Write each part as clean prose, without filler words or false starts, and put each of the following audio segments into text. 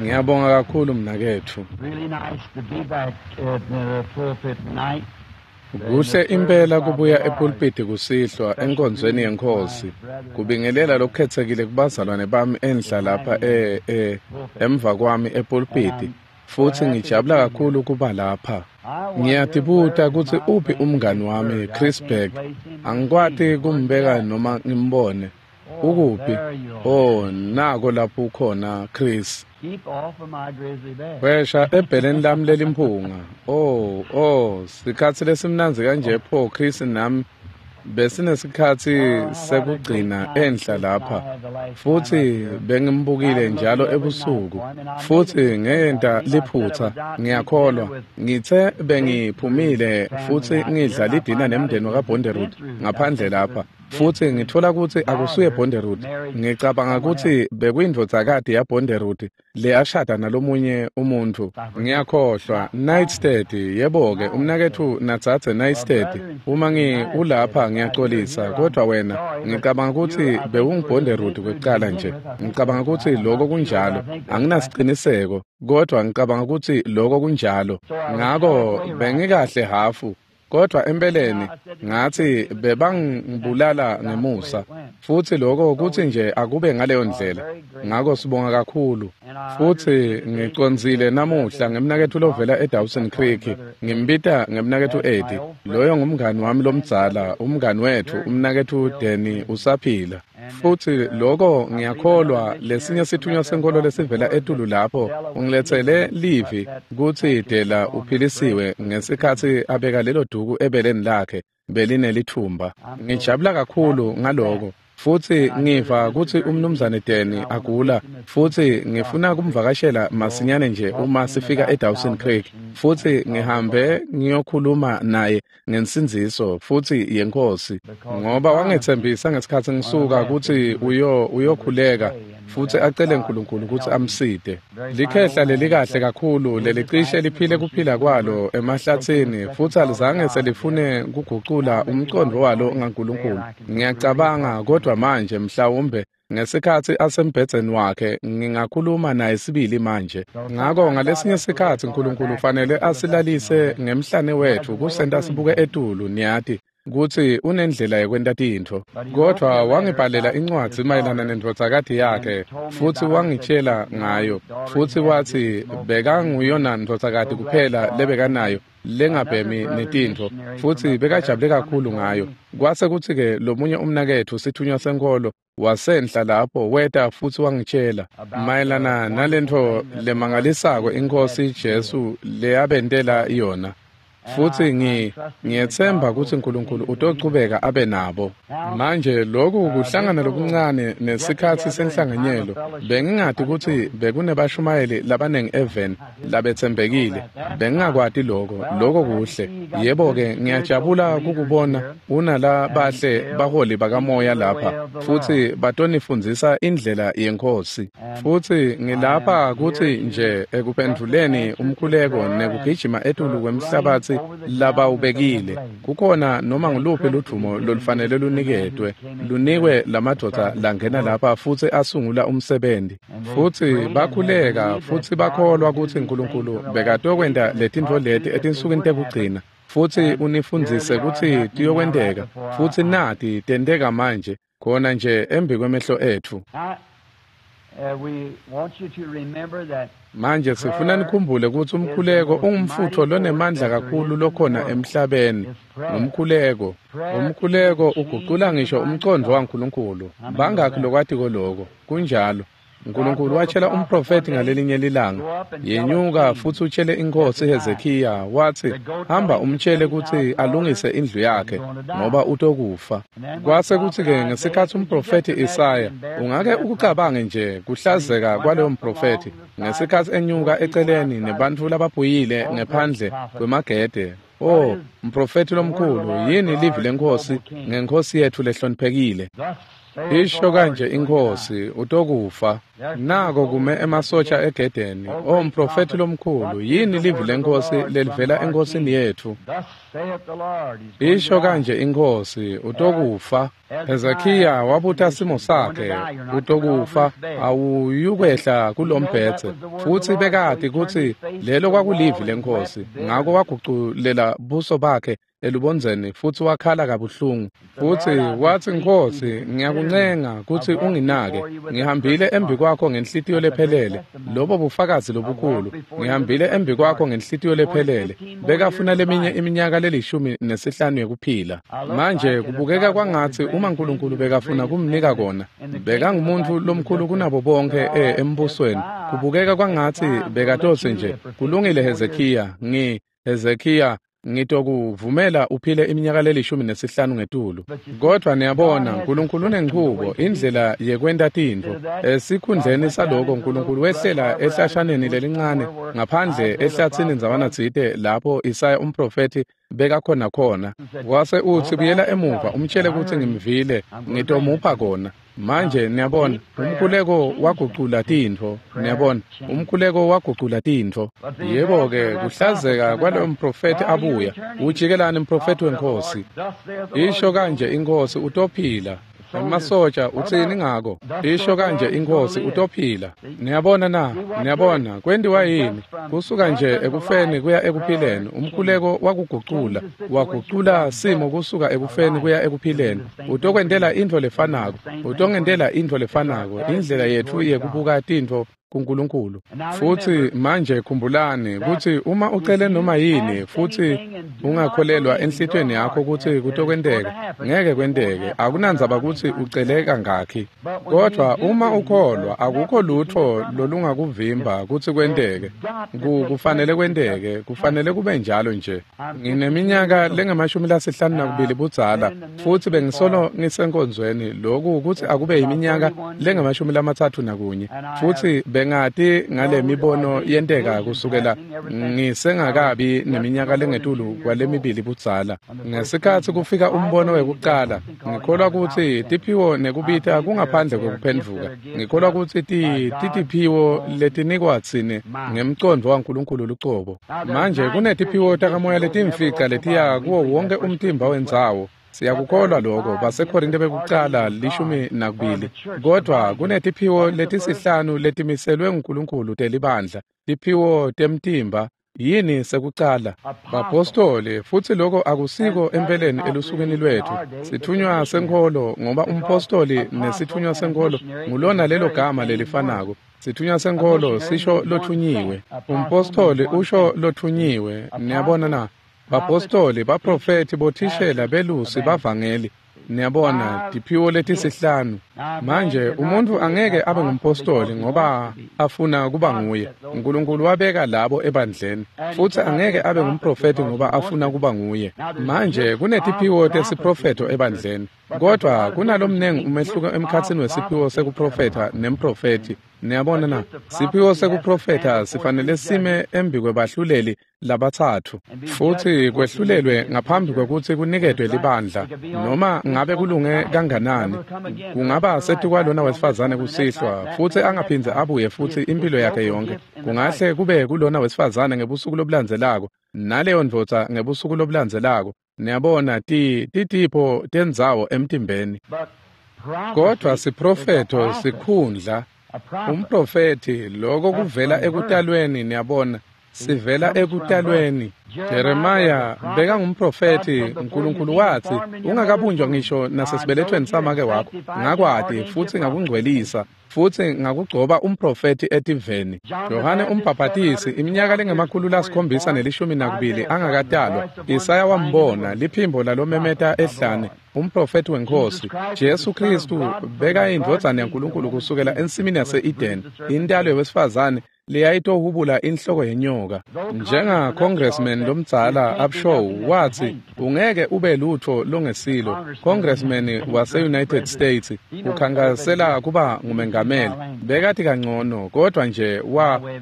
Ngiyabonga kakhulu mnaketfu. Really nice to be back at the pulpit tonight. Kuhle impela kubuya epulpiti kusihlwa enkonzweni yeNkhosi. Kubingelela lokukhetsekile kubazalwane bami enhla lapha emva kwami epulpiti. Futhi ngijabula kakhulu kuba lapha. Ngiyatibuta kutsi uphi umngani wami Chris Berg. Angikwati kumbeka noma ngimbone. Ukuphi? Oh, nako lapho ukhona Chris. Keep off of my grizzly bear. Wesha ebheleni lami lelimphunga. Oh, sikhatsi lesimnandzi kanje pho Chris nami besinesikhatsi sekugcina enhla lapha. Futhi bengimbukile njalo ebusuku. Futhi ngenta liphutha, ngiyakholwa. Ngithe bengiphumile futhi ngidla lidina nemndeni wakaBonderud ngaphandle lapha. Futhi ngithola ukuthi akusuye Bonderud. Ngicabanga ukuthi bekuyindvodzakati yaBonderud leyashada nalomunye umuntu. Ngiyakhohlwa Nightstead, yebo-ke umnaketfu nadzadze Nightstead. Uma ulapha ngiyaxolisa, kodwa wena ngicabanga ukuthi bewunguBonderud kwekucala nje. Ngicabanga ukuthi lokho kunjalo. Anginasiciniseko, kodwa ngicabanga ukuthi lokho kunjalo. Ngako bengikahle hafu. Kodwa empeleni ngathi bebangibulala ngemusa, futhi lokho kuthi nje akube ngaleyo ndlela. Ngako sibonga kakhulu. Futhi ngicondzile namuhla ngemnaketfu lovela eDawson Creek, ngimbita ngemnaketfu Eddie. Loyo ngumngani wami lomdzala, umngani wethu, umnaketfu Danny usaphila. Futhi lokho ngiyakholwa lesinye sithunywa senkolo lesivela etulu lapho ungiletsele livi kutsi Dela uphilisiwe ngesikhatsi abeka lelo duku ebeleni lakhe belinelithumba. Ngijabula kakhulu ngaloko. Futhi ngiva kutsi umnumzane Danny agula, futhi ngifuna kumvakashela masinyane nje uma sifika eDawson Creek. Futhi ngihambe ngiyokhuluma naye ngensindziso futhi yeNkhosi, ngoba wangetsembisa ngesikhatsi ngisuka kutsi uyokhuleka futhi acele uNkulunkulu ukuthi amside. Likhehla lelikahle kakhulu lelicishe liphile kuphila kwalo emahlatsini, futhi alizange selifune kugucula umcondvo walo ngaNkulunkulu. Ngiyacabanga kodwa manje mhlawumbe ngesikhatsi asembhedzeni wakhe ngingakhuluma naye sibili manje. Ngako ngalesinye sikhatsi uNkulunkulu ufanele asilalise ngemhlane wethu kusenta sibuke etulu, niyati kutsi unendlela yekwenta tintfo. Kodwa wangibhalela incwadzi mayelana nendvodzakati yakhe, futhi wangitshela ngayo, futhi watsi bekanguyona ndvodzakati kuphela lebekanayo lengabhemi netintfo, futhi bekajabule kakhulu ngayo. Kwase kutsi-ke lomunye umnaketfu sithunywa senkolo wasenhla lapho weta futhi wangitshela mayelana nalentfo lemangalisako iNkhosi Jesu leyabentela yona. Futhi ngiyetsemba kutsi uNkulunkulu utochubeka abe nabo. Manje lokhu kuhlangana lokuncane nesikhatsi senhlanganyelo. Bengingati kutsi bekunebashumayeli labanengi eveni labetsembekile. Bengingakwati lokho, lokho kuhle. Yebo-ke ngiyajabula kukubona unalabahle baholi bakamoya lapha, futhi batonifundzisa indlela yeNkhosi. Futhi ngilapha kutsi nje ekuphendvuleni umkhuleko nekugijima etulu kwemhlabatsi labawubekile. Kukhona noma nguluphi ludvumo lolufanele luniketwe, lunikwe lamadvodza langena lapha futhi asungula umsebenzi. Futhi bakhuleka futhi bakholwa kutsi uNkulunkulu bekatokwenta letintfo leti etinsukwini tekugcina, futhi unifundzise kutsi tiyokwenteka, futhi nati tenteka manje khona nje embi kwemehlo etfu. Manje sifuna nikhumbule kutsi umkhuleko ungumfutfo lonemandla kakhulu lokhona emhlabeni. Ngumkhuleko. Umkhuleko ugucula ngisho umcondvo waNkulunkulu. Bangakhi lokwatiko lokho? Kunjalo. uNkulunkulu watshela umprofethi ngalelinye lilanga, yenyuka futhi utshele iNkhosi Hezekiya, wathi hamba umtshele kutsi alungise indlu yakhe ngoba utokufa. Kwase kutsi-ke ngesikhatsi umprofethi Isaya, ungake ukucabange nje kuhlazeka kwaloyo mprofethi ngesikhatsi enyuka eceleni nebantfu labaphuyile ngephandle kwemagede. Oh, mprofethi lomkhulu, yini livi leNkhosi ngeNkhosi yetfu lehloniphekile? Isho kanje inkhosi, utokufa. Nako kume emasotja egedeni. O mprofethi lomkhulu, yini livi lenkosi lelivela enkosini yethu? Isho kanje inkhosi, utokufa. Hezekiya wabuta simo sakhe, utokufa, awuyukwehla kulombhedze. Futsi bekati kutsi lelo kwakulivi lenkosi, ngako waguculela buso bakhe elubondzeni futsi wakhala kabuhlungu. Futsi watsi, Nkhosi, ngiyakuncenga kutsi unginake. Ngihambile embi kwakho ngenhlitiyo lephelele. Lobo bufakazi lobukhulu. Ngihambile embi kwakho ngenhlitiyo lephelele. Bekafuna leminye iminyaka le15 yekuphila. Manje kubukeka kwangatsi uma uNkulunkulu bekafuna kumnika kona, bekangumuntu lomkhulu kunabo bonke embusweni. Kubukeka kwangatsi bekatotsi nje, kulungile Hezekiya, Hezekiya, ngitokuvumela uphile iminyaka le15 ngetulu. Kodwa niyabona, uNkulunkulu unenchubo, indlela yekwenta tintfo. Esikhundleni saloko, uNkulunkulu wehlela ehlashaneni lelincane ngaphandle ehlathini ndzawana tsite lapho Isaya umprofethi bekakhona khona. Wase utsi, buyela emuva umtshele kutsi ngimvile, ngitomupha kona. Manje niyabona, umkhuleko wagucula tintfo. Niyabona, umkhuleko wagucula tintfo. Yebo-ke, kuhlazeka kwaloyo mprofethi abuya. Ujikelani mprofethi wenkosi? Isho kanje inkhosi, utophila. Emasoja, utsini ngako? Isho kanje inkhosi, utophila. Niyabona na? Niyabona, kwentiwa yini? Kusuka nje ekufeni kuya ekuphileni. Umkhuleko wakugucula. Wagucula simo kusuka ekufeni kuya ekuphileni. Utokwentela intfo lefanako. Utongentela intfo lefanako. Indlela yetfu yekubuka tintfo kuNkulunkulu. Futsi manje khumbulani kutsi uma ucele noma yini futsi ungakholelwa enhlitiyweni yakho kutsi kutokwenteka, ngeke kwenteke. Akunandzaba kutsi ucele kangakhi. Kodwa uma ukholwa, akukho lutfo lolungakuvimba kutsi kwenteke. Kufanele kwenteke, kufanele kube njalo nje. Ngineminyaka lengama-52 budzala futsi bengisolo ngisenkonzweni lokhu kutsi akube iminyaka lengama-31 futsi bengati ngale mibono yenteka kusukela ngisengakabi neminyaka lengetulu kwalemibili budzala. Ngesikhatsi kufika umbono wekucala, ngikholwa kutsi tiphiwo nekubita kungaphandle kwekuphendvuka. Ngikholwa kutsi titiphiwo letinikwa tsine ngemcondvo waNkulunkulu lucobo. Manje kunetiphiwo takamoya letimfica letiya kuwo wonke umtimba wendzawo. Siyakukholwa lokho, baseKorinte bekucala 12. Kodwa kunetiphiwo letisihlanu letimiselwe nguNkulunkulu telibandla, tiphiwo temtimba. Yini sekucala? Bapostoli, futsi lokho akusiko empeleni elusukwini lwethu. Sithunywa senkholo, ngoba umpostoli nesithunywa senkholo ngulona lelo gama lelifanako. Sithunywa senkholo sisho lothunyiwe, umpostoli usho lothunyiwe. Niyabona na? Bapostoli, baprofethi, bothishela, belusi, bavangeli. Niyabona, tiphiwo letisihlanu. Manje umuntfu angeke abe ngumpostoli ngoba afuna kuba nguye. uNkulunkulu wabeka labo ebandleni. Futsi angeke abe ngumprofethi ngoba afuna kuba nguye. Manje kunetiphiwo tesiprofetho ebandleni. Kodwa kunalomnengi umehluko emkhatsini wesiphiwo sekuprofetha nemprofethi. Niyabona na? Siphiwo sekuprofetha sifanele sime embi kwebahluleli labatsatfu futsi kwehlulelwe ngaphambi kwekutsi kuniketwe libandla. Noma ngabe kulunge kanganani, kungaba setikwalona wesifazane kusihlwa futsi angaphindze abuye futsi impilo yakhe yonke. Kungahle kube kulona wesifazane ngebusuku lobulandzelako, naleyo ndvodza ngebusuku lobulandzelako. Niyabona, titipho tendzawo emtimbeni. Kodwa siprofetho sikhundla. Umprofethi, lokho kuvela ekutalweni. Niyabona, sivela ekutalweni. Jeremiah bekangumprofethi. uNkulunkulu watsi, ungakabunjwa ngisho nasesibelethweni samake wakho, ngakwati futsi ngakungcwelisa futsi ngakugcoba umprofethi etiveni. Yohane umbhaphatisi, iminyaka lengama-712 angakatalwa, Isaya wambona, liphimbo lalomemeta ehlane, umprofethi wenkosi. Jesu Kristu bekayindvodzana yaNkulunkulu kusukela ensimini yase-Eden, intalo yewesifazane leyayitohubula inhloko yenyoka. Njenga congressman lomdzala Upshaw watsi, ungeke ube lutfo longesilo. Congressman wase-United States ukhankasela kuba ngumengameli. Bekati kangcono, kodwa nje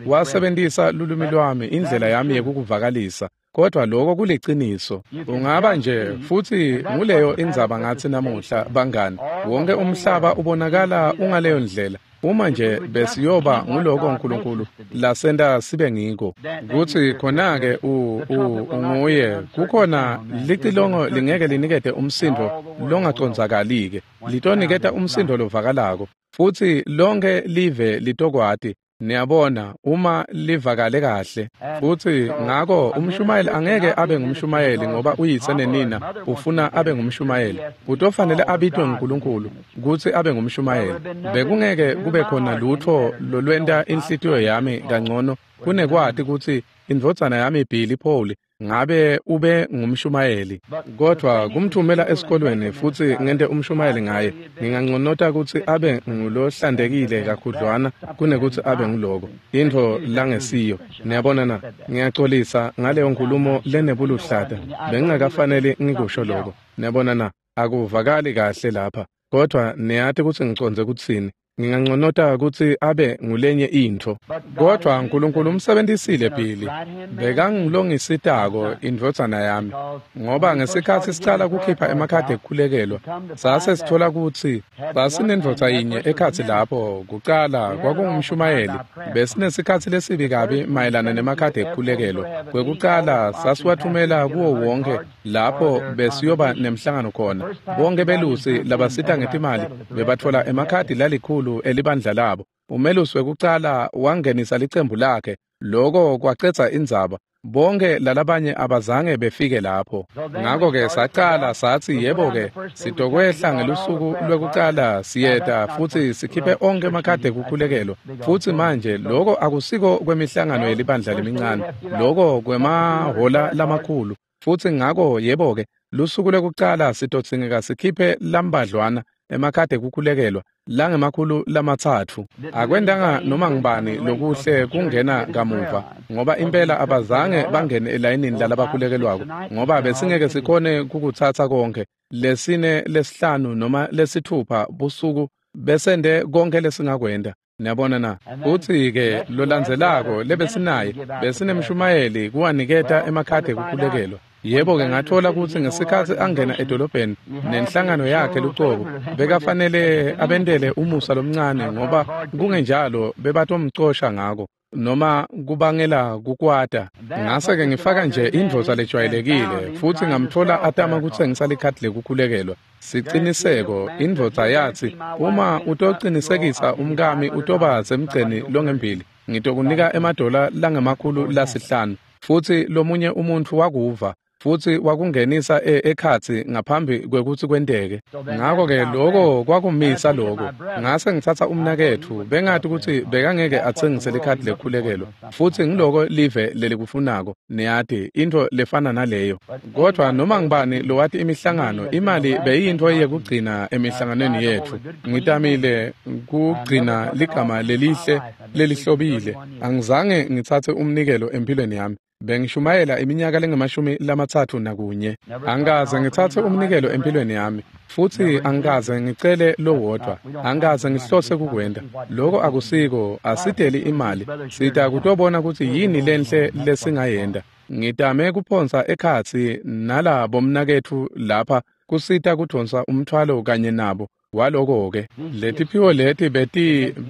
wasebentisa lulwimi lwami, indlela yami yekukuvakalisa. Kodwa lokho kuliciniso. Ungaba nje futhi nguleyo indzaba ngathi namuhla bangani. Wonke umhlaba ubonakala ungaleyo ndlela. Uma nje besiyoba nguloko uNkulunkulu lasenta sibe ngiko, kutsi khona-ke unguye. Kukhona licilongo lingeke linikete umsindo longacondzakali-ke, litoniketa umsindo lovakalako, futsi lonke live litokwati. Niyabona, uma livakale kahle. Futsi ngako umshumayeli angeke abe ngumshumayeli ngoba uyise nenina ufuna abe ngumshumayeli. Utofanele abitwe nguNkulunkulu kutsi abe ngumshumayeli. Bekungeke kube khona lutfo lolwenta inhlitiyo yami kangcono kunekwati kutsi indvodzana yami Billy Paul ngabe ube ngumshumayeli. Kodwa kumthumela esikolweni futsi ngente umshumayeli ngaye, nginganconota kutsi abe ngulohlantekile kakhudlwana kunekutsi abe nguloko intfo langesiyo. Niyabona na? Ngiyacolisa ngaleyo nkulumo lenebuluhlata, bengingakafaneli ngikusho loko. Niyabona na? Akuvakali kahle lapha, kodwa niyati kutsi ngicondze kutsini. Nginganconota kutsi abe ngulenye intfo. Kodwa uNkulunkulu umsebentisile Billy, bekangilongisitako indvodzana yami, ngoba ngesikhatsi sicala kukhipha emakhadi ekukhulekelwa, sase sithola kutsi sasinendvodza yinye ekhatsi lapho. Kucala kwakungumshumayeli. Besinesikhatsi lesibi kabi mayelana nemakhadi ekukhulekelwa. Kwekucala sasiwathumela kuwo wonke lapho besiyoba nemhlangano khona. Bonke belusi labasita ngetimali bebatfola emakhadi lalikhulu elibandla labo. Umelusi wekucala wangenisa licembu lakhe. Loko kwacedza indzaba. Bonke lalabanye abazange befike lapho. Ngako-ke sacala satsi, yebo-ke, sitokwehla ngelusuku lwekucala siyeta futsi sikhiphe onke emakhadi ekukhulekelwa. Futsi manje loko akusiko kwemihlangano yelibandla lemincane, loko kwemahola lamakhulu. Futsi ngako yebo-ke, lusuku lwekucala sitodzingeka sikhiphe lambadlwana emakhadi ekukhulekelwa langemakhulu 3. Akwentanga noma ngubani lokuhle kungena kamuva, ngoba impela abazange bangene elayinini lalabakhulekelwako, ngoba besingeke sikhone kukutsatsa konke. 4, 5 noma 6 busuku besente konke lesingakwenta. Niyabona na? Futsi-ke lolandzelako lebesinaye besinemshumayeli kuwaniketa emakhadi ekukhulekelwa. Yebo-ke, ngatfola kutsi ngesikhatsi angena edolobheni nenhlangano yakhe lucobo, bekafanele abentele umusa lomncane, ngoba kungenjalo bebatomcosha ngako noma kubangela kukwata. Ngase-ke ngifaka nje indvodza lejwayelekile futsi ngamtfola atama kutsengisa likhadi lekukhulekelwa. Siciniseko, indvodza yatsi, uma utocinisekisa umkami utoba semgceni longembili, ngitokunika $500. Futsi lomunye umuntfu wakuva futsi wakungenisa ekhatsi ngaphambi kwekutsi kwenteke. Ngako-ke loko kwakumisa loko. Ngase ngitsatsa umnaketfu, bengati kutsi bekangeke atsengise likhadi lekukhulekelwa. Futsi ngiloko live lelikufunako, niyati, intfo lefana naleyo. Kodwa noma ngubani lowati imihlangano, imali beyiyintfo yekugcina emihlanganweni yetfu. Ngitamile kugcina ligama lelihle lelihlobile. Angizange ngitsatse umnikelo empilweni yami. Bengishumayela iminyaka lengama-31. Angikaze ngitsatse umnikelo empilweni yami, futsi angikaze ngicele lowodvwa. Angikaze ngihlose kukwenta. Loko akusiko, asideli imali. Sita kutobona kutsi yini lenhle lesingayenta. Ngitame kuphonsa ekhatsi nalabo mnaketfu lapha kusita kudvonsa umthwalo kanye nabo. Waloko-ke letiphiwo leti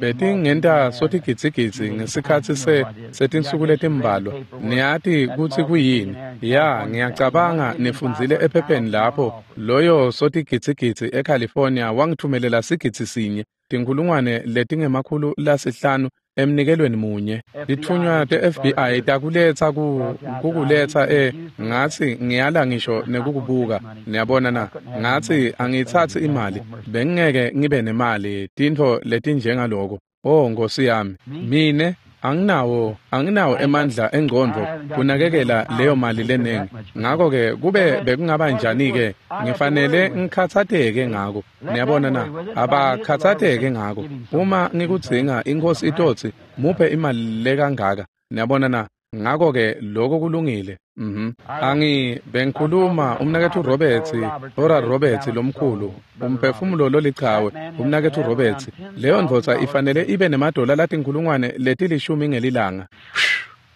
betingenta sotigidzigidzi ngesikhatsi setinsuku letimbalwa. Niyati kutsi kuyini? Ya, ngiyacabanga nifundzile ephepheni lapho loyo sotigidzigidzi eCalifornia wangithumelela 1,000 500,000 emnikelweni munye. Titfunywa te-FBI takuletsa kukuletsa ngatsi ngiyala ngisho nekukubuka. Niyabona na? Ngatsi angiyitsatsi imali, bengingeke ngibe nemali tintfo letinjengaloko. Oh Nkosi yami, mine anginawo emandla engcondvo kunakekela leyo mali lenengi. Ngako-ke kube bekungaba njani-ke, ngifanele ngikhatsateke ngako. Niyabona na? Abakhatsateke ngako. Uma ngikudzinga, iNkhosi itotsi muphe imali lekangaka. Niyabona na? Ngako-ke lokho kulungile. Bengikhuluma umnaketfu Roberts, Oral Roberts lomkhulu, umphefumulo lolichawe, umnaketfu Roberts. Leyo ndvodza ifanele ibe nemadola 10,000 ngelilanga.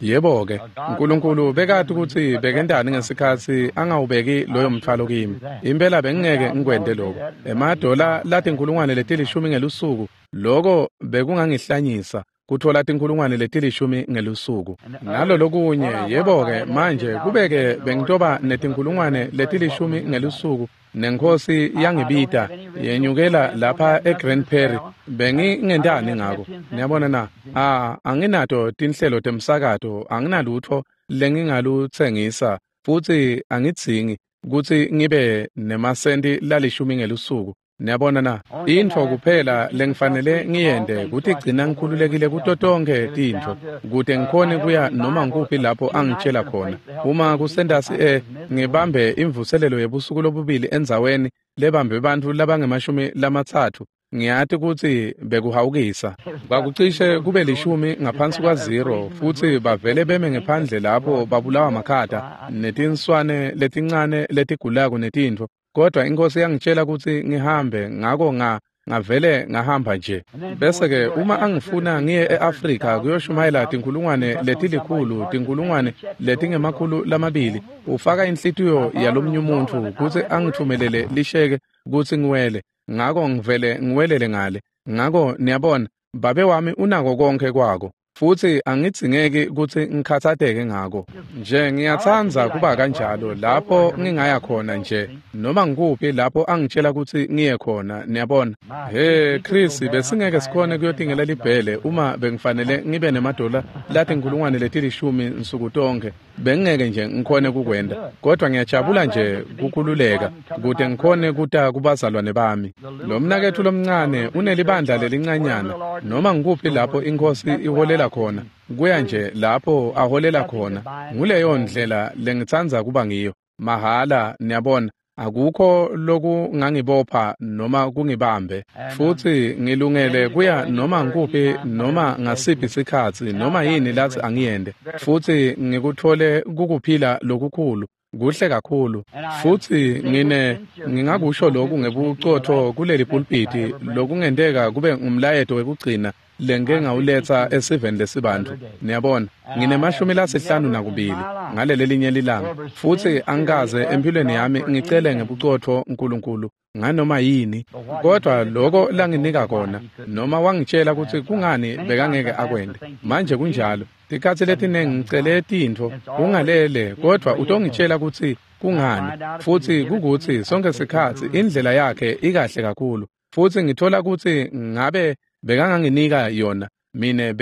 Yebo-ke, uNkulunkulu bekati kutsi bekentani ngesikhatsi angawubeki loyo mtfwalo kimi. Impela bengingeke ngikwente lokho. Emadola lati10,000 ngelusuku, lokho bekungangihlanyisa kuthola 10,000 ngelusuku. Nalolokunye, yebo-ke, manje kubeke bengitoba ne10,000 ngelusuku nenkhosi yangibita yenyukela lapha eGrand Prairie, bengingentani ngako? Niyabona na? Anginato tinhlelo temsakato, anginalutho lengingalutsengisa, futsi angidzingi kutsi ngibe nemasenti lalishumi ngelusuku. Niyabona na? Intfo kuphela lengifanele ngiyente kutigcina ngikhululekile kuto tonkhe tintfo, kute ngikhone kuya noma ngikuphi lapho angitshela khona. Uma kusentasi ngibambe imvuselelo yebusuku lobubili endzaweni lebambe bantfu labange-30, ngiyati kutsi bekuhawukisa. Kwakucishe kube 0.10 futsi bavele beme ngephandle lapho babulawa makhata netinswane letincane letigulako netintfo. Kodwa iNkhosi yangitshela kutsi ngihambe, ngako ngavele ngahamba nje. Bese-ke uma angifuna ngiye e-Afrika kuyoshumayela 100,000, 200,000, ufaka inhlitiyo yalomunye umuntfu kutsi angitfumelele lisheke kutsi ngiwele. Ngako ngivele ngiwelele ngale. Ngako niyabona, babe wami unako konke kwako, futsi angidzingeki kutsi ngikhatsateke ngako. Nje ngiyatsandza kuba kanjalo lapho ngingaya khona nje, noma ngikuphi lapho angitshela kutsi ngiye khona, niyabona. He Chris, besingeke sikhone kuyotingela libhele uma bengifanele ngibe nemadola lati10,000 nsuku tonkhe. Bengingeke nje ngikhone kukwenta, kodwa ngiyajabula nje kukhululeka kute ngikhone kuta kubazalwane bami. Lo mnaketfu lomncane unelibandla lelincanyana, noma ngikuphi lapho iNkhosi iholela khona, kuya nje lapho aholela khona. Nguleyo ndlela lengitsandza kuba ngiyo, mahhala, niyabona. Akukho lokungangibopha noma kungibambe, futsi ngilungele kuya noma ngikuphi noma ngasiphi sikhatsi noma yini lathi angiyende, futsi ngikuthole kukuphila lokukhulu, kuhle kakhulu. Futsi ngingakusho lokhu ngebucotho kuleli pulpiti, lokungenteka kube ngumlayeto wekugcina lengike ngawuletsa esiveni lesibantfu. Niyabona, ngine-52 ngalelelinye lilanga, futsi angikaze empilweni yami ngicele ngebucotho uNkulunkulu nganoma yini, kodwa lokho langinika kona, noma wangitshela kutsi kungani bekangeke akwente. Manje kunjalo, tikhatsi letinengi ngicele tintfo ungalele, kodwa utongitshela kutsi kungani, futsi kukutsi sonke sikhatsi indlela yakhe ikahle kakhulu, futsi ngithola kutsi ngabe bekanganginika yona mine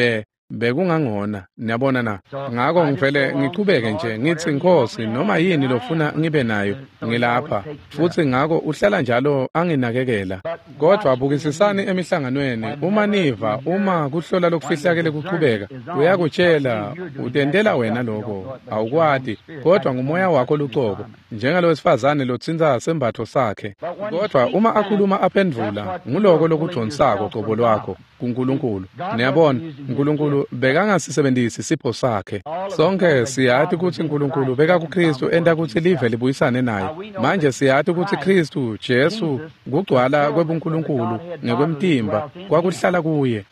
bekungangona. Niyabona na? Ngako ngivele ngichubeke nje ngitsi, Nkhosi, noma yini lofuna ngibe nayo, ngilapha. Futsi ngako uhlala njalo anginakekela. Kodwa bukisisani emihlanganweni, uma niva, uma kuhlola lokufihlakele kuchubeka, uyakutshela, utentela wena lokho, awukwati, kodwa ngumoya wakho lucobo, njengalowesifazane lotsintsa sembatfo sakhe. Kodwa uma akhuluma aphendvula, nguloko lokudonsako cobo lwakho kuNkulunkulu. Niyabona, uNkulunkulu bekangasisebenzisi sipho sakhe. Sonke siyati kutsi uNkulunkulu bekakuKristu enta kutsi live libuyisane naye. Manje siyati kutsi Kristu Jesu kugcwala kwebuNkulunkulu ngekwemtimba kwakuhlala kuye.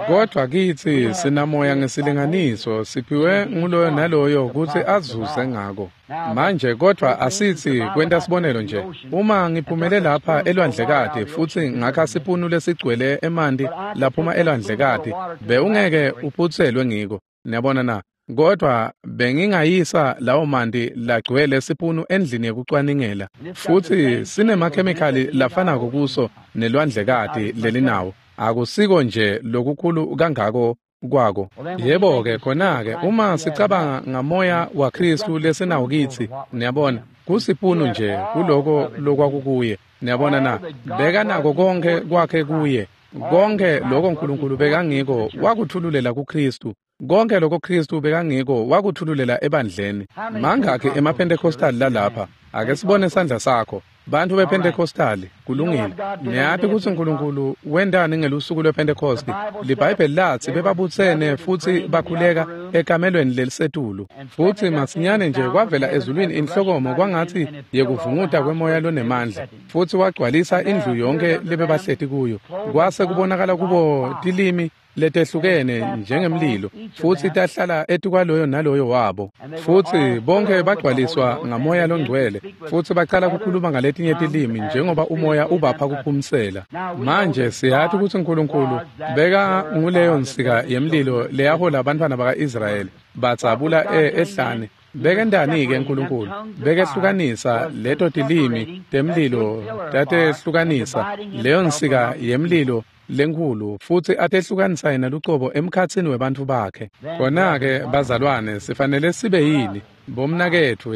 Kodwa kitsi sinamoya ngesilinganiso, siphiwe nguloyo naloyo kutsi azuze ngako. Manje kodwa asitsi kwenta sibonelo nje, uma ngiphumele lapha elwandlekati futsi ngakha sipunu lesigcwele emanti laphuma elwandlekati, bewungeke uphutselwe ngiko. Niyabona na? Kodwa bengingayisa lawo manti lagcwele sipunu endlini yekucwaningela, futsi sinemakhemikhali lafanako kuso nelwandlekati lelinawo. Akusiko nje lokukhulu kangako kwako. Yebo-ke, khona-ke uma sicabanga ngamoya waKristu lesinawo kitsi, niyabona, kusipunu nje kuloko lokwakukuye. Niyabona na? Bekanako konke kwakhe kuye. Konke lokho uNkulunkulu bekangiko wakuthululela kuKristu. Konke lokho Kristu bekangiko wakuthululela ebandleni. Mangakhi emaPentecostal lalapha? Ake sibone sandla sakho. Bantfu bePentecostali, kulungile. Niyati kutsi uNkulunkulu wentani ngelusuku lwePentecost? LiBhayibheli latsi bebabutsene futsi bakhuleka ekamelweni lelisetulu. Futsi masinyane nje kwavela ezulwini inhlokomo kwangatsi yekuvunguta kwemoya lonemandla, futsi wagcwalisa indlu yonke lebebahleti kuyo. Kwase kubonakala kubo tilimi letehlukene njengemlilo, futsi tahlala etukwaloyo naloyo wabo. Futsi bonke bagcwaliswa ngaMoya loNgcwele, futsi bacala kukhuluma ngaletinye tilimi njengoba umoya ubapha kuphumsela. Manje siyati kutsi Nkulunkulu beka nguleyo nsika yemlilo leyahola abantwana baka-Israyeli batsabula ehlane. Bekentani-ke Nkulunkulu? Bekehlukanisa leto tilimi temlilo, tatehlukanisa leyo nsika yemlilo lenkhulu, futsi atehlukanisa yena lucobo emkhatsini webantfu bakhe. Khona-ke bazalwane, sifanele sibe yini? Bomnaketfu,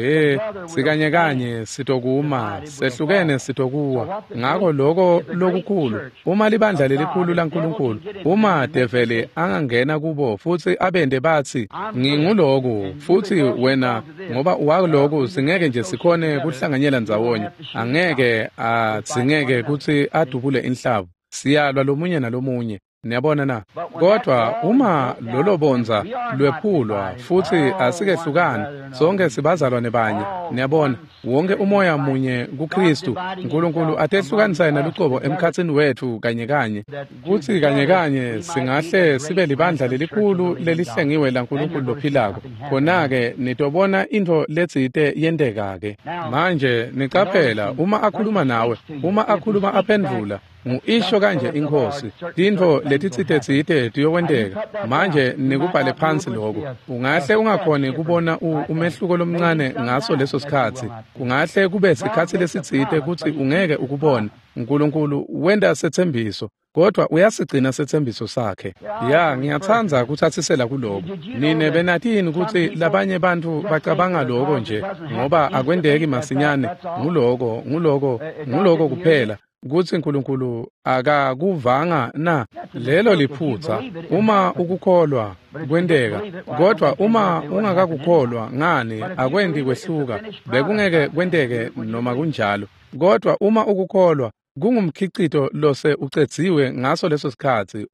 sikanye kanye sitokuma, sehlukene sitokuwa. Ngako loko lokukhulu, uma libandla lelikhulu laNkulunkulu, uma develi angangena kubo futsi abende batsi nginguloku, futsi wena ngoba uwaloku, singeke nje sikhone kuhlanganyela ndzawonye, angeke adzingeke kutsi adubule inhlavu. Siyalwa lomunye nalomunye. Niyabona na? Kodwa uma lolo bondza lwephulwa futsi asikehlukani, sonke sibazalwane banye. Niyabona, wonke umoya munye kuKristu. Nkulunkulu atehlukanisa yena lucobo emkhatsini wetfu kanye kanye, kutsi kanye kanye singahle sibe libandla lelikhulu lelihlengiwe laNkulunkulu lophilako. Khona-ke nitobona intfo letsite yenteka-ke. Manje nicaphela, uma akhuluma nawe, uma akhuluma aphendvula, ngu-isho kanje iNkhosi, tintfo letitsite-tsite tiyokwenteka. Manje nikubhale phansi lokho. Ungahle ungakhoni kubona umehluko lomncane ngaso leso sikhatsi. Kungahle kube sikhatsi lesitsite kutsi ungeke ukubone. Nkulunkulu wenta setsembiso, kodwa uyasigcina setsembiso sakhe. Ya, ngiyatsandza kutsatsisela kuloko. Nine benatini kutsi labanye bantfu bacabanga loko nje ngoba akwenteki masinyane? Nguloko, nguloko, nguloko kuphela. Kutsi Nkulunkulu akakuvanga na? Lelo liphutsa. Uma ukukholwa kwenteka, kodwa uma ungakakukholwa ngani akwenti kwehluka, bekungeke kwenteke noma kunjalo. Kodwa uma ukukholwa, kungumkhicito lose ucedziwe ngaso leso sikhatsi,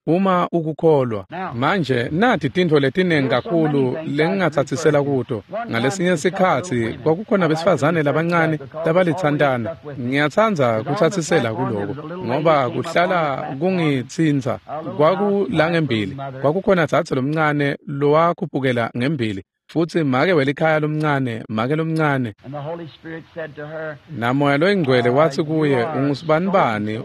uma ukukholwa. Manje nathi tintfo letinengi kakhulu lengingatsatsisela kuto. Ngalesinye sikhatsi kwakukhona besifazane labancane labalitsantana. Ngiyatsandza kutsatsisela kuloko ngoba kuhlala kungitsintsa. Kwakulangembili kwakukhona dzadze lomncane lowakhuphukela ngembili, futsi make welikhaya lomncane, make lomncane. Namoya loyingcwele watsi kuye, ungusibanibani,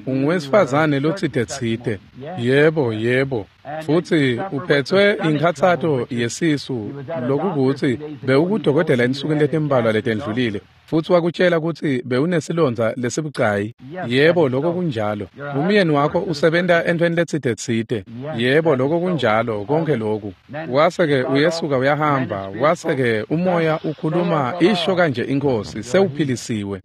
unguwesifazane lotsite-tsite. Yebo, yebo. Futsi uphethwe inkhatsato yesisu, lokukutsi bewukudokotela ensukwini letimbalwa letendlulile, futsi wakutshela kutsi bewunesilondza lesibucayi. Yebo, lokho kunjalo. Umyeni wakho usebenta entweni letsite-tsite. Yebo, lokho kunjalo, konke lokhu. Wase-ke uyesuka uyahamba, wase-ke umoya ukhuluma, isho kanje iNkhosi, sewuphilisiwe.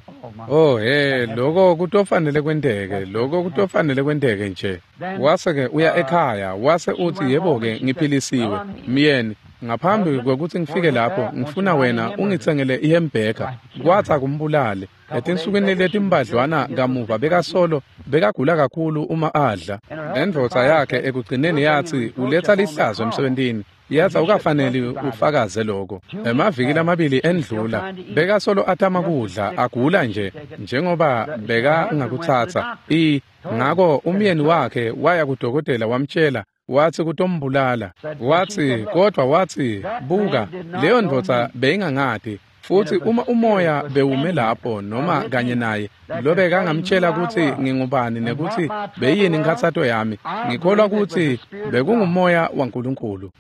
Oh he, lokho kutofanele kwenteke, lokho kutofanele kwenteke nje. Wase-ke uya ekhaya, wase uthi, yebo-ke, ngiphilisiwe. Myeni, ngaphambi kwekutsi ngifike lapho, ngifuna wena ungitsengele ihembheka. Kwatsi akumbulale. Etinsukwini letimbadlwana kamuva bekasolo bekagula kakhulu uma adla. Lendvodza yakhe ekugcineni yatsi uletsa lihlazo emsebentini. Yatsi awukafaneli ufakaze lokho. Emaviki lamabili endlula, bekasolo atama kudla, agula nje njengoba bekangakutsatsa. Ngako umyeni wakhe waya kudokotela wamtshela, watsi kutombulala. Watsi, kodwa watsi, buka, leyo ndvodza beyingangati. Futsi uma umoya bewume lapho noma kanye naye, lobekangamtshela kutsi ngingubani nekutsi beyini inkhatsato yami, ngikholwa kutsi bekungumoya waNkulunkulu.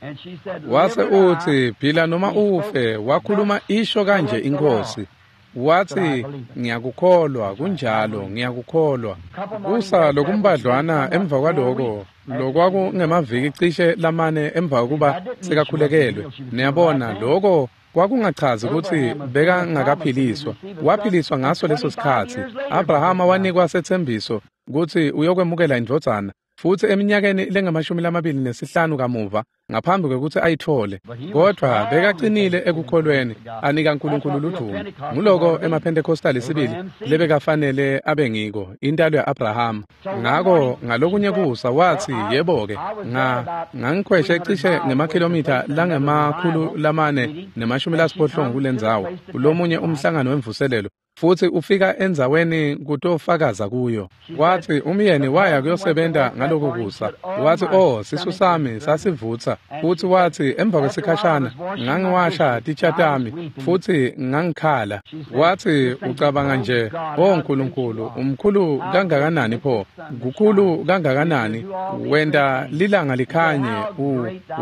Wase utsi, phila noma ufe, wakhuluma isho kanje iNkhosi. Watsi, ngiyakukholwa, kunjalo, ngiyakukholwa. Kusa lokumbadlwana emva kwaloko, lokwakungemaviki cishe lamane emva kokuba sekakhulekelwe. Niyabona, loko kwakungachazi kutsi bekangakaphiliswa. Waphiliswa ngaso leso sikhatsi. Abrahama wanikwa setsembiso kutsi uyokwemukela indvodzana, futsi eminyakeni lengamashumi 25 kamuva, ngaphambi kwekutsi ayitfole. Kodwa bekacinile ekukholweni, anika Nkulunkulu ludumo. Nguloko emaPentecostal sibili lebekafanele abe ngiko, intalo ya-Abrahama. Ngako ngalokunye kusa watsi, yebo-ke, ngangikhweshe cishe ngemakhilomitha langema-480 kulendzawo, kulomunye umhlangano wemvuselelo. Futsi ufika endzaweni kutofakaza kuyo. Wathi umyeni waya kuyosebenta ngaloko kusa. Wathi, "Oh, sisu sami sasivutsa." Futhi wathi emva kwesikhashana ngangiwasha titsha tami futhi ngangikhala. Wathi ucabanga nje, "Oh Nkulunkulu, umkhulu kangakanani pho? Kukhulu kangakanani? Wenta lilanga likhanye,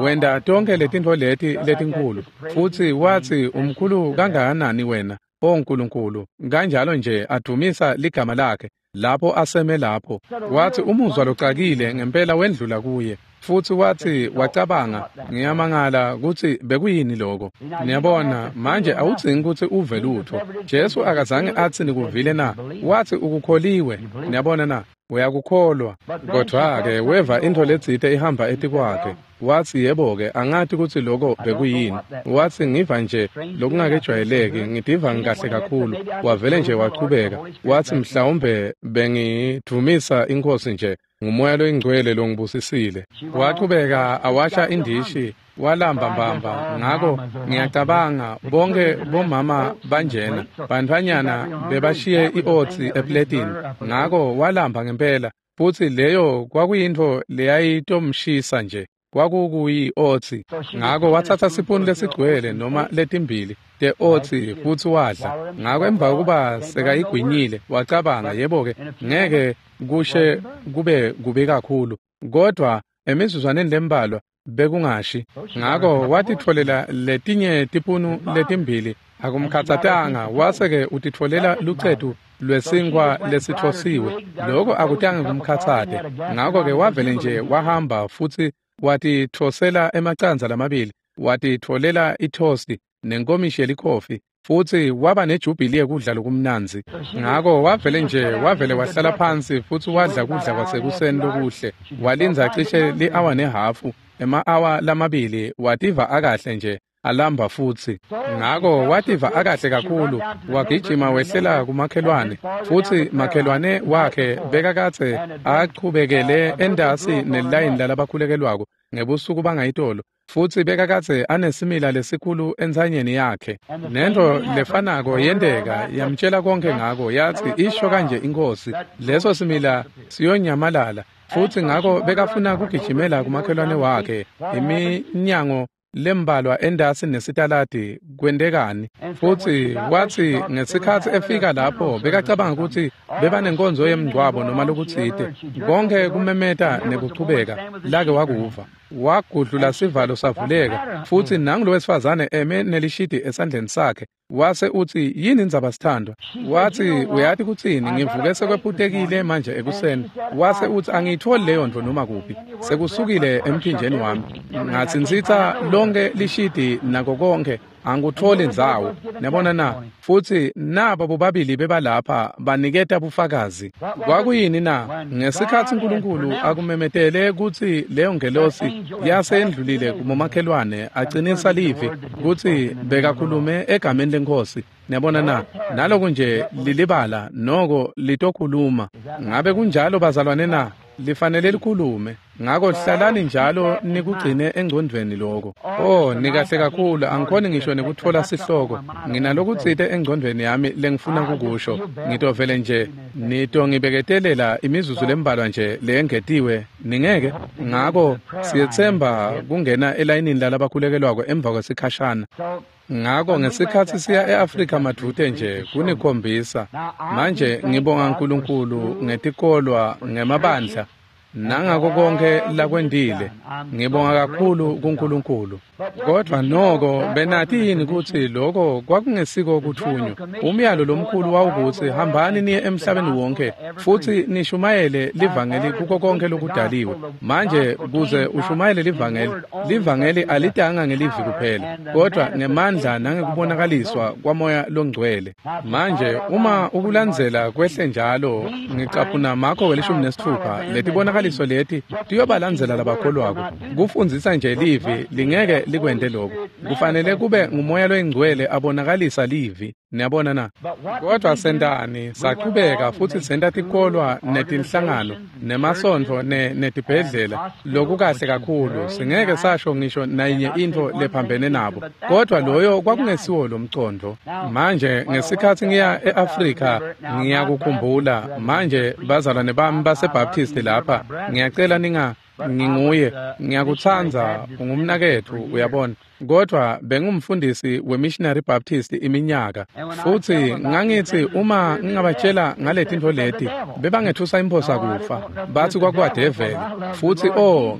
wenta tonke letintfo leti letinkulu." Futhi wathi umkhulu kangakanani wena, O Nkulunkulu, kanjalo nje adumisa ligama lakhe lapho aseme lapho. Wathi umuzwa locakile ngempela wendlula kuye. Futhi wathi wacabanga, ngiyamangala kutsi bekuyini lokho. Niyabona, manje awudzingi kutsi uve lutho. Jesu akazange atsi nikuvile na? Wathi ukukholiwe. Niyabona na? Uyakukholwa. Kodwa-ke weva intfo letsite ihamba etikwakhe. Wathi yebo-ke, angati kutsi lokho bekuyini. Wathi ngiva nje lokungakejwayeleki, ngitiva ngikahle kakhulu. Wavele nje wachubeka. Wathi mhlawumbe bengidvumisa iNkhosi nje, ngumoya loyingcwele longibusisile. Wachubeka awasha indishi, walamba mbamba. Ngako ngiyacabanga bonke bomama banjena, bantfwanyana bebashiye i-otsi epletini. Ngako walamba ngempela, futsi leyo kwakuyintfo leyayitomshisa nje. Kwakukuyi-otsi. Ngako watsatsa sipuni lesigcwele noma letimbili te-otsi futsi wadla. Ngako emva kokuba sekayigwinyile wacabanga, yebo-ke, ngeke kushe kube kubi kakhulu, kodwa emizuzwaneni lembalwa bekungashi. Ngako watitfolela letinye tipunu letimbili, akumkhatsatanga, wase-ke utitfolela lucetu lwesinkhwa lesitfosiwe. Loko akutange kumkhatsate. Ngako-ke wavele nje wahamba futsi watitfosela emacandza lamabili, watitfolela ithosti nenkomishi yelikhofi, futsi waba nejubhili yekudla lokumnandzi. Ngako wavele nje wavele wahlala phansi futsi wadla kudla kwasekuseni lokuhle. Walindza cishe li-awa nehafu, ema-awa lamabili, wativa akahle nje, alamba futsi. Ngako wativa akahle kakhulu, wagijima wehlela kumakhelwane, futsi makhelwane wakhe bekakadze achubekele entasi nelayini lalabakhulekelwako ngebusuku bangayitolo, futsi bekakadze anesimila lesikhulu entsanyeni yakhe. Nento lefanako yenteka, yamtshela konke ngako, yathi isho kanje iNkhosi, leso simila siyonyamalala. Futsi ngako bekafuna kugijimela kumakhelwane wakhe iminyango lembalwa entasi nesitaladi. Kwentekani? Futsi wathi ngesikhatsi efika lapho bekacabanga kutsi bebanenkonzo yemngcwabo noma lokutsite, konke kumemeta nekuchubeka lake wakuva. Wagudlula sivalo savuleka, futsi nangu lowesifazane eme nelishidi esandleni sakhe. Wase utsi, yini indzaba sithandwa? Wathi uyati kutsini, ngivuke sekwephutekile manje ekuseni. Wase utsi angiyitholi leyo ntfo noma kuphi, sekusukile emphinjeni wami. Ngatsintsitsa lonke lishidi nako konke, angikutholi ndzawo. Niyabona na? Futsi naba bobabili bebalapha baniketa bufakazi. Kwakuyini na? Ngesikhatsi Nkulunkulu akumemetele kutsi leyo ngelosi yasendlulile kubomakhelwane, acinisa livi kutsi bekakhulume egameni leNkhosi. Niyabona na? Naloku nje lilibala noko litokhuluma. Ngabe kunjalo bazalwane na? Lifanele likhulume. Ngako hlalani njalo nikugcine engcondvweni lokho. Oh, nikahle kakhulu, angikhoni ngisho nekutfola sihloko. Nginalokutsite engcondvweni yami lengifuna kukusho. Ngitovele nje nitongibeketelela imizuzu lembalwa nje leyengetiwe, ningeke? Ngako siyetsemba kungena elayinini lalabakhulekelwako emva kwesikhashana. Ngako ngesikhatsi siya e-Afrika madvute nje kunikhombisa. Manje ngibonga Nkulunkulu ngetikolwa, ngemabandla, nangako konke lakwentile. Ngibonga kakhulu kuNkulunkulu. Kodwa noko benati yini kutsi lokho kwakungesiko kuthunywa? Umyalo lomkhulu wawukutsi hambani niye emhlabeni wonke futsi nishumayele livangeli kuko konke lokudaliwe. Manje kuze ushumayele livangeli, livangeli alitanga ngelivi kuphela, kodwa ngemandla nangekubonakaliswa kwaMoya loNgcwele. Manje uma ukulandzela kwehle njalo, ngicaphuna Marko 16, letibonakaliso leti tiyobalandzela labakholwako. Kufundzisa nje livi lingeke likwente lokho. Kufanele kube nguMoya loyiNgcwele abonakalisa livi. Niyabona na? Kodwa sentani? Sachubeka futhi senta tikolwa netinhlangano nemasontfo netibhedlela, lokukahle kakhulu. Singeke sasho ngisho nayinye intfo lephambene nabo. Kodwa loyo kwakungesiwo lo mcondvo. Manje ngesikhatsi ngiya e-Afrika ngiyakukhumbula. Manje bazalwane bami baseBaptist lapha, ngiyacela nginguye, ngiyakutsandza, ungumnaketfu, uyabona. Kodwa bengumfundisi weMissionary Baptist iminyaka, futhi ngangithi uma ngingabatshela ngaletintfo leti bebangethusa imphosa kufa, bathi kwakwadeveli. Futhi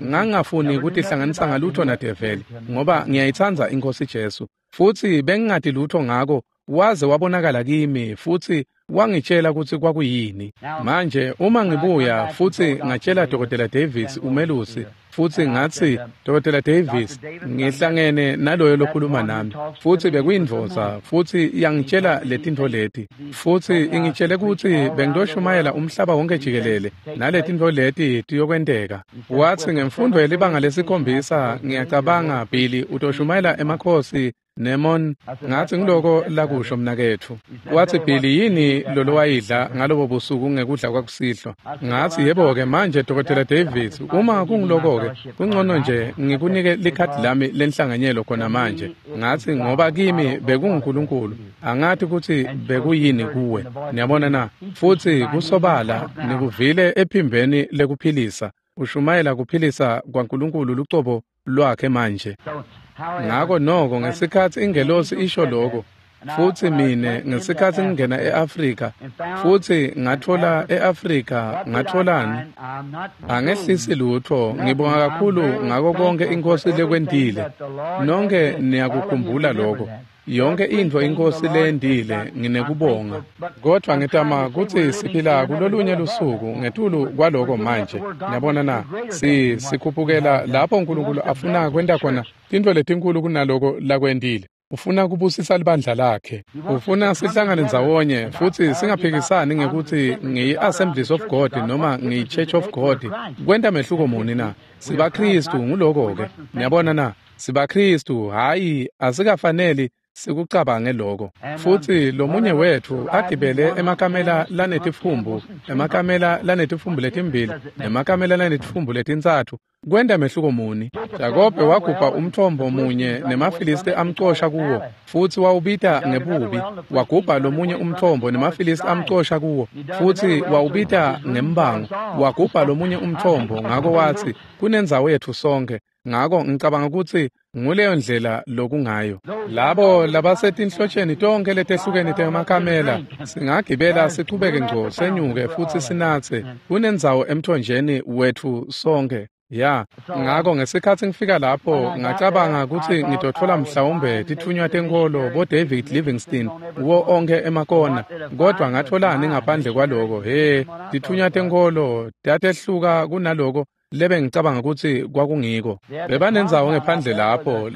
ngangingafuni kutihlanganisa ngalutho nadeveli, ngoba ngiyayitsandza iNkhosi Jesu, futhi bengingati lutho ngako waze wabonakala kimi futhi wangitshela ukuthi kwakuyini. Manje uma ngibuya futhi ngatshela Dr. Davis umelusi, futhi ngathi, Dr. Davis, ngihlangene naloyo lokhuluma nami, futhi bekuyindvodza, futhi yangitshela letintfo leti, futhi ingitshele ukuthi bengitoshumayela umhlaba wonke jikelele naletintfo leti tiyokwenteka. Wathi ngemfundo yelibanga lesikhombisa ngiyacabanga Billy utoshumayela emakhosi Nemon. Ngathi ngiloko lakusho mnaketfu. Wathi, Billy, yini lolowayidla ngalobo busuku ngekudla kwakusihlwa? Ngathi, yebo-ke manje Dr. Davis, uma kungiloko-ke kungcono nje ngikunike likhadi lami lenhlanganyelo khona manje. Ngathi, ngoba kimi bekunguNkulunkulu, angathi ukuthi bekuyini kuwe. Niyabona na? Futhi kusobala nikuvile ephimbeni lekuphilisa, ushumayela kuphilisa kwaNkulunkulu lucobo lwakhe manje. Ngako noko ngesikhatsi ingelosi isho lokho, futhi mine ngesikhatsi ngingena e-Afrika, futhi ngathola e-Afrika, ngatholani? Angehlisi lutho, ngibonga kakhulu ngako konke iNkhosi lekwentile. Nonke niyakukhumbula lokho. Yonke intfo iNkhosi leyentile nginekubonga. Kodwa ngitama kutsi siphila kulolunye lusuku ngetulu kwaloko manje. Niyabona na? Sikhuphukela lapho uNkulunkulu afuna kwenta khona tintfo letinkulu kunaloko lakwentile. Ufuna kubusisa libandla lakhe. Ufuna sihlangane ndzawonye futhi singaphikisani ngekuthi ngiyi-Assemblies of God noma ngiyi-Church of God. Kwenta mehluko muni na? SibaKristu nguloko-ke. Niyabona na? SibaKristu, hhayi asikafaneli sikucabange lokho. Futhi lomunye wethu agibele emakamela lanetifumbu, emakamela lanetifumbu letimbili, nemakamela lanetifumbu letintsatfu. Kwenta mehluko muni? Jakobe wagubha umthombo munye nemaFilisti amcosha kuwo, futhi wawubita ngebubi. Wagubha lomunye umthombo nemaFilisti amcosha kuwo, futhi wawubita ngembango. Wagubha lomunye umthombo, ngako wathi kunendzawo yetfu sonke. Ngako ngicabanga ukuthi nguleyo ndlela lokungayo. Labo labasetinhlotsheni tonke letehlukene temakamela singagibela sichubeke ngco senyuke futhi sinatse. Kunendzawo emthonjeni wetfu sonke. Ya, ngako ngesikhatsi ngifika lapho ngacabanga kutsi ngitotfola mhlawumbe titfunywa tenkholo bo David Livingstone wo onke emakona, kodwa ngatholani ngaphandle kwaloko? He, titfunywa tenkholo tatehluka kunaloko lebe ngicabanga kutsi kwakungiko. Bebanendzawo ngephandle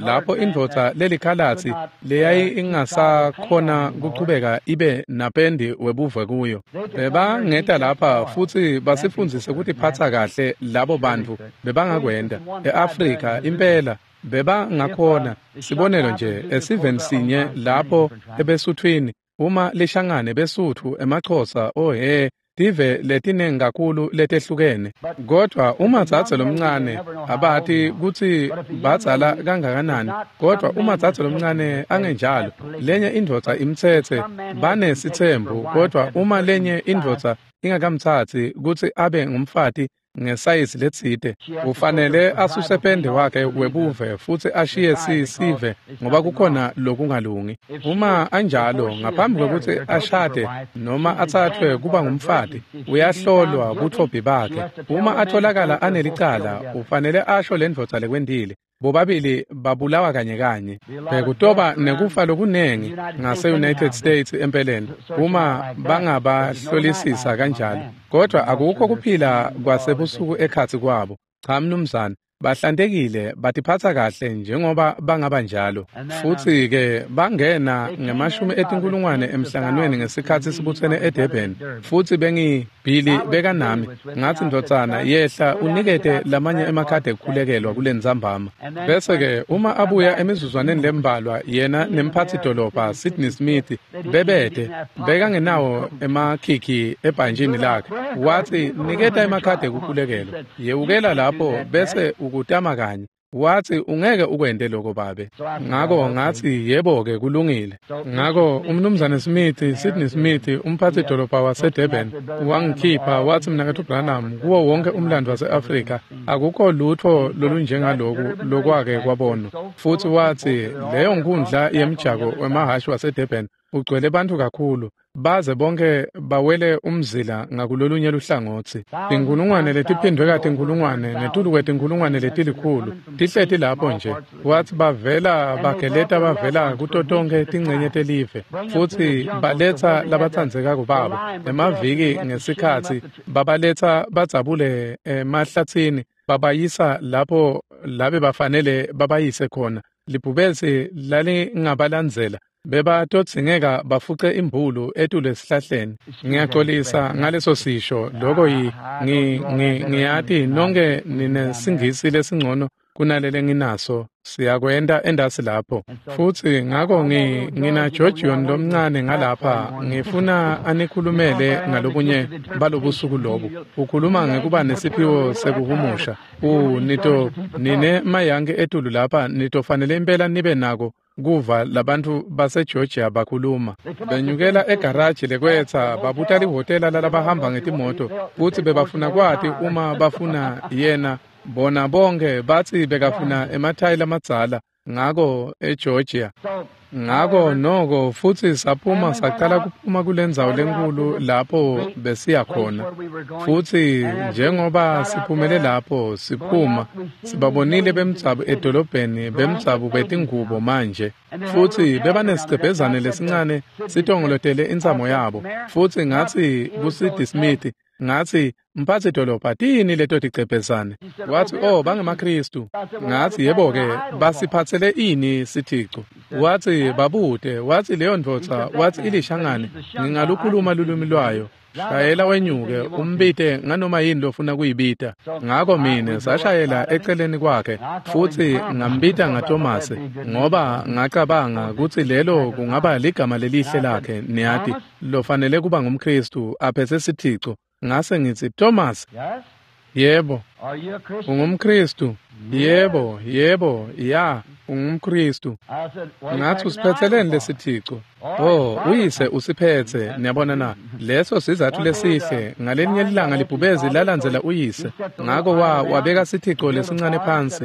lapho indvodza lelikhalatsi leyayi ingasakhona kuchubeka ibe napendi webuve kuyo. Bebangeta lapha futhi basifundzise kutiphatsa kahle labo bantfu bebangakwenta. E-Afrika impela bebangakhona, sibonelo nje esiveni sinye lapho ebesuthwini, uma lishangane besuthu emaXhosa, ohe, tive letinengi kakhulu letehlukene. Kodwa uma dzadze lomncane, abati kutsi badzala kangakanani, kodwa uma dzadze lomncane angenjalo, lenye indvodza imtsetse, banesitsembu, kodwa uma lenye indvodza ingakamtsatsi kutsi abe ngumfati ngesayizi letsite, ufanele asuse pende wakhe webuve futhi ashiye sive ngoba kukhona lokungalungi. Uma anjalo, ngaphambi kwekutsi ashade noma athathwe kuba ngumfati, uyahlolwa butfobhi bakhe. Uma atholakala anelicala, ufanele asho lendvodza lekwentile. Bobabili babulawa kanye kanye. Bekutoba nekufa lokunengi ngase-United States empeleni uma bangabahlolisisa kanjalo, kodwa akukho kuphila kwasebusuku ekhatsi kwabo. Cha mnumzane, Bahlantekile, batiphatsa kahle njengoba bangaba njalo. Futsi-ke bangena ngemashumi etinkulungwane emhlanganweni ngesikhatsi sibutsene eDurban. Futsi Billy bekanami. Ngatsi, ndvodzana, yehla unikete lamanye emakhadi ekukhulekelwa kulentsambama. Bese-ke uma abuya emizuzwaneni lembalwa, yena nemphatsi-dolobha Sidney Smith bebete bekangenawo emakhikhi ebhantjini lakhe. Watsi, niketa emakhadi ekukhulekelwa. Yewukela lapho bese ukutama kanye. Watsi, ungeke ukwente lokho babe. Ngako ngatsi, yebo-ke kulungile. Ngako umnumzane Smith, Sidney Smith, umphatsi-dolobha waseDurban, wangikhipha watsi, Mnaketfu Branham, kuwo wonke umlando wase-Afrika akukho lutfo lolunjengaloku lokwake kwabonwa. Futsi watsi, leyo nkundla yemjako wemahhashi waseDurban ugcwele bantfu kakhulu, baze bonke bawele umzila ngakulolunye luhlangotsi. Tinkulungwane letiphindwe katinkulungwane ngetulu kwetinkulungwane letilikhulu tihleti lapho nje. Watsi bavela bageleta bavela kuto tonkhe tincenye telive, futsi baletsa labatsandzekako babo emaviki ngesikhatsi babaletsa badzabule emahlatsini babayisa lapho labe bafanele babayise khona. Libhubesi lalingabalandzela bebatodzingeka bafuce imbulu etulu esihlahleni. Ngiyaxolisa ngaleso sisho lokho. Ngiyati nonke ninesingisi lesingcono kunalele nginaso, siyakwenta endasi lapho. Futsi ngako ngina Georgion lomncane ngalapha, ngifuna anikhulumele ngalobunye balobusuku lobu. Ukhuluma ngekuba nesiphiwo sekuhumusha. Nito nine mayange etulu lapha nitofanele impela nibe nako kuva labantfu baseGeorgia bakhuluma. Benyukela egaraji lekwetsa babuta lihhotela lalabahamba ngetimoto futsi bebafuna kwati uma bafuna yena. Bona bonke batsi bekafuna emathayi lamadzala ngako eGeorgia. Ngako noko futsi saphuma sacala kuphuma kulendzawo lenkulu lapho besiya khona. Futsi njengoba siphumele lapho siphuma, sibabonile bemdzabu edolobheni bemdzabu betingubo manje. Futsi bebanesigcebhezane lesincane sitongolotele intsamo yabo. Futsi ngatsi kuSidney Smith, ngatsi, mphatsi dolobha, tiyini leto tigcebhezane? Watsi, oh, bangemaKhristu. Ngatsi, yebo-ke, basiphatsele ini sithico? Watsi, babute. Watsi, leyo ndvodza, watsi ilishangane, ngingalukhuluma lulwimi lwayo. Shayela wenyuke, umbite nganoma yini lofuna kuyibita. Ngako mine sashayela eceleni kwakhe, futsi ngambita ngaTomase, ngoba ngacabanga kutsi lelo kungaba ligama lelihle lakhe, niyati, lofanele kuba ngumKhristu aphetse sithico. Ngase ngitsi, Thomas. Yebo. UngumKhristu? Yebo, yebo, ya, ungumKhristu. Ngathi usiphetseleni lesithico? Oh, uyise usiphetse, niyabona na. Leso sizathu lesihle. Ngalinye ilanga libhubezi lalandzela uyise. Ngako wabeka sithico lesincane phansi,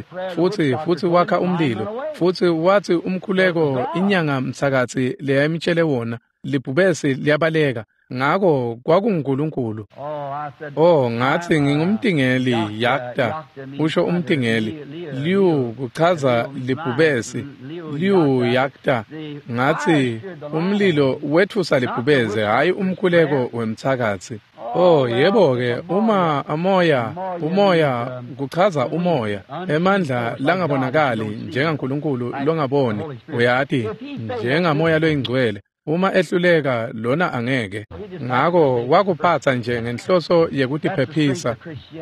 futsi wakha umlilo. Futsi wathi umkhuleko inyanga mtsakatsi leyayimtshele wona, libhubesi liyabaleka. Ngako kwakunguNkulunkulu. Oh, ngathi ngingumtingeli, yakta, usho umtingeli. Liu kuchaza libhubesi, liu yakta. Ngathi umlilo wetfusa libhubesi, hayi umkhuleko wemthakathi. Oh, yebo-ke, uma amoya, umoya kuchaza umoya, emandla langabonakali njengaNkulunkulu longaboni, uyati, njengamoya loyingcwele. Uma ehluleka lona angeke. Ngako wakuphatsa nje ngenhloso yekutiphephisa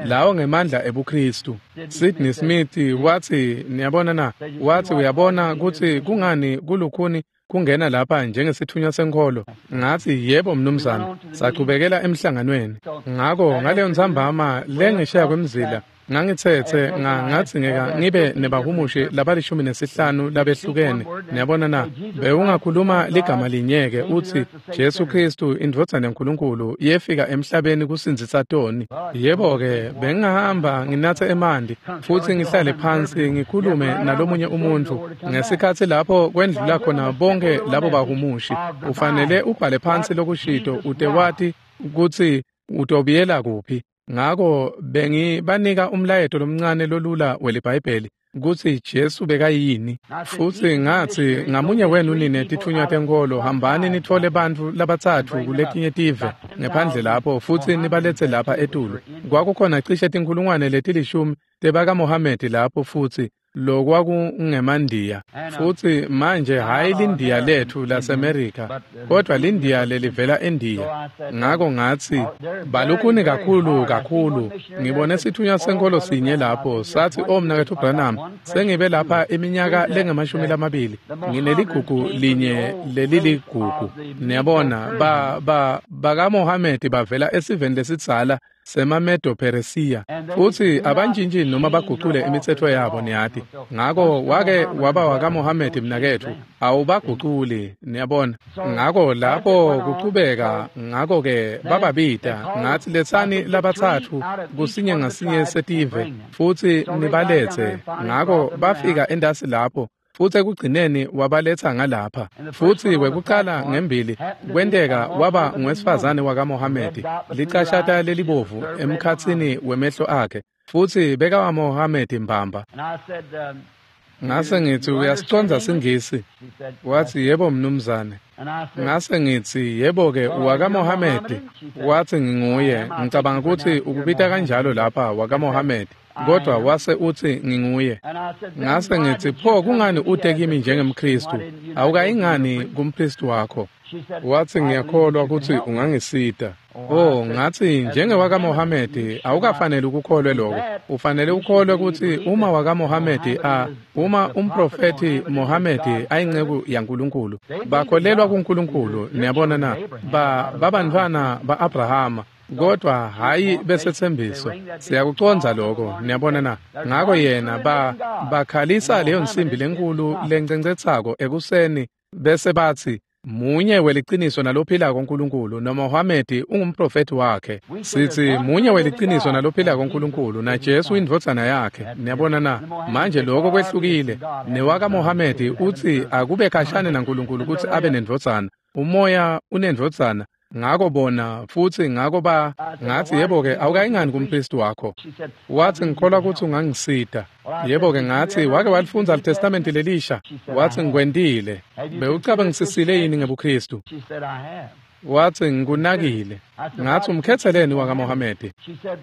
lawo ngemandla ebuKhristu. Sidney Smith watsi, niyabona na, wathi uyabona kutsi kungani kulukhuni kungena lapha njengesithunywa senkholo. Ngathi yebo mnumzane. Sachubekela emhlanganweni. Ngako ngaleyo ntsambama lengesheya kwemzila ngangitsetse ngadzingeka ngibe nebahumushi labali-15 labehlukene. Niyabona na, bewungakhuluma ligama linyeke uthi Jesu Kristu indvodzana yaNkulunkulu yefika emhlabeni kusindzisa toni. Yebo-ke, bengingahamba nginatse emanti futsi ngihlale phansi ngikhulume nalomunye umuntfu ngesikhatsi lapho kwendlula khona bonke labo bahumushi. Ufanele ubhale phansi lokushito ute wati kutsi utobuyela kuphi. Ngako bengibanika umlayeto lomncane lolula weliBhayibheli. kutsi Jesu bekayini. Futsi ngatsi, ngamunye wenu nine titfunywa tenkholo, hambani nitfole bantfu labatsatfu kuletinye tive ngephandle lapho futsi nibaletse lapha etulu. Kwakukhona cishe 10,000 tebakaMohamedi lapho futsi lokwakungemandiya. Futsi manje hhayi lindiya letfu laseMerika, kodwa lindiya lelivela eNdiya. Ngako ngatsi, balukhuni kakhulu kakhulu. Ngibone sitfunywa senkholo sinye lapho, satsi, "O mnaketfu Branham, sengibe lapha iminyaka lengama-20, ngineligugu linye leliligugu." Niyabona, bakaMohamedi bavela esiveni lesidzala semaMedo-Peresiya, futsi abantjintji noma bagucule imitsetfo yabo, niyati. Ngako wake waba wakaMohamedi mnaketfu, awubaguculi, niyabona. Ngako lapho kuchubeka, ngako-ke bababita, ngatsi, letsani labatsatfu kusinye ngasinye setive futsi nibaletse. Ngako bafika entasi lapho, futsi ekugcineni wabaletsa ngalapha. Futsi wekucala ngembili kwenteka waba ngwesifazane wakaMohamedi, licashata lelibovu emkhatsini wemehlo akhe, futsi bekawaMohamedi mbamba. Ngase ngitsi, uyasicondza siNgisi? Watsi, yebo mnumzane. Ngase ngitsi, yebo-ke, wakaMohamedi? Watsi, nginguye. Ngicabanga kutsi ukubita kanjalo lapha wakaMohamedi, kodwa wase utsi nginguye. Ngase ngitsi, pho kungani ute kimi njengemKhristu? Awukayingani kumpristi wakho? Watsi, ngiyakholwa kutsi ungangisita. Oh, ngatsi, njengewakaMohamedi awukafanele ukukholwe lokho. Ufanele ukholwe kutsi uma wakaMohamedi uma umprofethi Mohamedi ayinceku yaNkulunkulu, bakholelwa kuNkulunkulu, niyabona na, babantfwana ba-Abrahama, kodwa hhayi besethembiso. Siyakucondza lokho, niyabona na. Ngako yena bakhalisa leyo nsimbi lenkulu lencencetsako ekuseni bese batsi, munye weliciniso nalophilako uNkulunkulu, noMohamedi ungumprofethi wakhe. Sithi munye weliciniso nalophilako uNkulunkulu, naJesu indvodzana yakhe. Niyabona na? Manje lokho kwehlukile. NewakaMohamedi utsi akube khashane naNkulunkulu kutsi abe nendvodzana. Umoya unendvodzana. Ngako bona futsi ngako ngatsi, yebo-ke, awukayingani kumpristi wakho? Watsi, ngikholwa kutsi ungangisita. Yebo-ke, ngatsi, wake walifundza liTestamenti lelisha? Watsi, ngikwentile. Bewucabangisisile yini ngebuKhristu? Watsi, ngikunakile. Ngatsi, umkhetseleni wakaMohamedi?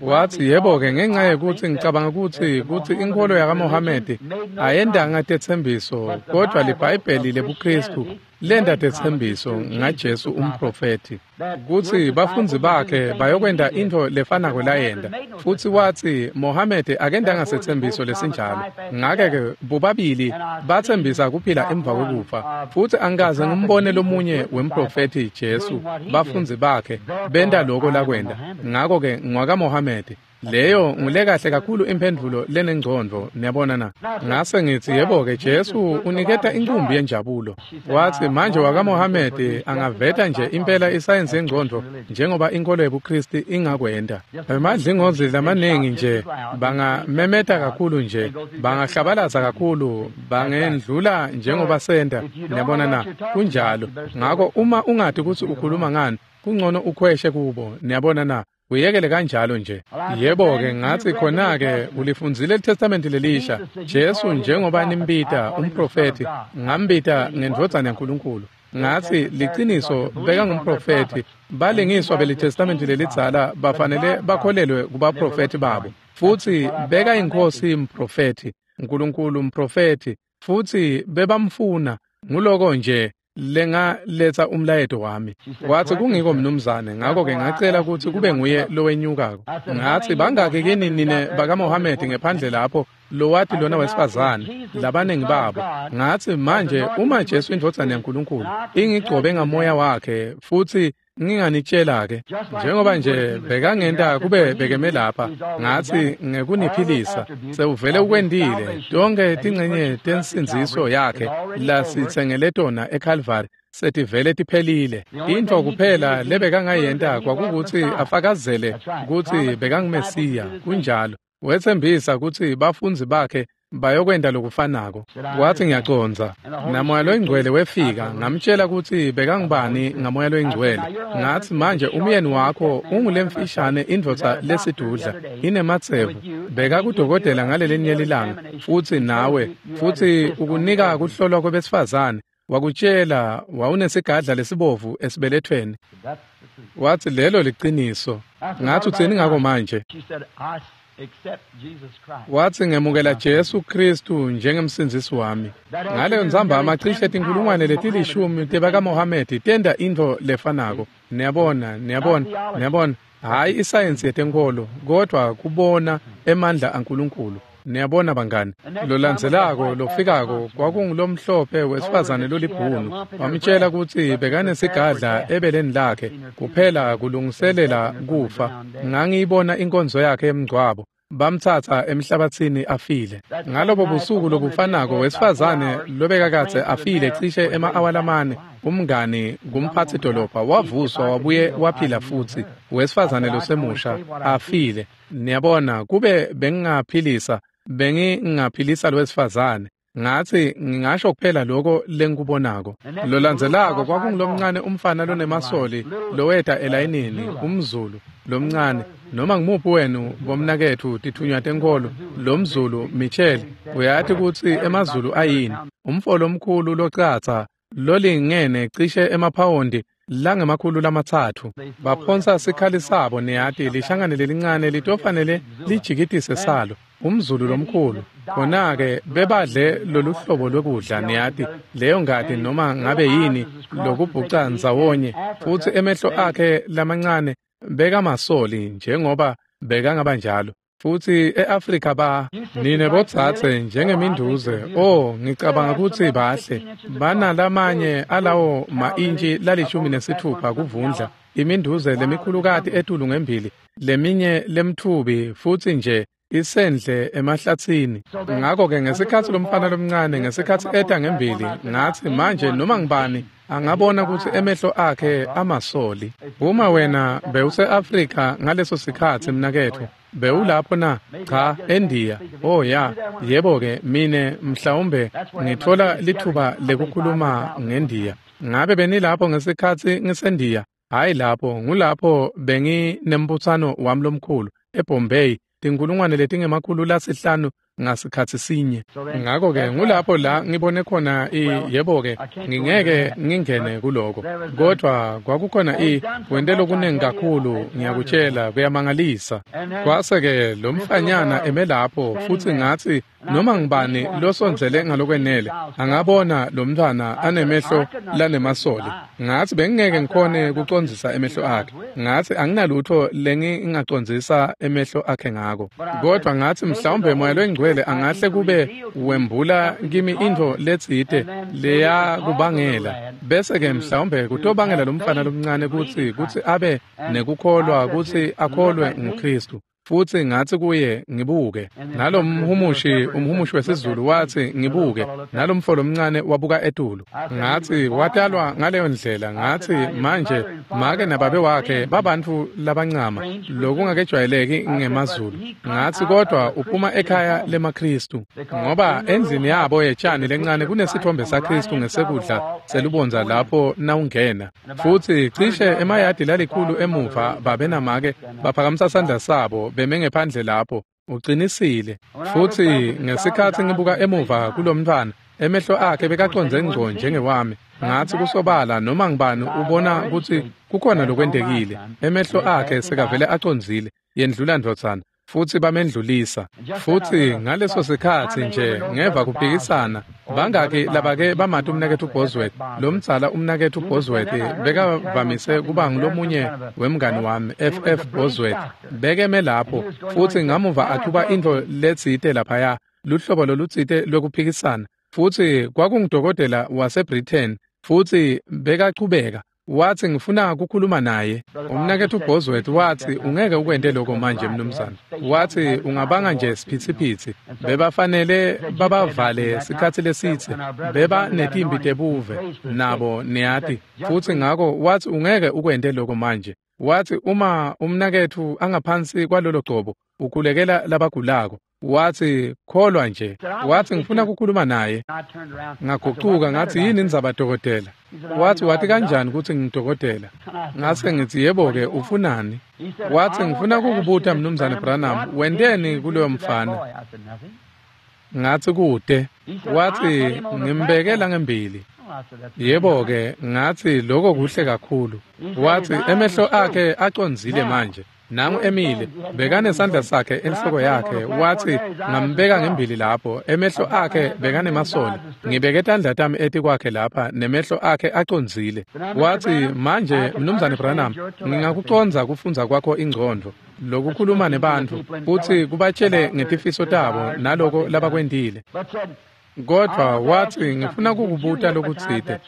Watsi, yebo-ke, ngenxa yekutsi ngicabanga kutsi inkholo yakaMohamedi ayendanga tetsembiso, kodvwa liBhayibheli lebuKhristu lenta tetsembiso ngaJesu umprofethi, kutsi bafundzi bakhe bayokwenta intfo lefanako layenta. Futsi watsi Mohamedi akendanga setsembiso lesinjalo. Ngake-ke bobabili batsembisa kuphila emva kwekufa. Futsi angikaze ngimbone lomunye wemprofethi Jesu, bafundzi bakhe benta loko lakwenta. Ngako-ke ngwakaMohamedi. Leyo ngulekahle kakhulu imphendvulo lenengcondvo, niyabona na. Ngase ngitsi, yebo-ke, Jesu uniketa inkumbi yenjabulo. Watsi, manje wakaMohamedi angaveta nje impela isayensi yengcondvo njengoba inkolo yebuKhristu ingakwenta. Emadlingozi lamaningi nje, bangamemeta kakhulu nje, bangahlabalaza kakhulu, bangendlula njengoba senta, niyabona na. Kunjalo. Ngako uma ungati kutsi ukhuluma ngani, kungcono ukhweshe kubo, niyabona na. Uyekele kanjalo nje. Yebo-ke, ngatsi, khona-ke ulifundzile liTestamenti lelisha. Jesu njengoba nimbita umprofethi, ngambita ngendvodzana yaNkulunkulu. Ngatsi, liciniso bekangumprofethi. Balingiswa beliTestamenti lelidzala bafanele bakholelwe kubaprofethi babo. Futsi bekayinkosi mprofethi, Nkulunkulu mprofethi, futsi bebamfuna. Nguloko nje lengaletsa umlayeto wami. Watsi, kungiko mnumzane. Ngako-ke ngacela kutsi kube nguye lowenyukako. Ngatsi, bangaki kini nine bakaMohamedi ngephandle lapho lowati lona wesifazane, labaningi babo. Ngatsi, manje uma Jesu indvodzana yaNkulunkulu ingigcobe ngamoya wakhe, futsi nginganitshela-ke njengoba nje bekangenta kube bekeme lapha, ngatsi, ngekuniphilisa sewuvele ukwentile. Tonke tincenye tensindziso yakhe lasitsengele tona eCalvary setivele tiphelile. Intfo kuphela lebekangayenta kwakukutsi afakazele kutsi bekanguMesiya. Kunjalo. Wetsembisa kutsi bafundzi bakhe Bayokwenta lokufanako. Wathi ngiyacondza. NaMoya loyiNgcwele wefika, ngamtshela kutsi bekangubani ngaMoya loyiNgcwele. Ngathi manje umyeni wakho ungulemfishane indvodza lesidudla, inematsevu. Bekakudokotela ngalelinye lilanga, futsi nawe, futsi ukunika kuhlolwa kwebesifazane. Wakutshela wawunesigadla lesibovu esibelethweni. Wathi lelo liciniso. Ngathi utsini ngako manje? Wathi ngemukela Jesu Kristu njengemsindzisi wami. Ngaleyo ntsambama cishe tinkhulungwane letilishumi tebakaMohamedi tenta intfo lefanako. Niyabona, niyabona, niyabona. Hhayi isayensi yetenkholo, kodvwa kubona emandla aNkulunkulu. Niyabona bangani, lolandzelako lofikako kwakungulomhlophe wesifazane lolibhunu. Wamtshela kutsi bekanesigadla ebeleni lakhe kuphela kulungiselela kufa. Ngangiyibona inkonzo yakhe emngcwabo. Bamtsatsa emhlabatsini afile. Ngalobo busuku lobufanako wesifazane lobekakadze afile cishe ema-awa lamane, umngani kumphatsi dolobha wavuswa wabuye waphila futsi, wesifazane losemusha afile. Niyabona, kube bengingaphilisa, bengingaphilisa lowesifazane. Ngathi ngingasho kuphela lokho lengikubonako. Lolandzelako kwakungulomncane umfana lonemasoli loweta elayinini, umZulu lomncane. Noma ngimuphi wenu bomnaketfu tithunywa tenkholo, lomZulu Michel, uyati kutsi emaZulu ayini? Umfo lomkhulu locatsa lolingene cishe emaphawondi langemakhulu 3. Baphonsa sikhali sabo, niyati, lishangane lelincane litofanele lijikitise salo. UmZulu lomkhulu. Khona-ke bebadle loluhlobo lwekudla, niyati, leyo ngati noma ngabe yini lokubhuca ndzawonye, futsi emehlo akhe lamancane bekamasoli njengoba bekangaba njalo. Futsi e-Afrika ba nine botsatse njengeminduze, oh ngicabanga kutsi bahle. Banalamanye alawo ma-intshi la-16 kuvundla, iminduze lemikhulukati etulu ngembili, leminye lemtfubi futsi nje isendle emahlatsini. Ngakho-ke ngesikhatsi lomfana lomncane ngesikhatsi eta ngembili, ngathi manje noma ngibani angabona kutsi emehlo akhe amasoli. Uma wena bewuse-Afrika ngaleso sikhatsi mnaketfu, bewulapho na? Cha, eNdiya. Oh ya, yebo-ke mine mhlawumbe ngitfola lithuba lekukhuluma ngeNdiya. Ngabe benilapho ngesikhatsi ngiseNdiya? Hhayi lapho, ngulapho benginembutsano wami lomkhulu eBombay, 500,000 ngasikhatsi sinye. Ngakho-ke ngulapho la ngibone khona yebo-ke ngingeke ngingene kuloko, kodvwa kwakukhona wente lokunengi kakhulu, ngiyakutshela kuyamangalisa. Kwase-ke lo mfanyana eme lapho, futsi ngatsi noma ngibani losondzele ngalokwenele angabona lo mntfwana anemehlo lanemasoli. Ngatsi bengingeke ngikhone kucondzisa emehlo akhe. Ngatsi anginalutfo lengingacondzisa emehlo akhe ngako, kodvwa ngatsi mhlawumbe Moya loyiNgcwele angahle kube wembula kimi intfo letsite leyakubangela, bese-ke mhlawumbe kutobangela lomfana lomncane kutsi abe nekukholwa, kutsi akholwe nguKristu. Futsi ngatsi kuye ngibuke. Nalomhumushi, umhumushi wesiZulu wathi ngibuke, nalomfo lomncane wabuka etulu. Ngatsi watalwa ngaleyo ndlela. Ngatsi manje make nababe wakhe babantfu labancama, lokungakejwayeleki ngemaZulu. Ngatsi kodwa uphuma ekhaya lemaKristu, ngoba endlini yabo yetshani lencane kunesithombe saKristu ngesekudla selubondza lapho nawungena. Futsi cishe emayadi lalikhulu emuva babe namake baphakamisa sandla sabo beme ngephandle lapho. Ucinisile. Futsi ngesikhatsi ngibuka emuva kulomntfwana, emehlo akhe bekacondze ngco njengewami. Ngatsi kusobala noma ngibani ubona kutsi kukhona lokwentekile. Emehlo akhe sekavele acondzile. Yendlula ndvodzana. Futsi bamendlulisa. Futsi ngaleso sikhatsi nje ngeva kuphikisana, bangaki labake bamati umnaketfu Bosworth? Lomdzala umnaketfu Bosworth bekavamise kuba ngulomunye wemngani wami, FF Bosworth. Bekeme lapho, futsi ngamuva achuba intfo letsite laphaya, luhlobo lolutsite lwekuphikisana. Futsi kwakungudokotela waseBritain, futsi bekachubeka. Wathi ngifuna kukhuluma naye. Umnaketfu Bosworth wathi ungeke ukwente lokho manje mnumzane. Wathi ungabanga nje siphithiphithi. Bebafanele babavale sikhatsi lesitse. Beba netimbi tebuve nabo niyati. Futsi ngako wathi ungeke ukwente lokho manje. Wathi uma umnaketfu angaphansi kwalolo gcobo ukhulekela labagulako. Wathi kholwa nje. Wathi ngifuna ukukhuluma naye. Ngagucuka ngathi yini indzaba dokotela? Wathi wathi kanjani ukuthi ngidokotela? Ngase ngithi yebo ke ufunani? Wathi ngifuna ukukubuta Mnumzane Branham, wenteni kuloyo mfana? Ngathi kude. Wathi ngimbekela ngembili. Yebo ke ngathi lokho kuhle kakhulu. Wathi emehlo akhe acondzile manje. Nangu emile bekanesandla sakhe enhloko yakhe. Wathi ngambeka ngembili lapho, emehlo akhe bekanemasoli, ngibeke tandla tami etikwakhe lapha nemehlo akhe acondzile. Wathi manje Mnumzane Branham, ngingakucondza kufundza kwakho ingcondvo lokukhuluma nebantfu futhi kubatshele ngetifiso tabo naloko labakwentile. Kodwa wathi ngifuna kukubuta lokutsite.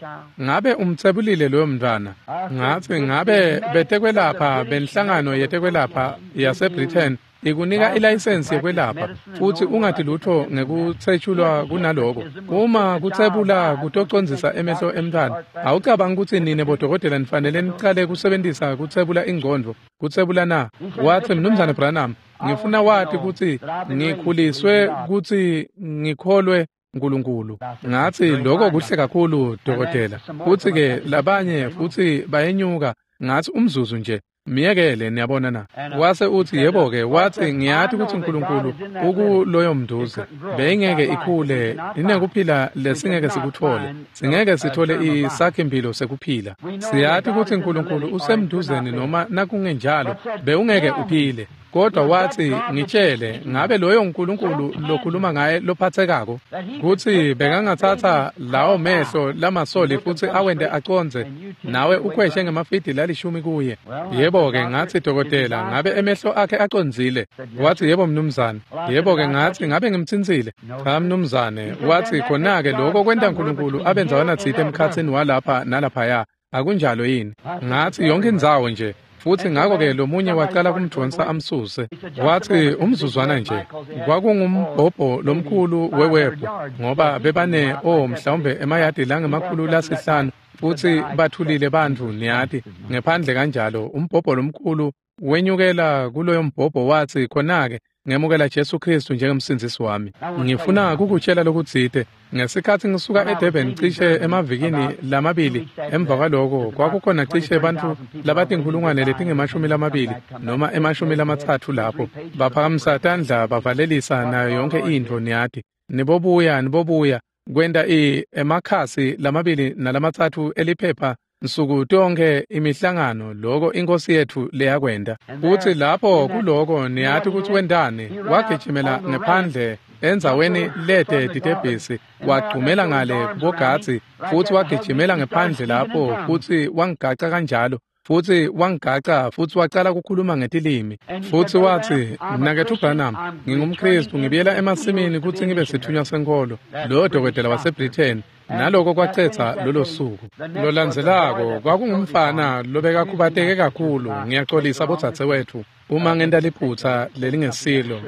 Ngabe umtsebulile loyo mntwana? Ngathi ngabe betekwelapha benhlangano yetekwelapha yaseBritain ikunika ilayisensi yekwelapha futhi ungathi lutho ngekutsetshulwa kunaloko. Uma kutsebula kutocondzisa emehlo emntwana, awucabangi ukuthi nine bodokotela nifanele nicale kusebentisa kutsebula ingcondvo, kutsebula na? Wathi Mnumzane Branham, ngifuna wati kutsi ngikhuliswe kutsi ngikholwe Nkulunkulu. Ngathi lokho kuhle kakhulu dokotela. Futhi ke labanye futhi bayenyuka. Ngathi umzuzu nje miyekele, niyabona na? Wase uthi yebo ke. Wathi ngiyathi ukuthi uNkulunkulu ukuloyo mnduze beyingeke ikhule inekuphila lesingeke sikuthole, singeke sithole isakhimpilo sekuphila. Siyathi ukuthi uNkulunkulu usemnduzeni noma nakungenjalo bewungeke uphile. Kodwa wathi ngitshele, ngabe loyo uNkulunkulu lokhuluma ngaye lophathekako kutsi bekangathatha lawo mehlo lamasoli futsi awente acondze nawe ukhweshe ngemafidi lalishumi kuye? Yebo ke ngathi dokotela, ngabe emehlo akhe acondzile? Wathi yebo mnumzane. Yebo ke ngathi ngabe ngimtsintsile? Cha mnumzane. Wathi khona ke lokho kwenta uNkulunkulu abenzawana tsite emkhatsini walapha nalaphaya, akunjalo yini? Ngathi yonke indzawo nje. Futhi ngakho-ke lomunye waqala kumdonsa amsuse. Wathi umzuzwana nje, kwakungumbhobho lomkhulu wewebhu ngoba bebane mhlawumbe emayadi langemakhulu lasihlanu futhi bathulile bantfu niyati ngephandle kanjalo. Umbhobho lomkhulu wenyukela kuloyo mbhobho. Wathi khona-ke ngemukela Jesu Kristu njengemsindzisi wami. Ngifuna kukutshela lokutsite. Ngesikhatsi ngisuka eDurban cishe emavikini lamabili emva kwaloko, kwakukhona cishe bantfu labatinkhulungwane letingemashumi lamabili noma emashumi lamatsatfu lapho baphakamisa tandla bavalelisa nayo yonke intfo niyati. Nibobuya nibobuya kwenta emakhasi lamabili nalamatsatfu eliphepha nsuku tonke imihlangano loko inkosi yethu leyakwenta. Futhi lapho kuloko niyati ukuthi wentani? Wagijimela ngephandle endzaweni lete titebhisi, wagcumela ngale kubogadzi futhi wagijimela ngephandle lapho futhi wangigaca kanjalo. Futhi wangigaca futhi wacala ukukhuluma ngetilimi. Futhi wathi mnaketfu Branham, ngingumKristu, ngibuyela emasimini kutsi ngibe sithunywa senkolo. Loyo dokotela waseBritain. Naloko kwacetha lolo suku. Lolandzelako kwakungumfana lobekakhubateke kakhulu. Ngiyaxolisa bodzadzewethu uma ngenta liphutsa lelingesilo,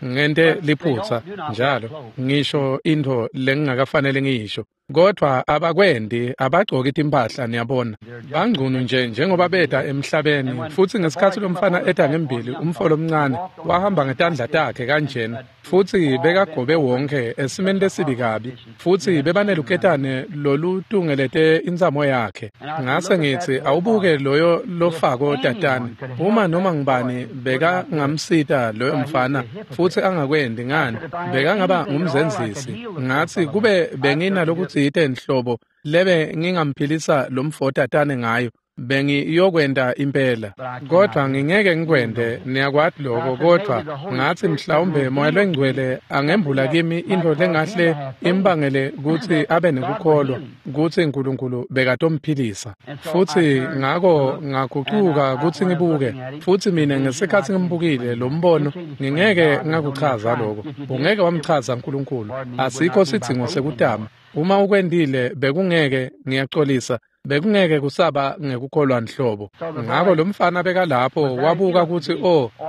ngente liphutsa njalo ngisho intfo lengingakafanele ngiyisho. Kodwa abakwendi, abagcoki timphahla niyabona. Bangcunu nje njengoba beta emhlabeni. Futhi ngesikhatsi lomfana eta ngembili, umfo lomncane wahamba ngetandla takhe kanjena futhi bekagobe wonke esimeni lesibi kabi futhi bebaneluketane lolutungelete intsamo yakhe. Ngase ngithi awubuke loyo lofako tatane, uma noma ngibani bekangamsita loyo mfana futhi angakwendi ngani, bekangaba ngumzenzisi. Ngathi kube benginalokuthi nhlobo lebe ngingamphilisa lo mfo tatane ngayo, bengiyokwenta impela, kodwa ngingeke ngikwente, niyakwati lokho. Kodwa ngathi mhlawumbe Moya Longcwele angembula kimi intfo lengahle imbangele kutsi abe nekukholwa kutsi uNkulunkulu bekatomphilisa. Futhi ngako ngagucuka kutsi ngibuke, futhi mina ngesikhatsi ngimbukile lo mbono, ngingeke ngakuchaza lokho. Ungeke wamchaza uNkulunkulu, asikho sidzingo sekutama. Uma ukwentile bekungeke, ngiyaxolisa, bekungeke kusaba ngekukholwa nhlobo. Ngako lo mfana bekalapho wabuka kutsi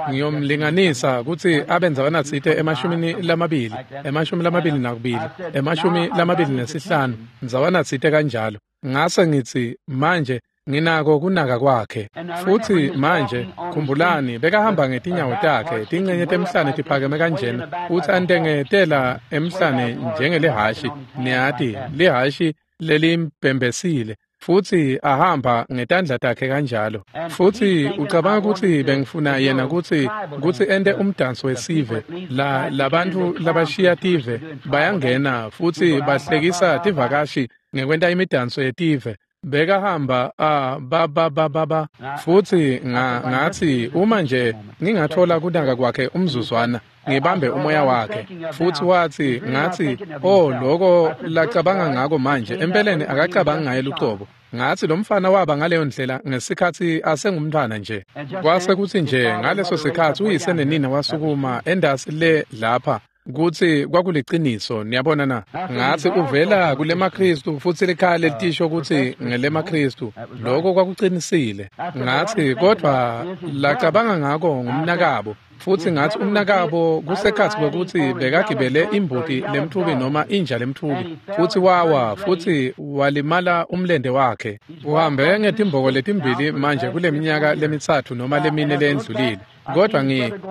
ngiyomlinganisa kutsi abe ndzawana tsite emashumini lamabili, 22, 25 ndzawana tsite kanjalo. Ngase ngitsi manje Nginako kunaka kwakhe. Futhi manje khumbulani, bekahamba ngetinyawo takhe, tincenye temhlane tiphakeme kanjena, futhi antengetela emhlane njengelihashi, niyati, lihashi lelimbhembesile, futhi ahamba ngetandla takhe kanjalo. Futhi ucabanga ukuthi bengifuna yena kutsi ente umdanso wesive, la labantu labashiya tive bayangena futhi bahlekisa tivakashi ngekwenta imidanso yetive. Bekahamba ba ba ba ba ba. Futhi ngathi uma nje ngingathola kunaka kwakhe umzuzwana, ngibambe umoya wakhe. Futhi wathi, ngathi, oh, lokho lacabanga ngako manje empeleni akacabanga ngaye lucobo. Ngathi lo mfana waba ngaleyo ndlela ngesikhathi asengumntwana nje. Kwase kuthi nje ngaleso sikhathi uyise nenina wasukuma endasi le lapha, kutsi kwakuliciniso, niyabona na. Ngathi uvela kulemaKristu futhi likhaya lelitisho kutsi ngelemaKristu, lokho kwakuqinisile. Ngathi kodwa lacabanga ngako ngumnakabo, futhi ngathi umnakabo kusekhathi kwekuthi bekagibele imbuti lemthubi noma inja lemthubi, futhi wawa futhi walimala umlende wakhe. Uhambe ngetimboko letimbili manje kuleminyaka lemithathu noma lemine lendlulile. Kodwa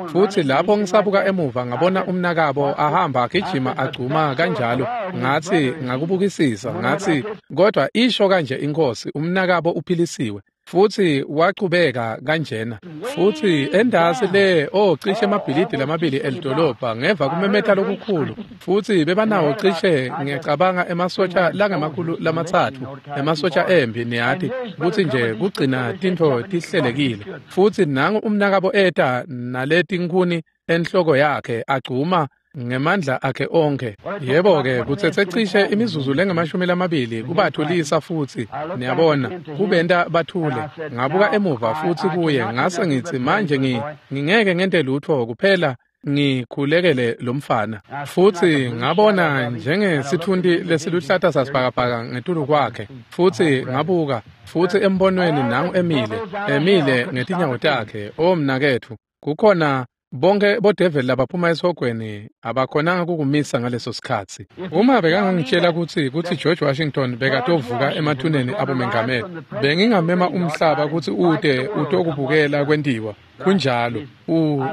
futhi lapho ngisabuka emuva ngabona umnakabo ahamba agijima agcuma kanjalo. Ngathi ngakubukisisa, ngathi kodwa isho kanje inkosi, umnakabo uphilisiwe. Futhi wachubeka kanjena. Futhi endasi le cishe emabhilidi lamabili elidolobha ngeva kumemetha lokukhulu. Futhi bebanawo cishe ngiyacabanga emasotsha langemakhulu lamatsatfu, emasotsha empi, niyati, kutsi nje kugcina tintfo tihlelekile. Futhi nangu umnakabo eta naletinkhuni enhloko yakhe agcuma ngemandla akhe onke. Yebo-ke kutsetse cishe imizuzu lengamashumi lamabili kubathulisa futhi, niyabona, kubenta bathule. Ngabuka emuva futhi kuye, ngase ngitsi manje ngingeke ngente lutho kuphela ngikhulekele lo mfana. Futhi ngabona njengesithunti lesiluhlata sasibhakabhaka ngetulu kwakhe. Futhi ngabuka, futhi embonweni nangu emile ngetinyawo takhe. O mnaketfu, kukhona bonke bodeveli labaphuma esihogweni abakhonanga kukumisa ngaleso sikhatsi. Uma bekangangitshela kutsi George Washington bekatovuka emathuneni abomengameli, bengingamema umhlaba kutsi ute utokubukela kwentiwa. Kunjalo.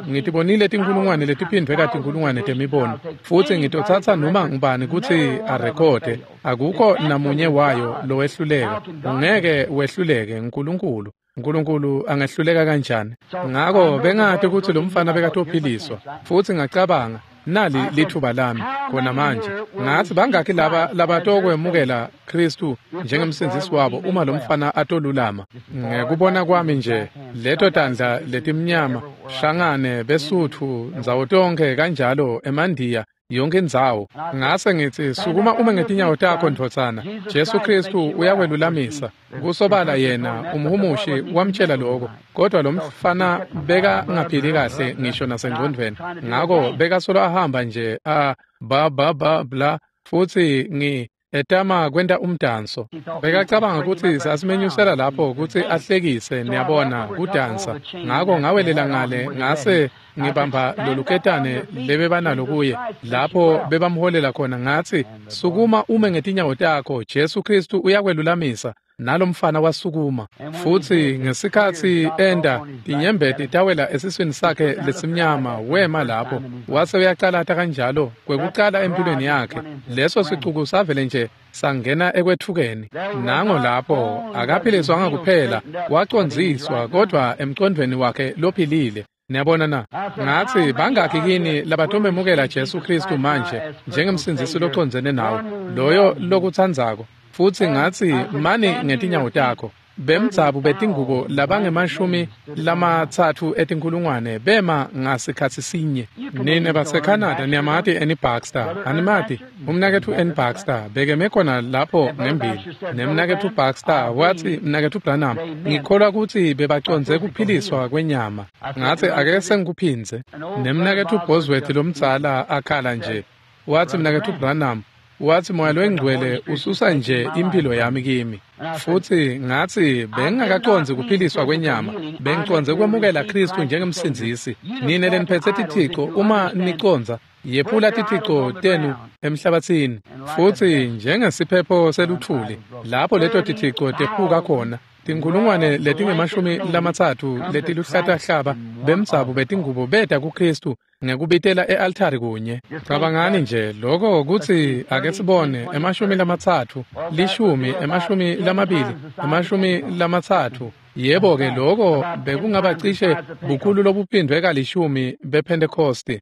Ngitibonile tinkulungwane letiphindvwe katinkulungwane temibono, futhi ngitotsatsa noma ngubani kutsi arekhode. Akukho namunye wayo lowehluleka. Ungeke wehluleke nkulunkulu. Nkulunkulu angehluleka kanjani? Ngako bengati kutsi lo mfana bekatophiliswa. Futhi ngacabanga, nali lithuba lami khona manje. Ngathi bangakhi laba labatokwemukela Kristu njengemsindzisi wabo uma lo mfana atolulama? Ngekubona kwami nje, leto tandla letimnyama, shangane, besuthu, ndzawo tonke kanjalo, emandiya, yonke indzawo. Ngase ngitsi, sukuma ume ngetinyawo takho ndvodzana. Jesu Kristu uyakwelulamisa. Kusobala yena umhumushi wamtshela lokho, kodwa lo mfana beka ngaphili kahle ngisho nasengcondvweni. Ngako bekasolo ahamba nje a ba ba ba bla, futhi etama kwenta umdanso. Bekacabanga kutsi sasimenyusela lapho kutsi ahlekise, niyabona, kudansa. Ngako ngawelela ngale, ngase ngibamba loluketane lebebanalo kuye lapho bebamholela khona. Ngathi, sukuma ume ngetinyawo takho, Jesu Kristu uyakwelulamisa. Nalomfana wasukuma. Futhi ngesikhatsi enda, tinyembeti tawela esiswini sakhe lesimnyama, wema lapho wase uyacalata kanjalo kwekucala empilweni yakhe. Leso sicuku savele nje sangena ekwethukeni. Nango lapho akaphiliswanga kuphela, wacondziswa, kodwa emcondvweni wakhe lophilile. Niyabona na? Ngathi bangakhi kini labatomemukela Jesu Kristu manje njengemsindzisi locondzene nawe, loyo lokutsandzako. Futhi ngathi mani ngetinyawo takho. Bemdzabu betingubo labangemashumi 30 etinkulungwane bema ngasikhatsi sinye. Nine baseCanada niyamati Annie Baxter, animati? Umnaketfu Annie Baxter bekeme khona lapho ngembili. Nemnaketfu Baxter wathi, mnaketfu Branham, ngikholwa kutsi bebacondze kuphiliswa kwenyama. Ngathi ake sengikuphindze. Nemnaketfu Bosworth lomdzala akhala nje. Wathi, mnaketfu Branham, wathi moya lwengcwele ususa nje impilo yami kimi. Futhi ngathi bengingakacondzi kuphiliswa kwenyama, bengicondze kwemukela Kristu njengemsindzisi. Nine leniphetse tithico, uma nicondza, yephula tithico tenu emhlabatsini. Futhi njengesiphepho seluthuli, lapho leto tithico tephuka khona, Tinkhulungwane letingu-30 letiluhlatahlaba bemdzabu betingubo beta kuKristu ngekubitela e-altari kunye. Cabangani nje lokho kutsi ake sibone 30, 10, 20, 30. Yebo-ke lokho bekungaba cishe bukhulu lobuphindwe ka-10 bePhentekosti.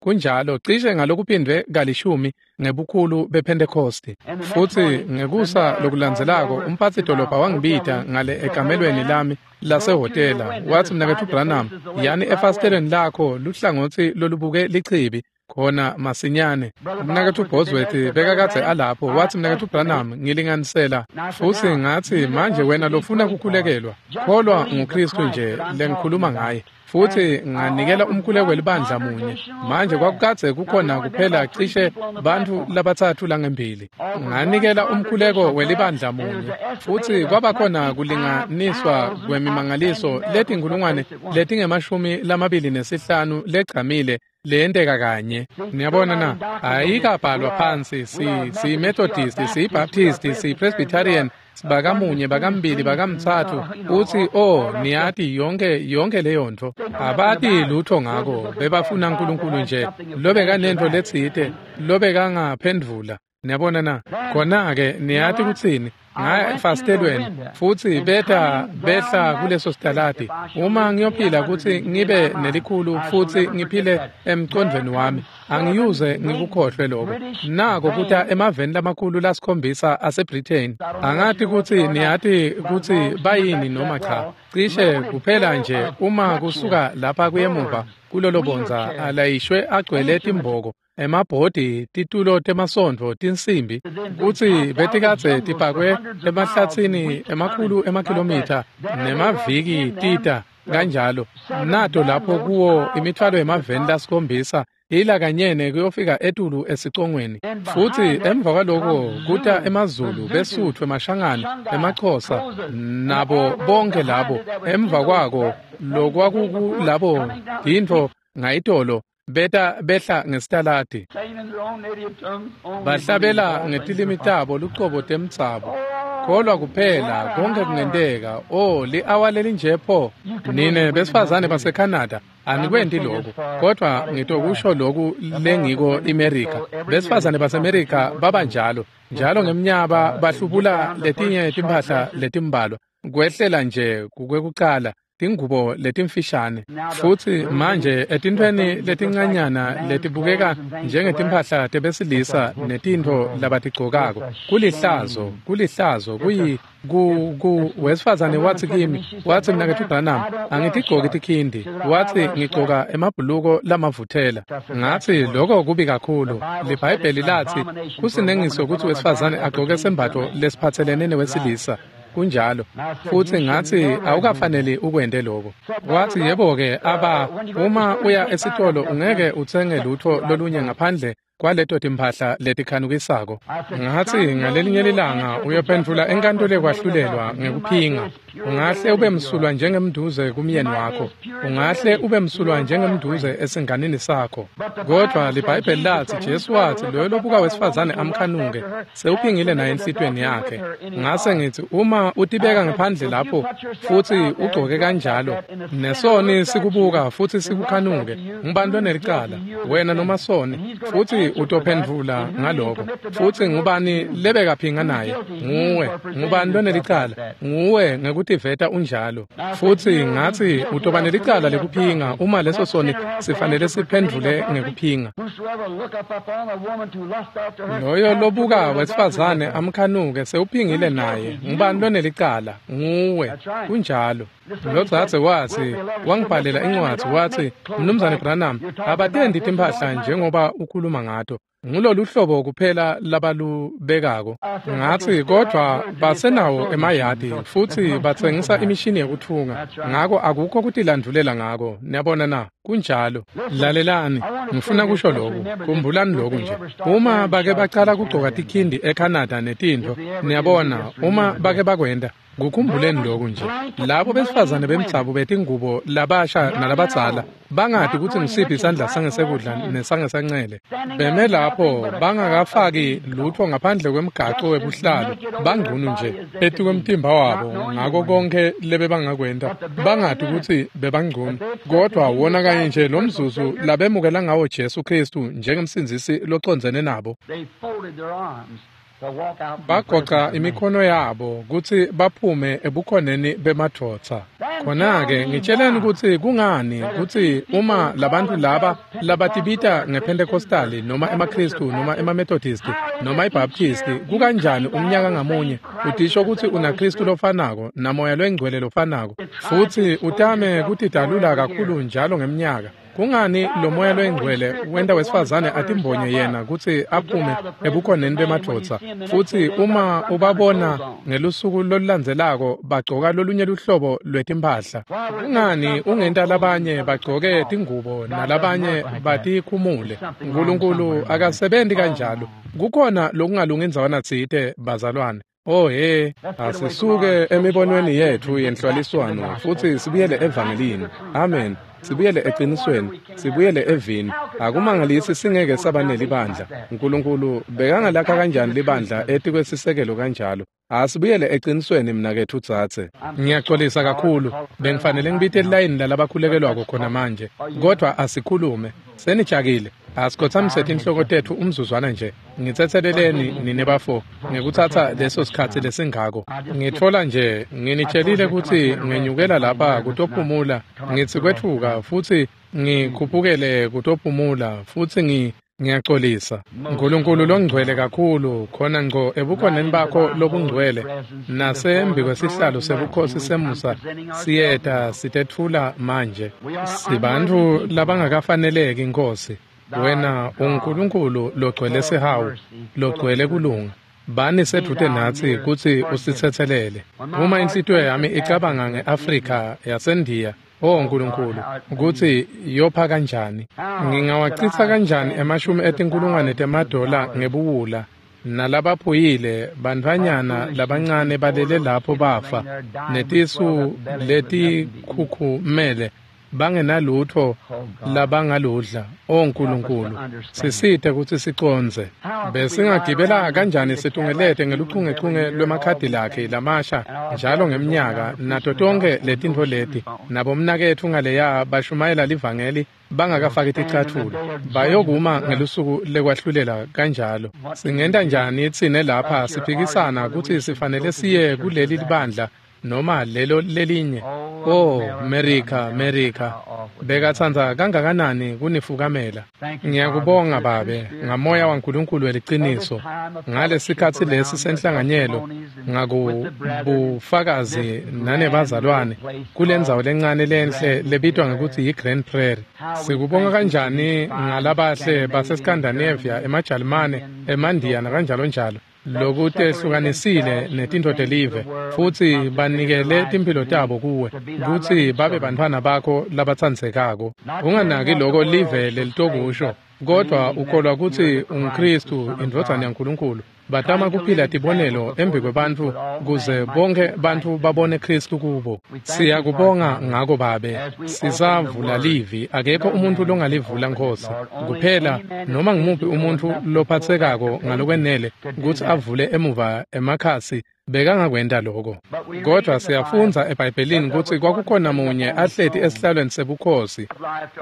Kunjalo, cishe ngalokuphindwe ka-10 ngebukhulu bePhentekosti. Futsi ngekusa lokulandzelako umphatsi-dolobha wangibita ngale ekamelweni lami lasehhotela. Watsi, Mnaketfu Branham, yani efasitelweni lakho luhlangotsi lolubuke lichibi khona masinyane. Mnaketfu Bosworth bekakadze alapho. Watsi, Mnaketfu Branham, ngilinganisela. Futsi ngatsi, manje wena lofuna kukhulekelwa, kholwa nguKristu nje lengikhuluma ngaye. Futsi nganikela umkhuleko welibandla munye. Manje kwakukadze kukhona kuphela cishe bantfu labatsatfu langembili. Nganikela umkhuleko welibandla munye. Futsi kwabakhona kulinganiswa kwemimangaliso letinkhulungwane letingu-25 legcamile leyenteka kanye. Niyabona na? Ayikabhalwa phansi. Si-Methodist, si-Baptist, si-Presbyterian, bakamunye, bakambili, bakamtsatfu. Utsi, oh, niyati yonke leyo ntfo. Abati lutho ngako. Bebafuna uNkulunkulu nje lobekanentfo letsite lobekangaphendvula. Niyabona na? Khona-ke niyati kutsini? Ngaya efasitelweni futsi behla kuleso sitaladi. Uma ngiyophila kutsi ngibe nelikhulu futsi ngiphile emcondvweni wami, angiyuze ngikukhohlwe lokho. Nako kuta emaveni lamakhulu lasikhombisa aseBritain. Angati kutsi niyati kutsi bayini noma cha. Cishe kuphela nje uma kusuka lapha kuyemuva kulolo bondza alayishwe agcwele timboko, emabhodi, titulo temasontfo, tinsimbi, kutsi betikadze tipakwe emahlatsini emakhulu emakhilomitha nemaviki tita kanjalo. Nato lapho kuwo imithwalo yemaveni lasikhombisa ila kanyene kuyofika etulu esicongweni. Futsi emva kwaloko kuta emaZulu, beSuthu, emaShangane, emaXhosa, nabo bonke labo. Emva kwako lokwakukulabo tintfo ngayitolo beta behla ngesitaladi, bahlabela ngetilimi tabo lucobo temtsabo. Kholwa kuphela, konke kungenteka. Oh, li-awa lelinje pho. Nine besifazane baseCanada anikwenti lokhu, kodwa ngitokusho lokhu lengiko iMerika. Besifazane baseMerika babanjalo njalo ngemnyaba bahlubula letinye timphahla letimbalwa kwehlela nje kukwekucala tingubo letimfishane. Futsi manje etintfweni letincanyana letibukeka njengetimphahla tebesilisa netintfo labatigcokako, kulihlazo, kulihlazo. Kuyi ku wesifazane watsi kimi, watsi, Mnaketfu Branham, angitigcoki tikhindi. Watsi, ngigcoka emabhuluko lamavuthela. Ngatsi, lokho kubi kakhulu. LiBhayibheli latsi kusinengiso kutsi wesifazane agcoke sembatfo lesiphatselene newesilisa. Kunjalo. Futsi ngatsi, awukafaneli ukwente lokho. Watsi, yebo-ke, aba uma uya esitolo ungeke utsenge lutho lolunye ngaphandle kwaleto timphahla letikhanukisako. Ngatsi, ngalelinye lilanga uyophendvula enkantolo yekwahlulelwa ngekuphinga. Ungahle ube msulwa njengemnduze kumyeni wakho. Ungahle ube msulwa njengemnduze esinganini sakho. Kodwa liBhayibheli latsi, Jesu watsi, loyo lobuka wesifazane amkhanuke sewuphingile naye enhlitiyweni yakhe. Ngase ngitsi, uma utibeka ngaphandle lapho futsi ugcoke kanjalo, nesoni sikubuka futsi sikukhanuke, ngubani lonelicala? Wena noma soni? Futsi utophendvula ngaloko. Futsi ngubani lebekaphinga naye? Nguwe. Ngubani lonelicala? Nguwe ngekutiveta unjalo. Futsi ngatsi, utoba nelicala lekuphinga uma leso soni sifanele siphendvule ngekuphinga. Loyo lobuka wesifazane amkhanuke sewuphingile naye. Ngubani lonelicala? Nguwe. Kunjalo. Lodzadze watsi, wangibhalela incwadzi watsi, Mnumzane Branham, abatendi timphahla njengoba ukhuluma ngato. Ngulolu hlobo kuphela labalubekako. Ngatsi, kodvwa basenawo emayadi futsi batsengisa imishini yekutfunga. Ngako akukho kutilandvulela ngako. Niyabona na? Kunjalo. Lalelani, ngifuna kusho loku. Khumbulani loku nje. Uma bake bacala kugcoka tikhindi eCanada netintfo, niyabona, uma bake bakwenta, kukhumbuleni loku nje. Labo besifazane bemdzabu betingubo labasha nalabadzala bangati kutsi ngisiphi isandla sangesekudla nesangesancele. Beme lapho lapho bangakafaki lutho ngaphandle kwemgaco webuhlalu, bangcunu nje etikwemtimba wabo ngako konke lebebangakwenta, bangati kutsi bebangcunu. Kodwa wona kanye nje lo mzuzu labemukela ngawo Jesu Kristu njengemsindzisi locondzene nabo, bagoca imikhono yabo kutsi baphume ebukhoneni bemadvodza. Khona-ke ngitsheleni kutsi kungani kutsi uma labantu laba labatibita ngePentecostali noma emaKristu noma emaMethodisti noma iBaptisti, kukanjani umnyaka ngamunye utisho kutsi unaKristu lofanako naMoya loyingcwele lofanako, futsi utame kutidalula kakhulu njalo ngemnyaka? Kungani lo Moya loyingcwele wenta wesifazane atimbonye yena kutsi aphume ebukhoneni bemadvodza, futsi uma ubabona ngelusuku lolulandzelako bagcoka lolunye luhlobo lwetimphahla? Kungani ungenta labanye bagcoke tingubo nalabanye batikhumule? Nkulunkulu akasebenti kanjalo. Kukhona lokungalungi ndzawana tsite, bazalwane. Oh he, asisuke emibonweni yetfu yenhlwaliswano futsi sibuyele evangelini. Amen. Sibuyele eqinisweni, sibuyele evini. Akumangalisi singeke saba nelibandla. Nkulunkulu bekangalakha kanjani libandla etikwesisekelo kanjalo? Asibuyele eqinisweni mnaketfu dzadze. Ngiyaxolisa kakhulu, bengifanele ngibite lilayini lalabakhulekelwako khona manje, kodwa asikhulume. Senijakile. Asikhotsamise tinhloko tetfu umzuzwana nje. Ngitsetseleleni nine bafo ngekutsatsa leso sikhatsi lesingako. Ngitfola nje nginitshelile kutsi ngenyukela lapha kutophumula, ngitsi kwetfuka futsi ngikhuphukele kutophumula futsi ngiyaxolisa. Nkulunkulu longcwele kakhulu, khona ngco ebukhoneni bakho lobungcwele nasembi kwesihlalo sebukhosi semusa siyeta sitetfula manje. Sibantfu labangakafaneleki, Nkosi. Wena uNkulunkulu logcwele sihawu, logcwele kulunga. Bani sedvute natsi kutsi usitsetselele. Uma inhlitiyo yami icabanga nge-Afrika yaseNdiya, oh Nkulunkulu, kutsi yopha kanjani. Ngingawacitsa kanjani emashumi etinkulungwane temadola ngebuwula, nalabaphuyile bantfwanyana labancane balele lapho bafa, netisu letikhukhumele, bangenalutho labangaludla. O Nkulunkulu, sisite kutsi sicondze. Besingagibela kanjani situngelete ngeluchungechunge lwemakhadi lakhe lamasha njalo ngemnyaka nato tonkhe letintfo leti, nabomnaketfu ngaleya bashumayela livangeli bangakafaki ticatfulo, bayokuma ngelusuku lekwahlulela kanjalo. Singenta njani tsine lapha siphikisana kutsi sifanele siye kuleli libandla noma lelo lelinye? Oh America, America, bekatsandza kangakanani kunifukamela. Ngiyakubonga Babe ngamoya waNkulunkulu weliciniso ngalesikhatsi lesi senhlanganyelo ngakubufakazi nanebazalwane kulendzawo lencane lenhle lebitwa ngekutsi yi-Grand Prairie. Sikubonga kanjani ngalabahle baseScandinavia, emaJalimane, emaNdiya nakanjalo njalo, lokutehlukanisile netintfo telive futsi banikele timphilo tabo kuwe kutsi babe bantfwana bakho labatsandzekako. Unganaki loko live lelitokusho, kodwa ukholwa kutsi unguKristu indvodzana yaNkulunkulu. Batama kuphila tibonelo embi kwebantfu kuze bonke bantfu babone Kristu kubo. Siyakubonga ngako Babe. Sisavula livi, akekho umuntu longalivula Nkosi. Kuphela noma ngumuphi umuntu lophatsekako ngalokwenele kutsi avule emuva emakhasi bekangakwenta lokho. Kodwa siyafundza eBhayibhelini kutsi kwakukhona munye ahleti esihlalweni sebukhosi,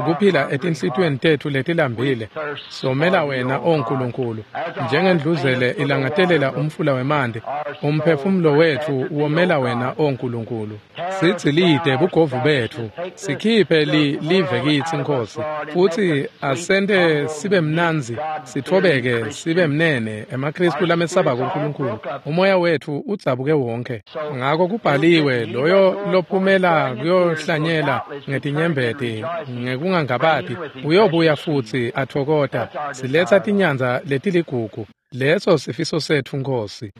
kuphila etinhlitiyweni tetfu letilambile. Somela wena, O Nkulunkulu, njengendluzele ilangatelela umfula wemanti, umphefumulo wetfu womela wena, O Nkulunkulu. Sidzilite bugovu betfu, sikhiphe live kitsi, Nkosi, futsi asente sibe mnandzi, sitfobeke, sibe mnene, emaKristu lamesabako uNkulunkulu. Umoya wetfu udzabuke wonke. Ngako kubhaliwe, loyo lophumela kuyohlanyela ngetinyembeti ngekungangabati uyobuya futsi atfokota. Siletsa tinyandza letiligugu. Leso sifiso setfu, Nkosi.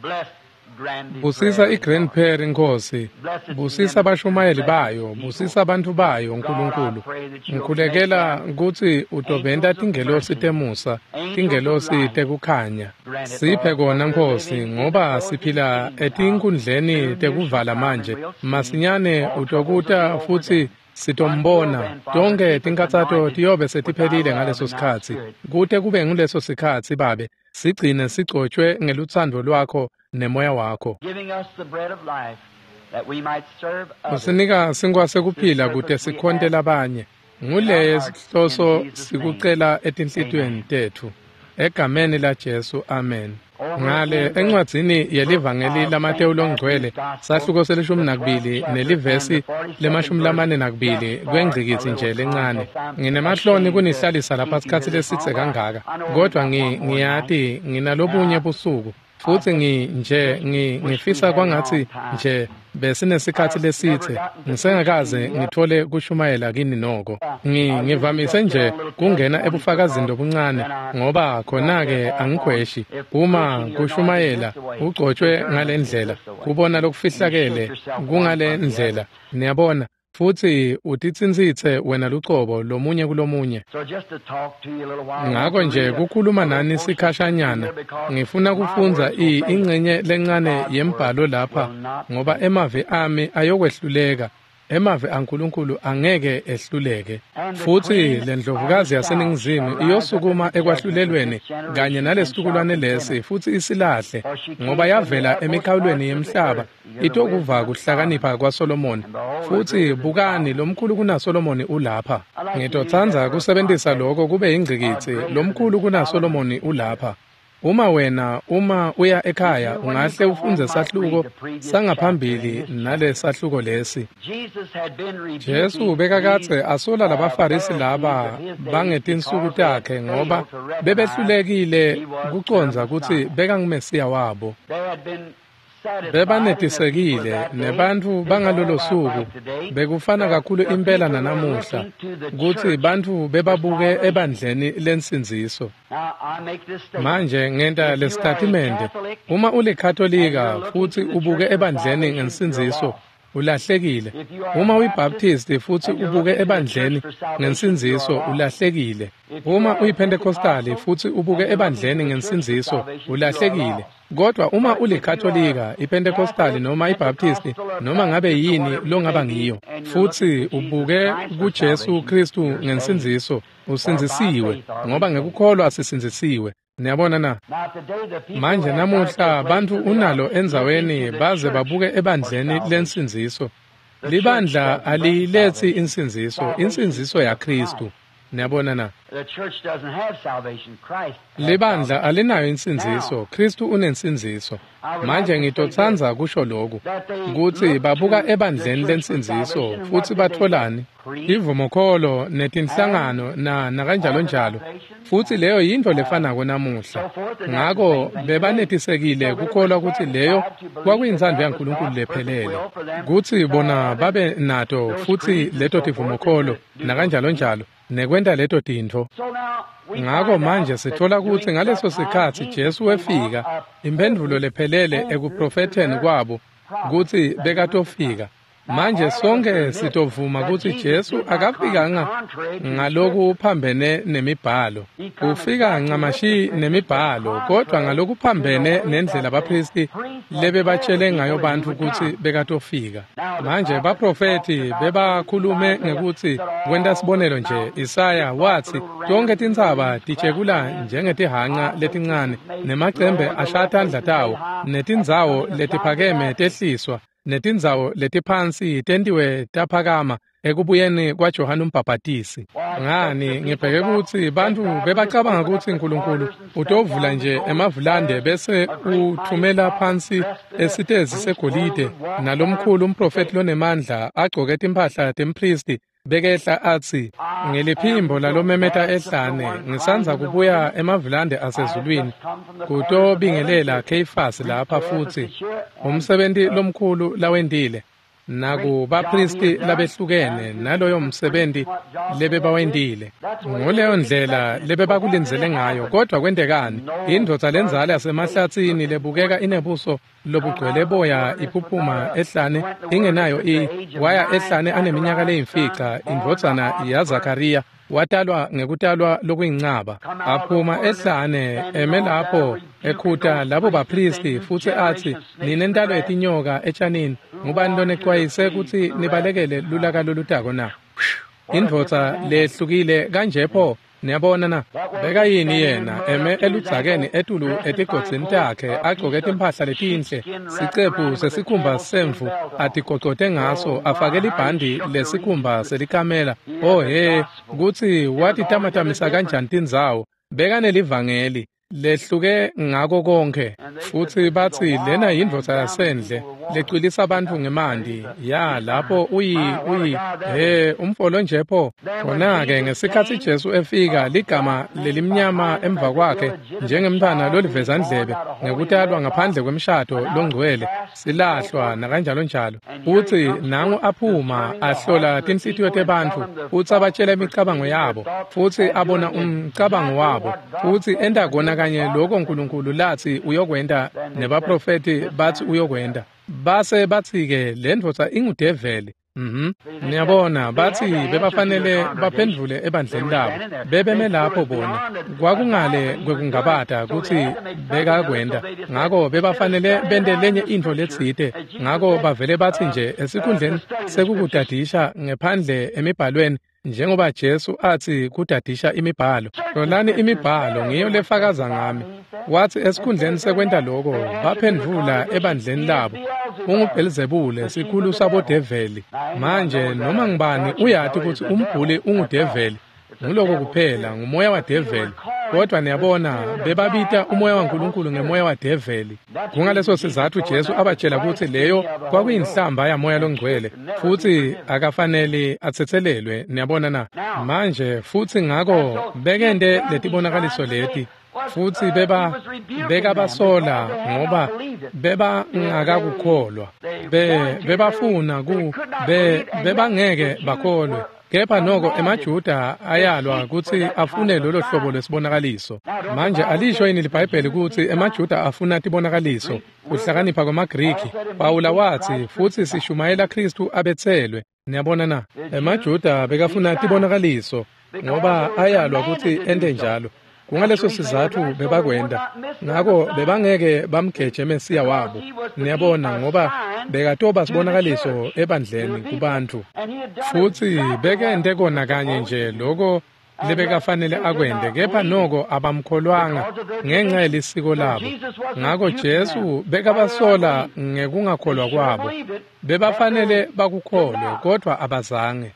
Busisa iGrand Prairie, Nkosi. Busisa abashumayeli bayo, busisa abantu bayo, Nkulunkulu. Ngikhulekela kutsi utobenta tingelosi temusa, tingelosi tekukhanya. Siphe kona, Nkosi, ngoba siphila etinkundleni tekuvala manje. Masinyane utokuta futsi Sitombona tonke tinkhatsato tiyobe setiphelile ngaleso sikhatsi. Kute kube nguleso sikhatsi, Babe, sigcine sigcotshwe ngelutsandvo lwakho nemoya wakho. Usinika sinkwa sekuphila kute sikhonte labanye. Nguleye sihloso sikucela etinhlitiyweni tetfu. Egameni laJesu, amen. Ngale encwadzini yelivangeli laMatewu longcwele, sahluko se-12 nelivesi le-42 kwengcikitsi nje lencane. Nginemahloni kunihlalisa lapha sikhatsi lesitse kangaka, kodvwa ngiyati nginalobunye busuku. Futsi ngifisa kwangatsi nje besinesikhatsi lesitse ngisengakaze ngithole kushumayela kini noko. Ngivamise nje kungena ebufakazini lobuncane ngoba khona-ke angikhweshi. Uma kushumayela ugcotshwe ngalendlela, kubona lokufihlakele kungale ndlela, niyabona, futsi utitsintsitse wena lucobo lomunye kulomunye. Ngako nje kukhuluma nani sikhashanyana, ngifuna kufundza ingcenye lencane yembhalo lapha ngoba emavi ami ayokwehluleka. Emavi aNkulunkulu angeke ehluleke. Futsi lendlovukazi yaseNingizimu iyosukuma ekwahlulelweni kanye nalesitukulwane lesi futsi isilahle, ngoba yavela emikhawulweni yemhlaba itokuva kuhlakanipha kwaSolomoni. Futsi bukani, lomkhulu kunaSolomoni ulapha. Ngitotsandza kusebentisa lokho kube yingcikitsi, lomkhulu kunaSolomoni ulapha. Uma wena uma uya ekhaya ungahle ufundze sahluko sangaphambili nale sahluko lesi. Jesu bekakadze asola labaFarisi laba bangetinsuku takhe ngoba bebehlulekile kucondza kutsi bekanguMesiya wabo. Bebanetisekile nebantfu bangalolo suku bekufana kakhulu impela nanamuhla kutsi bantfu bebabuke ebandleni lensindziso. Manje ngenta lesitatimende, uma ulikatolika futsi ubuke ebandleni ngensindziso, ulahlekile. Uma uyiBaptist futsi ubuke ebandleni ngensindziso, ulahlekile. Uma uyiPentecostali futsi ubuke ebandleni ngensindziso, ulahlekile. Kodwa uma ulikatolika, iPentecostali noma iBaptist, noma ngabe yini longaba ngiyo, futsi ubuke kuJesu Kristu ngensindziso, usindzisiwe, ngoba ngekukholwa sisindzisiwe. Niyabona na? Manje namuhla bantfu unalo endzaweni baze babuke ebandleni lensindziso. Libandla aliyiletsi insindziso, insindziso yaKristu. Niyabona na? Libandla alinayo insindziso, Kristu unensindziso. Manje ngitotsandza kusho lokhu, kutsi babuka ebandleni lensindziso futsi batholani? Ivumokholo netinhlangano nakanjalo njalo. Futsi leyo yintfo lefanako namuhla. Ngako bebanetisekile kukholwa kutsi leyo kwakuyintsandvo yaNkulunkulu lephelele, kutsi bona babe nato futsi leto tivumokholo nakanjalo njalo nekwenta leto tintfo. Ngako manje sithola kutsi ngaleso sikhatsi Jesu wefika, imphendvulo lephelele ekuprofetheni kwabo kutsi bekatofika. Manje sonke sitovuma kutsi Jesu akafikanga ngalokuphambene nemibhalo. Ufika ncamashi nemibhalo, kodwa ngalokuphambene nendlela abaphristi lebebatshele ngayo bantfu kutsi bekatofika. Manje baprofethi bebakhulume ngekutsi, kwenta sibonelo nje, Isaya watsi tonkhe tintsaba tijekula njengetihanca letincane, nemacembe ashaya tandla tawo, netindzawo letiphakeme tehliswa, netindzawo letiphansi tentiwe taphakama ekubuyeni kwaJohane uMbhabhatisi. Ngani ngibheke kutsi bantfu bebacabanga kutsi Nkulunkulu utovula nje emavulande bese uthumela phansi esitezi segolide nalomkhulu umprofethi lonemandla agcoke timphahla tempristi bekehla atsi, ngiliphimbo lalomemeta ehlane, ngisandza kubuya emavulande asezulwini kutobingelela Kheyifasi lapha futsi umsebenti lomkhulu lawentile nakubaphristi labehlukene naloyo msebenti lebebawentile. Nguleyo ndlela lebebakulindzele ngayo, kodwa kwentekani? Indvodza lendzala yasemahlatsini lebukeka inebuso lobugcwele boya iphuphuma ehlane ingenayo waya ehlane aneminyaka leyimfica, indvodzana yaZakariya, watalwa ngekutalwa lokuyincaba. Aphuma ehlane eme lapho ekhuta labo baphristi futsi atsi, ninentalo yetinyoka etshanini, ngubani lonecwayise kutsi nibalekele lulaka lolutako na? Indvodza lehlukile kanje pho. Niyabona na? Bekayini yena eme eludzakeni etulu etigodzini takhe agcoke timphahla letinhle, sicephu sesikhumba semvu atigocote ngaso, afake libhandi lesikhumba selikamela. Oh he, kutsi watitamatamisa kanjani tindzawo. Bekanelivangeli lehluke ngako konke. Futsi batsi lena yindvodza yasendle lecwilisa bantfu ngemanti. Ya lapho uyi he umfolo nje pho. Khona-ke ngesikhatsi Jesu efika, ligama lelimnyama emva kwakhe njengemntfwana lolivezandlebe ngekutalwa ngaphandle kwemshado longcwele, silahlwa nakanjalo njalo. Futsi nangu aphuma ahlola tinhlitiyo tebantfu, futsi abatshela imicabango yabo, futsi abona umcabango wabo, futsi enta kona kanye lokho uNkulunkulu lathi uyokwenta nebaprofeti bathi uyokwenta. Base bathi-ke le ndvodza ingudeveli. Niyabona, bathi bebafanele baphendvule ebandleni labo. Bebeme lapho bona. Kwakungale kwekungabata kutsi bekakwenta. Ngako bebafanele bente lenye intfo letsite. Ngako bavele bathi nje esikhundleni sekukudadisha ngephandle emibhalweni, njengoba Jesu athi kudadisha imibhalo. Hlolani imibhalo, ngiyo lefakaza ngami. Wathi esikhundleni sekwenta lokho, baphendvula ebandleni labo. UnguBhelzebule, sikhulu sabodeveli. Manje noma ngibani uyati kutsi umbhuli ungudeveli. Nguloko kuphela, ngumoya wadeveli. Kodwa niyabona, bebabita umoya waNkulunkulu ngemoya wadeveli. Kungaleso sizatfu Jesu abatshela kutsi leyo kwakuyinhlamba yamoya longcwele, futsi akafanele atsetselelwe. Niyabona na? Manje futsi ngako bekente letibonakaliso leti, futsi bekabasola ngoba bebangakakukholwa. Bebafuna bebangeke bakholwe. Kepha noko emaJuda ayalwa kutsi afune lolo hlobo lwesibonakaliso. Manje alisho yini liBhayibheli kutsi emaJuda afuna tibonakaliso, kuhlakanipha kwemaGriki? Pawula watsi futsi sishumayela Khristu abetselwe. Niyabona na? Emajuda bekafuna tibonakaliso ngoba ayalwa kutsi ente njalo. Kungaleso sizatfu bebakwenta. Ngako bebangeke bamgeje Mesiya wabo. Niyabona, ngoba bekatoba sibonakaliso ebandleni kubantfu. Futsi bekente kona kanye nje loko lebekafanele akwente, kepha noko abamkholwanga ngenxa yelisiko labo. Ngako Jesu bekabasola ngekungakholwa kwabo. Bebafanele bakukholwe, kodwa abazange.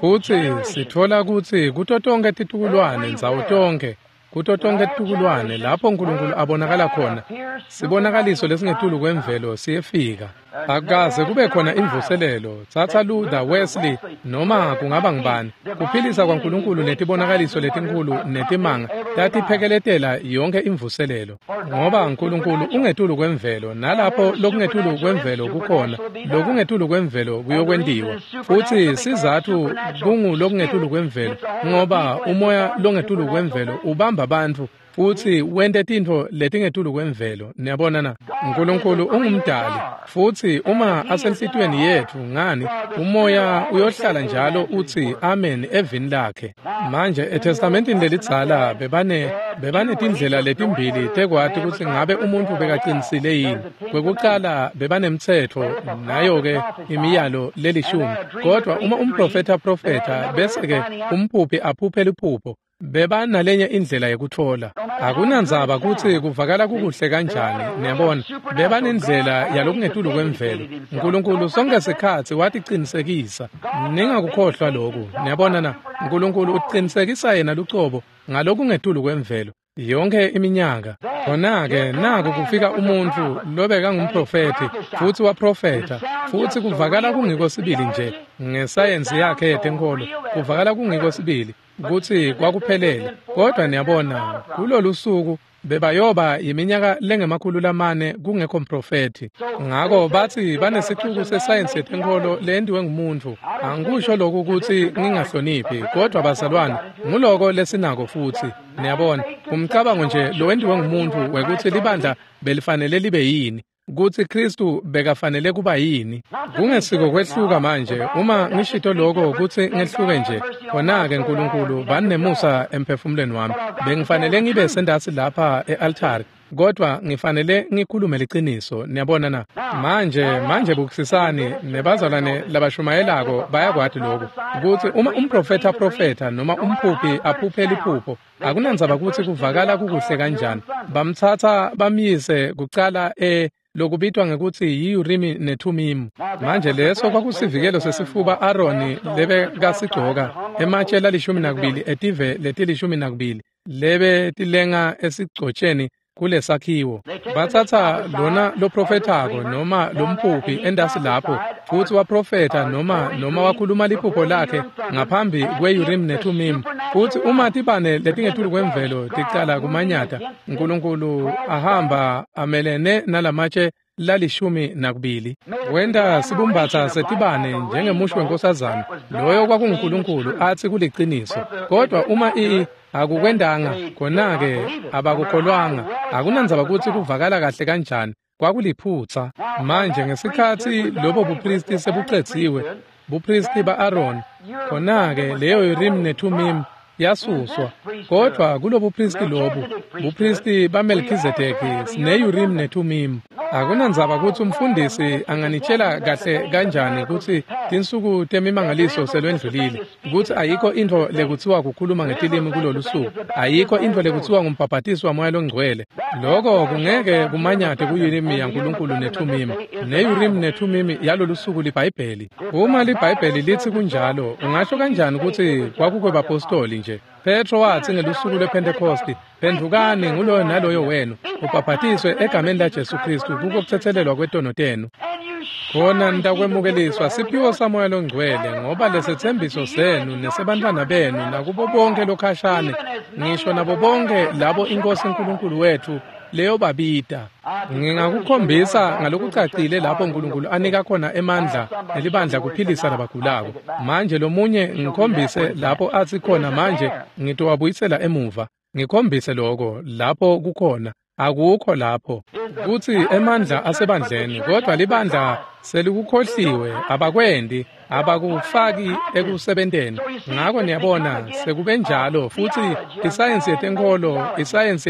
Futsi sitfola kutsi kuto tonkhe titukulwane, ndzawo tonkhe, kuto tonkhe titukulwane lapho uNkulunkulu abonakala khona, sibonakaliso lesingetulu kwemvelo siyefika. Akukaze kube khona imvuselelo, tsatsa Luther, Wesley, noma kungaba ngubani. Kuphilisa kwaNkulunkulu netibonakaliso letinkhulu netimanga tatiphekeletela yonke imvuselelo. Ngoba uNkulunkulu ungetulu kwemvelo, nalapho lokungetulu kwemvelo kukhona, lokungetulu kwemvelo kuyokwentiwa. Futsi sizatfu kungu lokungetulu kwemvelo, ngoba umoya longetulu kwemvelo ubamba bantfu futsi wente tintfo letingetulu kwemvelo. Niyabona na? uNkulunkulu ungumdali, futsi uma asenhlitiyweni yetfu, ngani, umoya uyohlala njalo utsi amen evini lakhe. Manje eTestamentini lelidzala bebanetindlela letimbili tekwati kutsi ngabe umuntfu bekaqinisile yini. Kwekucala bebanemtsetfo, nayo-ke imiyalo lelishumi. Kodwa uma umprofetha aprofetha bese-ke umphuphi aphuphe liphupho, bebanalenye indlela yekutfola. Akunandzaba kutsi kuvakala kukuhle kanjani, niyabona, bebanendlela yalokungetulu kwemvelo. uNkulunkulu sonke sikhatsi waticinisekisa. Ningakukhohlwa loku, niyabona na? uNkulunkulu ucinisekisa yena lucobo ngalokungetulu kwemvelo yonke iminyaka. Khona-ke naku kufika umuntfu lobekangumprofethi, futsi waprofetha, futsi kuvakala kungiko sibili nje ngesayensi yakhe yetenkholo, kuvakala kungiko sibili kutsi kwakuphelele. Kodwa niyabona, kulolu suku bebayoba iminyaka lengama-400 kungekho mprofethi. Ngako batsi banesicuku sesayensi yetenkholo leyentiwe ngumuntfu. Angikusho lokhu kutsi ngingahloniphi, kodwa bazalwane, nguloko lesinako futsi. Niyabona, umcabango nje lowentiwe ngumuntfu wekutsi libandla belifanele libe yini, kutsi Khristu bekafanele kuba yini. Kungesiko kwehluka manje, uma ngishito lokho kutsi ngehluke nje, khona-ke Nkulunkulu bani nemusa emphefumulweni wami. Bengifanele ngibe sendatsi lapha e-altari. Kodwa ngifanele ngikhulume liciniso, niyabona na? Manje bukisisani, nebazalwane labashumayelako bayakwati lokhu, kutsi uma umprofetha aprofetha noma umphuphi aphuphe liphupho, akunandzaba kutsi kuvakala kukuhle kanjani, bamtsatsa bamyise kucala lokubitwa ngekutsi yi-Urimi neThumimu. Manje leso kwakusivikelo sesifuba Aroni lebekasigcoka, ematshe la12 etive leti12 lebe tilenga esigcotsheni kulesakhiwo. Batsatsa lona loprofethako noma lomphuphi endasi lapho, futsi waprofetha noma wakhuluma liphupho lakhe ngaphambi kwe-Urim neThumim. Futsi uma tibane letingetulu kwemvelo ticala kumanyata, uNkulunkulu ahamba amelene nalamatshe la12. Wenta sibumbatsa setibane njengemusho wenkosazana, loyo kwakunguNkulunkulu atsi kuliciniso. Kodwa uma akukwendanga, khona-ke abakukholwanga. Akunandzaba kutsi kuvakala kahle kanjani, kwakuliphutsa. Manje ngesikhatsi lobo bupristi sebucedziwe, bupristi ba-Aroni, khona-ke leyo Urim neThumim yasuswa. Kodwa kulobupristi lobu, bupristi baMelkhizedeki, sine-Urim neThumim. Akunandzaba kutsi umfundisi anganitshela kahle kanjani kutsi tinsuku temimangaliso selwendlulile, kutsi ayikho intfo lekutsiwa kukhuluma ngetilimi kulolu suku, ayikho intfo lekutsiwa ngumbhabhatiso waMoya Longcwele. Loko kungeke kumanyate ku-Urim yaNkulunkulu neThumim. Ne-Urim neThumim yalolu suku liBhayibheli. Uma liBhayibheli litsi kunjalo, ungasho kanjani kutsi kwakukwebapostoli nje? Petro watsi ngelusuku lwePhentekhosti, phendvukani nguloyo naloyo wenu, ubhabhatiswe egameni laJesu Khristu kuko kutsetselelwa kwetono tenu. Khona nitakwemukeliswa siphiwo saMoya Longcwele, ngoba lesetsembiso senu nesebantfwana benu nakubo bonke lokhashane, ngisho nabo bonke labo iNkosi uNkulunkulu wethu leyobabita. Ngingakukhombisa ngalokucacile lapho uNkulunkulu anika khona emandla nelibandla kuphilisa labagulako. Manje lomunye ngikhombise lapho atsi khona manje ngitowabuyisela emuva. Ngikhombise lokho lapho kukhona. Akukho lapho kutsi emandla asebandleni, kodwa libandla selikukhohliwe, abakwendi, abakufaki ekusebenteni. Ngako niyabona sekube njalo, futsi isayensi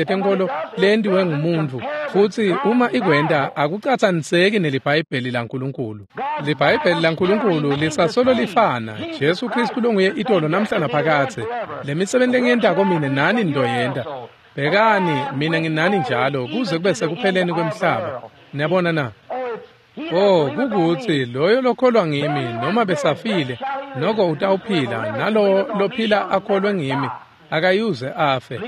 yetenkholo lentiwe ngumuntu, futsi uma ikwenta akucatsaniseki neliBhayibheli laNkulunkulu. LiBhayibheli laNkulunkulu lisasolo lifana, Jesu Khristu longuye itolo namhla naphakadze. Lemisebenti lengiyentako mine nani nitoyenta. Bhekani, mina nginani njalo kuze kube sekupheleni kwemhlaba. Niyabona na? Oh, kukutsi loyo lokholwa ngimi noma besafile, noko utawuphila, nalowo lophila akholwe ngimi akayuze afe.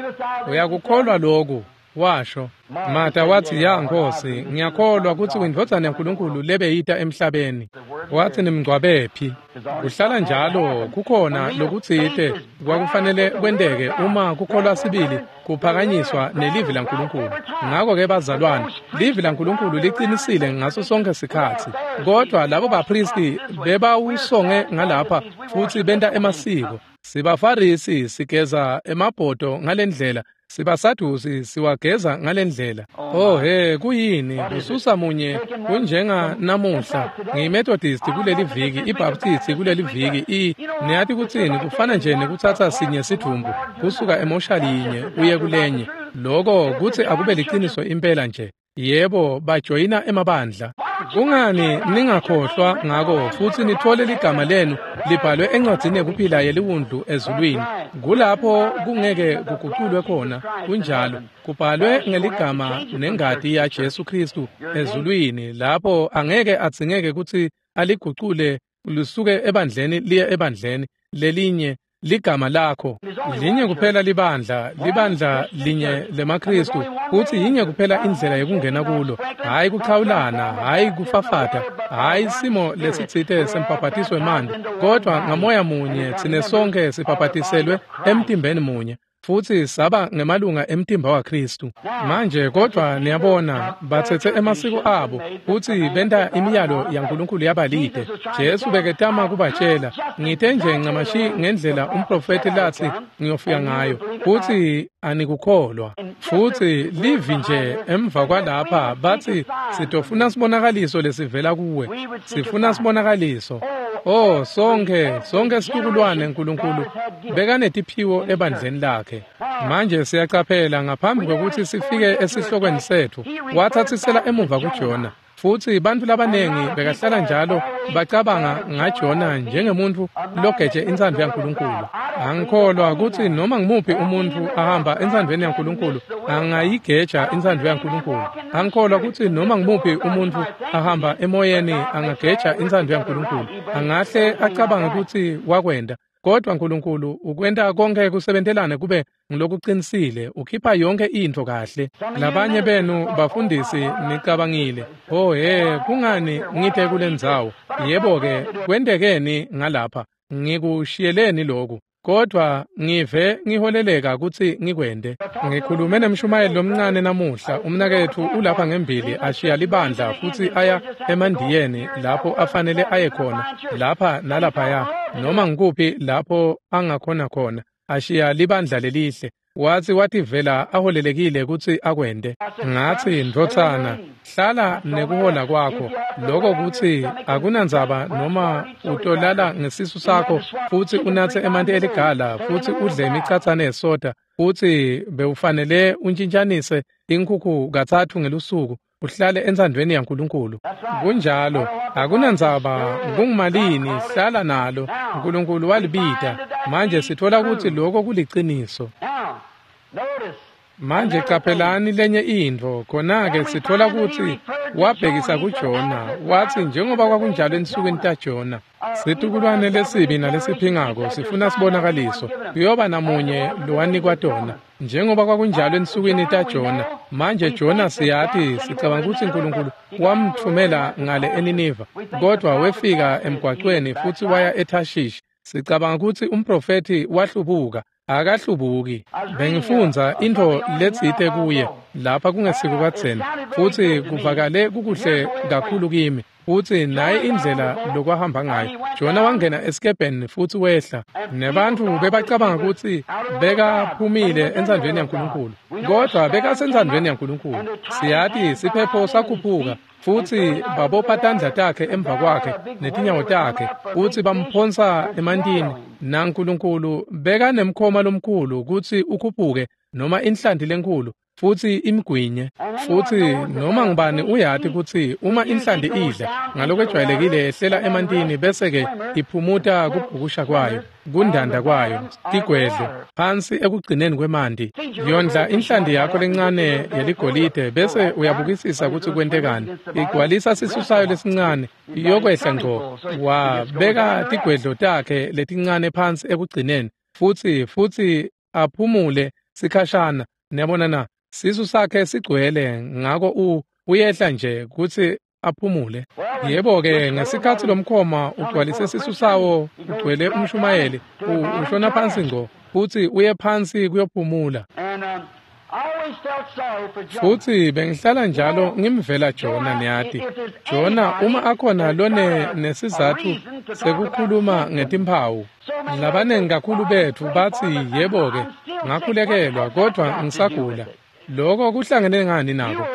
Uyakukholwa loku? Washo. Martha watsi, ya Nkosi, ngiyakholwa kutsi uyindvodzana yaNkulunkulu lebeyita emhlabeni. Watsi, nimngcwabephi? Kuhlala njalo kukhona lokutsite kwakufanele kwenteke uma kukholwa sibili kuphakanyiswa nelivi laNkulunkulu. Ngako-ke bazalwane, livi laNkulunkulu liqinisile ngaso sonke sikhatsi. Kodwa labo bapristi bebawusonge ngalapha futsi benta emasiko. Sibafarisi sigeza emabhodo ngalendlela, sibasadusi siwageza ngalendlela. Oh he, kuyini kususa munye kunjenga namuhla. NgiyiMethodist kuleli viki, iBaptist kuleli viki, niyati kutsini, kufana nje nekutsatsa sinye sidvumbu kusuka emoshali yinye uye kulenye. Loko kutsi akube liciniso impela nje. Yebo, bajoyina emabandla. Kungani ningakhohlwa ngako futsi nitfole ligama lenu libhalwe encwadzini yekuphila yeliwundlu ezulwini? Kulapho kungeke kuguculwe khona, kunjalo. Kubhalwe ngeligama nengati yaJesu Khristu ezulwini, lapho angeke adzingeke kutsi aligucule lisuke ebandleni liye ebandleni lelinye. Ligama lakho linye kuphela, libandla, libandla linye lemaKhristu, futsi yinye kuphela indlela yekungena kulo. Hhayi kuchawulana, hhayi kufafata, hhayi simo lesitsite sembhabhatiso wemanti, kodwa ngamoya munye tsine sonke sibhabhatiselwe emtimbeni munye, futsi saba ngemalunga emtimba waKhristu. Manje kodwa niyabona, batsetse emasiko abo futsi benta imiyalo yaNkulunkulu yabalide. Jesu beketama kubatshela, ngite nje ncamashi ngendlela umprofethi latsi ngiyofika ngayo, futsi anikukholwa. Futsi livi nje emva kwalapha batsi, sitofuna sibonakaliso lesivela kuwe, sifuna sibonakaliso. Oh, sonke situkulwane Nkulunkulu bekanetiphiwo ebandleni lakhe. Manje siyacaphela ngaphambi kwekuthi sifike esihlokweni sethu, wathathisela emuva kuJona. Futsi bantfu labanengi bekahlala njalo bacabanga ngaJona njengemuntfu logeje intsandvo yaNkulunkulu. Angikholwa kutsi noma ngimuphi umuntfu ahamba entsandvweni yaNkulunkulu angayigeja intsandvo yaNkulunkulu. Angikholwa kutsi noma ngimuphi umuntfu ahamba emoyeni angageja intsandvo yaNkulunkulu. Angahle acabange kutsi wakwenta, kodwa Nkulunkulu ukwenta konke kusebentelane kube ngilokuqinisile, ukhipha yonke intfo kahle. Labanye benu bafundisi nicabangile, oh he, kungani ngite kulendzawo? Yebo-ke, kwentekeni ngalapha? Ngikushiyeleni lokhu, kodwa ngive ngiholeleka kutsi ngikwente. Ngikhulume nemshumayeli lomncane namuhla, umnaketfu ulapha ngembili ashiya libandla futsi aya emandiyeni lapho afanele aye khona, lapha nalaphaya, noma ngikuphi lapho angakhona khona, ashiya libandla lelihle. Watsi wativela aholelekile kutsi akwente. Ngatsi, ndvodzana, hlala nekuhola kwakho. Lokho kutsi akunandzaba noma utolala ngesisu sakho futsi unatse emanti eligala futsi udle imicatsane yesoda futsi bewufanele untshintshanise inkhukhu 3 ngelusuku, uhlale entsandvweni yaNkulunkulu. Kunjalo, akunandzaba kungumalini, hlala nalo. Nkulunkulu walibita. Manje sitfola kutsi lokho kuliciniso. Manje caphelani lenye intfo, khona-ke sitfola kutsi wabhekisa kuJona, watsi njengoba kwakunjalo ensukwini taJona, situkulwane lesibi nalesiphingako sifuna sibonakaliso, kuyoba namunye lowanikwa tona, njengoba kwakunjalo ensukwini taJona. Manje Jona siyati, sicabanga kutsi Nkulunkulu wamtfumela ngale eNiniva, kodwa wefika emgwacweni futsi waya eThashishi. Sicabanga kutsi umprofethi wahlubuka. Akahlubuki. Bengifundza intfo letsite kuye lapha kungesiko kadzeni, futsi kuvakale kukuhle kakhulu kimi. Futsi naye indlela lokwahamba ngayo. Jona wangena esikebheni futsi wehla. Nebantfu bebacabanga kutsi bekaphumile entsandvweni yaNkulunkulu, kodwa bekasentsandvweni yaNkulunkulu. Siyati siphepho sakhuphuka, futsi babopha tandla takhe emva kwakhe netinyawo takhe, futsi bamphonsa emantini. NaNkulunkulu bekanemkhoma lomkhulu kutsi ukhuphuke, noma inhlanti lenkhulu, futsi imgwinye. Futsi noma ngubani uyati kutsi uma inhlanti idla ngalokwejwayelekile yehlela emantini bese-ke iphumuta kubhukusha kwayo, kundanda kwayo, tigwedlo phansi ekugcineni kwemanti. Yondla inhlanti yakho lencane yeligolide bese uyabukisisa kutsi kwentekani. Igcwalisa sisu sayo lesincane, iyokwehla ngco. Wabeka tigwedlo takhe letincane phansi ekugcineni, futsi aphumule sikhashana. Niyabona na? Sisu sakhe sigcwele, ngako uyehla nje kutsi aphumule. Yebo-ke, ngesikhatsi lomkhoma ugcwalise sisu sawo ugcwele umshumayeli, ushona phansi ngco futsi uye phansi kuyophumula. Futsi bengihlala njalo ngimvela Jona, niyati. Jona uma akhona lone nesizatfu sekukhuluma ngetimphawu. Labanengi kakhulu betfu batsi, yebo-ke, ngakhulekelwa kodwa ngisagula. Lokho kuhlangene ngani nako?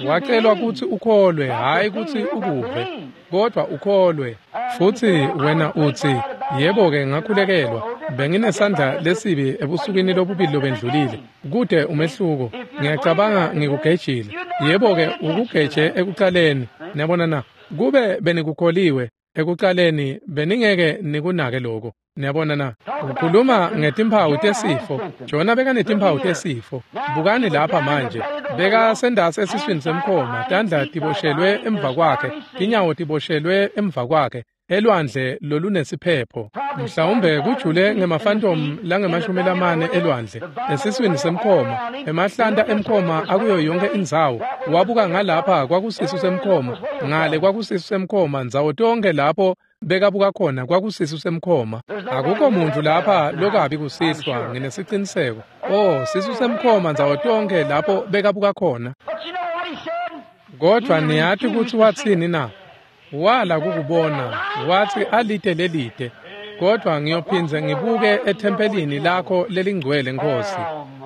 Wacelwa kutsi ukholwe, hhayi kutsi ukuve, kodwa ukholwe. Futsi wena utsi, yebo-ke, ngakhulekelwa, benginesandla lesibi ebusukwini lobubili lobendlulile. Kude umehluko, ngiyacabanga ngikugejile. Yebo-ke, ukugeje ekucaleni. Niyabona na? Kube benikukholiwe ekucaleni, beningeke nikunake lokho. Niyabona na? Ukhuluma ngetimphawu tesifo. Jona bekanetimphawu tesifo. Bukani lapha manje. Bekasendasi esiswini semkhoma, tandla tiboshelwe emva kwakhe, tinyawo tiboshelwe emva kwakhe, elwandle lolunesiphepho. Mhlawumbe kujule ngemafantom langama-40 elwandle, esiswini semkhoma, emahlanta emkhoma akuyo yonke indzawo. Wabuka ngalapha kwakusisu semkhoma, ngale kwakusisu semkhoma, ndzawo tonke lapho bekabuka khona kwakusisu semkhoma. Akukho muntu lapha lokabi kusihlwa, nginesiciniseko. Oh, sisu semkhoma ndzawo tonke lapho bekabuka khona. Kodwa niyati kutsi watsini na? Wala kukubona, watsi alite lelide, kodwa ngiyophindze ngibuke ethempelini lakho lelingcwele, Nkosi.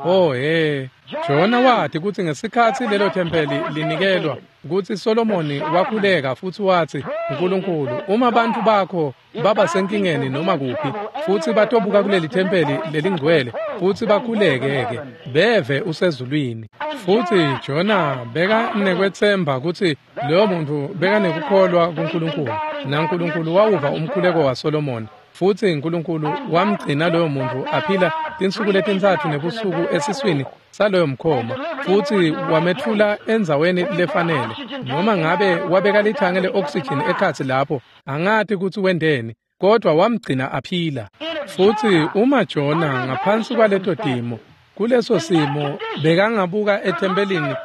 Oh he, Jona wathi kutsi ngesikhatsi lelo thempeli linikelwa kutsi Solomoni wakhuleka futsi watsi, "Nkulunkulu, uma bantfu bakho baba senkingeni noma kuphi futsi batobuka kuleli thempeli lelingcwele futsi bakhuleke-ke beve usezulwini." Futsi Jona bekanekwetsemba kutsi loyo muntfu bekanekukholwa kuNkulunkulu, naNkulunkulu wawuva umkhuleko waSolomoni. Futsi uNkulunkulu wamgcina loyo muntfu aphila tinsuku letintsatfu nebusuku esiswini saloyo mkhoma, futsi wametfula endzaweni lefanele. Noma ngabe wabeka lithange le-oxygen ekhatsi lapho, angati kutsi wenteni, kodvwa wamgcina aphila. Futsi uma Jona ngaphansi kwaleto timo, kuleso simo, bekangabuka ethempelini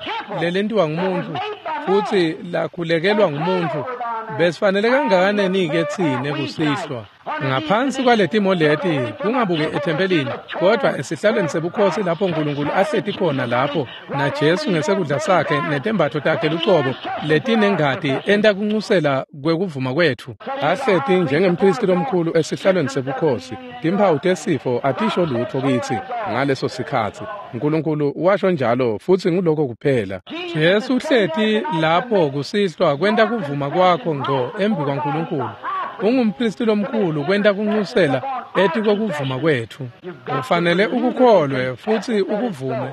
lelentiwa ngumuntfu futsi lakhulekelwa ngumuntfu, besifanele kangakanani-ke tsine kusihlwa ngaphansi kwaletimo leti kungabuki ethempelini kodvwa esihlalweni sebukhosi lapho Nkulunkulu ahleti khona lapho naJesu ngesekudla sakhe netembatfo takhe lucobo letinengati enta kuncusela kwekuvuma kwetfu, ahleti njengemphristi lomkhulu esihlalweni sebukhosi. Timphawu tesifo atisho lutfo kitsi ngaleso sikhatsi. Nkulunkulu washo njalo, futsi nguloko kuphela. Jesu uhleti lapho kusihlwa kwenta kuvuma kwakho ngco embi kwaNkulunkulu. Ungumphristi lomkhulu kwenta kuncusela etikwekuvuma kwetfu. Ufanele ukukholwe futsi ukuvume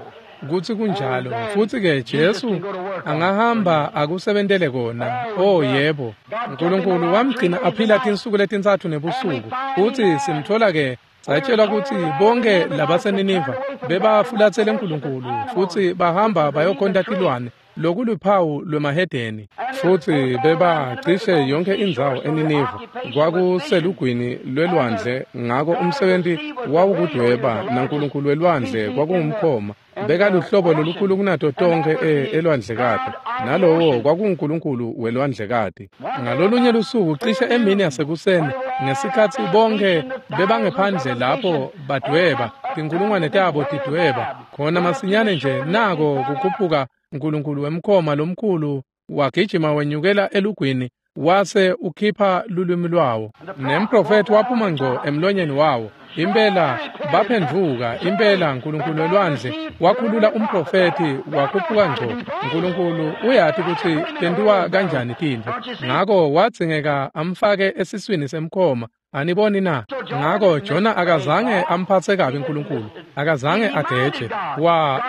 kutsi kunjalo, futsi-ke Jesu angahamba akusebentele kona. Oh yebo, Nkulunkulu wamgcina aphila tinsuku letintsatfu nebusuku, futsi simtfola-ke satshelwa kutsi bonke labaseNiniva bebafulatsele Nkulunkulu futsi bahamba bayokhonta tilwane, lokuluphawu lwemahedeni. Futsi bebacishe yonke indzawo eNiniva kwakuselugwini lwelwandle, ngako umsebenti wawukudweba, naNkulunkulu welwandle kwakungumkhoma. Bekaluhlobo lolukhulu kunato tonkhe elwandlekati, nalowo kwakunguNkulunkulu welwandlekati. Ngalolunye lusuku cishe emini yasekuseni, ngesikhatsi bonke bebangephandle lapho badweba, tinkulungwane tabo tidweba, khona masinyane nje nako kukhuphuka Nkulunkulu wemkhoma lomkhulu wagijima wenyukela elugwini wase ukhipha lulwimi lwawo, nemprofethi waphuma ngco emlonyeni wawo. Impela baphendvuka, impela Nkulunkulu welwandle wakhulula umprofethi wakhuphuka ngco. Nkulunkulu uyati kutsi tentiwa kanjani tintfo, ngako wadzingeka amfake esiswini semkhoma. Aniboni na? Ngako Jona akazange amphatse kabi Nkulunkulu, akazange ageje,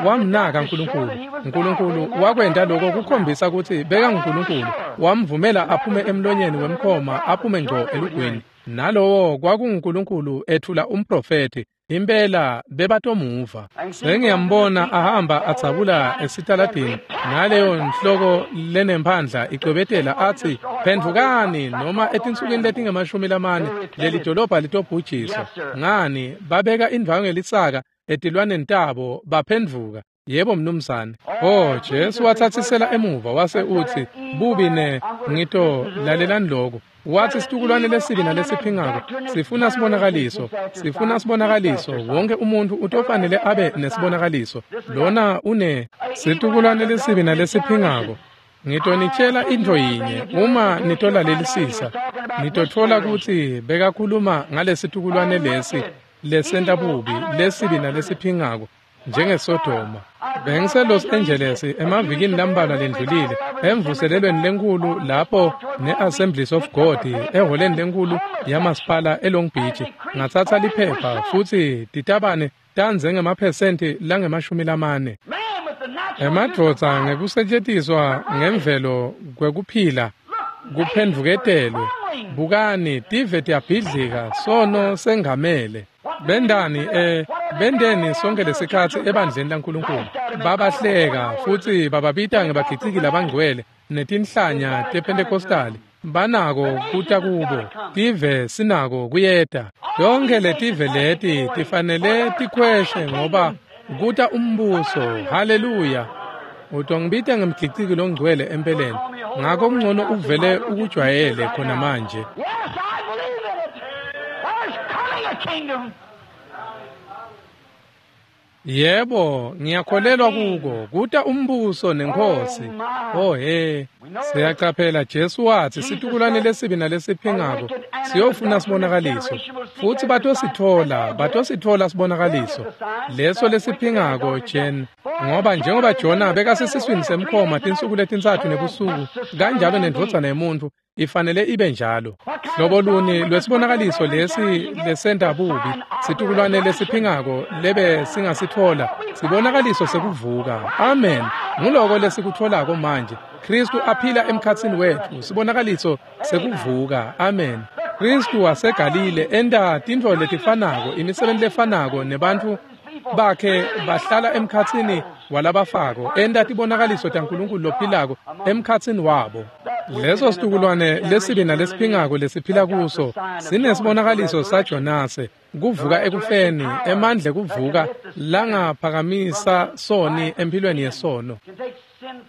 wamnaka Nkulunkulu. Nkulunkulu wakwenta lokho kukhombisa kutsi bekanguNkulunkulu, wamvumela aphume emlonyeni wemkhoma aphume ngco elugwini. Nalowo kwakunguNkulunkulu ethula umprofethi. Impela bebatomuva. Sengiyambona ahamba adzabula esitaladini naleyo nhloko lenemphandla icwebetela atsi, "Phendvukani, noma etinsukwini letinge-40 leli dolobha litobhujiswa." Ngani, babeka indvwangu yelisaka etilwaneni tabo baphendvuka. Yebo mnumzane. Oh, Jesu watsatsisela emuva wase utsi, "Bubi ne ngito lalelani lokho." Wathi situkulwane lesibi nalesiphingako sifuna sibonakaliso, sifuna sibonakaliso. Wonke umuntu utofanele abe nesibonakaliso. Lona une situkulwane lesibi nalesiphingako. Ngitonitshela intfo yinye, uma nitolalelisisa, nitotfola kutsi bekakhuluma ngalesitukulwane lesi lesenta bubi, lesibi nalesiphingako, njengeSodoma. BengiseLos Angeles emavikini lambalwa lendlulile emvuselelweni lenkhulu lapho ne-Assemblies of God ehholeni lenkhulu yamasipala eLong Beach. Ngatsatsa liphepha futsi titabane tandze ngemaphesenti lange-40. Emadvodza ngekusetjentiswa ngemvelo kwekuphila kuphendvuketelwe. Bukani, tive tiyabhidlika, sono sengamele. Bendani bendeni sonke lesikhatsi ebandleni laNkulunkulu. Babahleka futsi bababita ngebagiciki labangcwele netinhlanya tePentecostali. Banako kuta kubo, tive sinako kuyeta. Yonke letive leti tifanele tikhweshe ngoba kuta umbuso. Haleluya. Utongibita ngemgiciki longcwele empeleni, ngako kungcono uvele ukujwayele khona manje. Kingdom. Yebo, ngiyakholelwa kuko, kuta umbuso nenkosi. Oh he, siyacaphela Jesu wathi situkulwane lesibi nalesiphingako siyofuna sibonakaliso, futhi batosithola sibonakaliso leso lesiphingako Jen, ngoba njengoba Jona bekasesiswini semkhoma tinsuku letintsatfu nebusuku, kanjalo nendvodzana yemuntfu ifanele ibe njalo. Hlobo luni lwesibonakaliso lesi lesenta bubi situkulwane lesiphingako lebe singasithola? Sibonakaliso sekuvuka. Amen. Nguloko lesikutholako manje. Kristu aphila emkhatsini wetfu, sibonakaliso sekuvuka. Amen. Kristu waseGalile enta tintfo letifanako, imisebenti lefanako, nebantfu bakhe bahlala emkhatsini walabafako, enta tibonakaliso taNkulunkulu lophilako emkhatsini wabo. Leso situkulwane lesibi nalesiphingako lesiphila kuso sinesibonakaliso saJonase, kuvuka ekufeni, emandla kuvuka langaphakamisa soni empilweni yesono.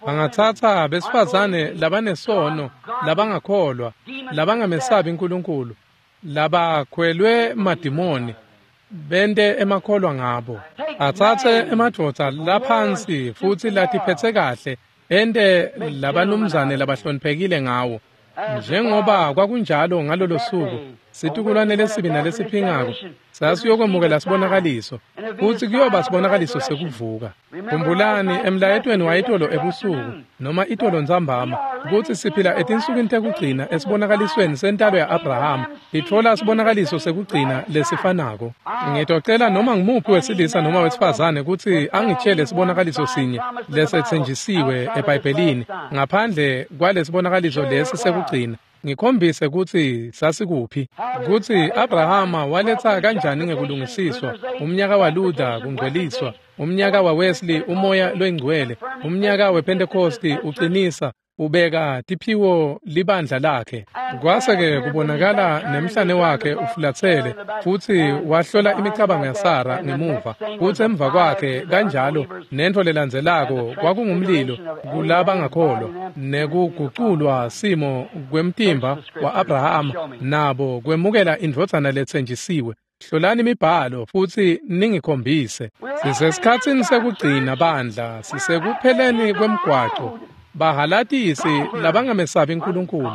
Bangatsatsa besifazane labanesono, labangakholwa, labangamesabi uNkulunkulu, labakhwelwe madimoni, bente emakholwa ngabo. Atsatse emadvodza laphansi futhi latiphetse kahle, ente labanumzane labahloniphekile ngawo. Njengoba kwakunjalo ngalolo suku, situkulwane lesibi nalesiphingako sasiyokwemukela sibonakaliso, futhi kuyoba sibonakaliso sekuvuka. Khumbulani emlayetweni wayitolo ebusuku noma itolo ntsambama kutsi siphila etinsukwini tekugcina esibonakalisweni sentalo ya-Abrahama, itfola sibonakaliso sekugcina lesifanako. Ngitocela noma ngumuphi wesilisa noma wesifazane kutsi angitshele sibonakaliso sinye lesetsenjisiwe eBhayibhelini ngaphandle kwalesibonakaliso lesi sekugcina. Ngikhombise kutsi sasikuphi, kutsi Abrahama waletsa kanjani ngekulungisiswa, umnyaka waLuther kungcweliswa, umnyaka waWesley umoya loyingcwele, umnyaka wePentecost uqinisa, ubeka tiphiwo libandla lakhe. Kwase-ke kubonakala nemhlane wakhe ufulatsele, futhi wahlola imicabango yaSara ngemuva, futhi emva kwakhe kanjalo nentfo lelandzelako kwakungumlilo kulabangakholwa, nekuguculwa simo kwemtimba wa-Abrahama nabo kwemukela indvodzana letsenjisiwe. Hlolani imibhalo futhi ningikhombise. Sisesikhatsini sekugcina bandla, sisekupheleni kwemgwaco. Bahalatisi labangamesabi uNkulunkulu.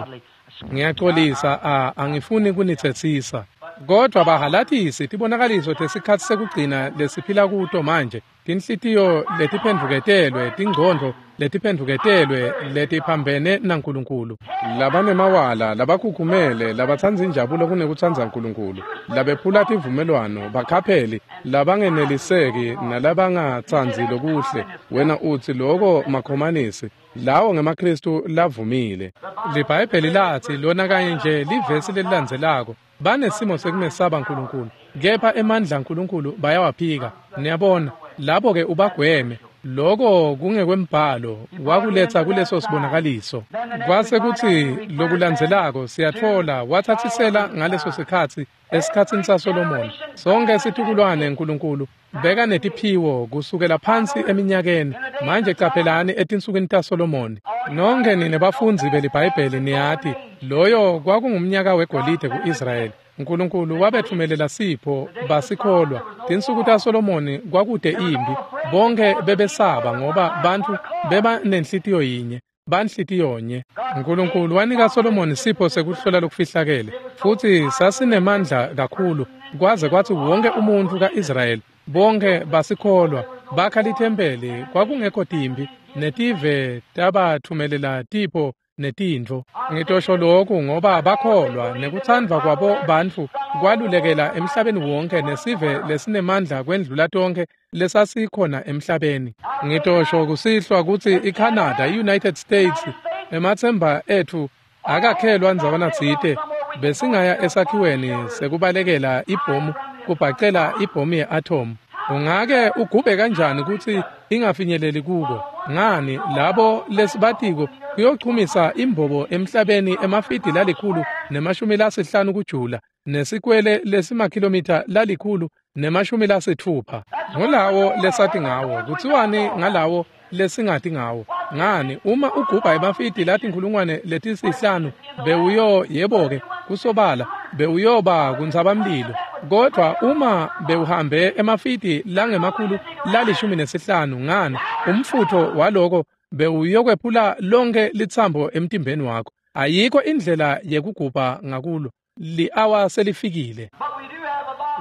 Ngiyaxolisa, angifuni kunitsetsisa, kodwa bahalatisi tibonakaliso tesikhatsi sekugcina lesiphila kuto manje, tinhlitiyo letiphendvuketelwe, tingcondvo letiphendvuketelwe, letiphambene naNkulunkulu, labanemawala, labakhukhumele, labatsandza injabulo kunekutsandza uNkulunkulu, labephula tivumelwano, bakhapheli, labangeneliseki nalabangatsandzi lokuhle. Wena utsi loko makhomanisi, lawo ngemaKristu lavumile. LiBhayibheli latsi lona kanye nje livesi lelilandzelako, banesimo sekumesaba uNkulunkulu, kepha emandla aNkulunkulu bayawaphika. Niyabona, labo-ke ubagweme. Loko kungekwembhalo wakuletsa kuleso sibonakaliso. Kwase kutsi lokulandzelako siyatfola watsatsisela ngaleso sikhatsi esikhatsini saSolomoni. Sonke situkulwane uNkulunkulu beka netiphiwo kusukela phansi eminyakeni. Manje caphelani etinsukwini taSolomoni. Nonke nine bafundzi beliBhayibheli niyati loyo kwakungumnyaka wegolide ku-Israyeli. uNkulunkulu wabethumelela sipho basikholwa. Tinsuku taSolomoni kwakude impi, bonke bebesaba ngoba bantfu beba nenhlitiyo yinye, banhlitiyonye. uNkulunkulu wanika Solomoni sipho sekuhlola lokufihlakele, futhi sasinemandla kakhulu kwaze kwatsi wonke umuntfu ka-Israyeli bonke basikholwa, bakha lithempeli. Kwakungekho timpi, netive tabathumelela tipho netintfo. Ngitosho lokhu ngoba bakholwa, nekutsandvwa kwabo bantfu kwalulekela emhlabeni wonke, nesive lesinemandla kwendlula tonkhe lesasikhona emhlabeni. Ngitosho kusihlwa kutsi iCanada, i-United States, ematsemba etfu akakhelwa ndzawana tsite. Besingaya esakhiweni sekubalekela ibhomu, kubhacela ibhomu ye-atom. Ungake ugubhe kanjani kutsi ingafinyeleli kuko? Ngani, labo lesibatiko kuyochumisa imbobo emhlabeni emafidi 150 kujula, nesikwele lesimakhilomitha 160. Ngulawo lesati ngawo. Kutsiwani ngalawo lesingati ngawo? Ngani, uma ugubha emafidi 5,000 bewuyo, yebo-ke, kusobala bewuyoba kuntsabamlilo. Kodwa uma bewuhambe emafidi langemakhulu la-15 ngani umfutho waloko bewuyokwephula lonke litsambo emtimbeni wakho. Ayikho indlela yekugubha ngakulo. Li-awa selifikile.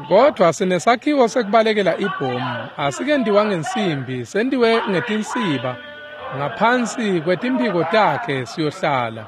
Kodwa sinesakhiwo sekubalekela ibhomu. Asikendiwa ngensimbi, sendiwe ngetinsiba. Ngaphansi kwetimphiko takhe siyohlala.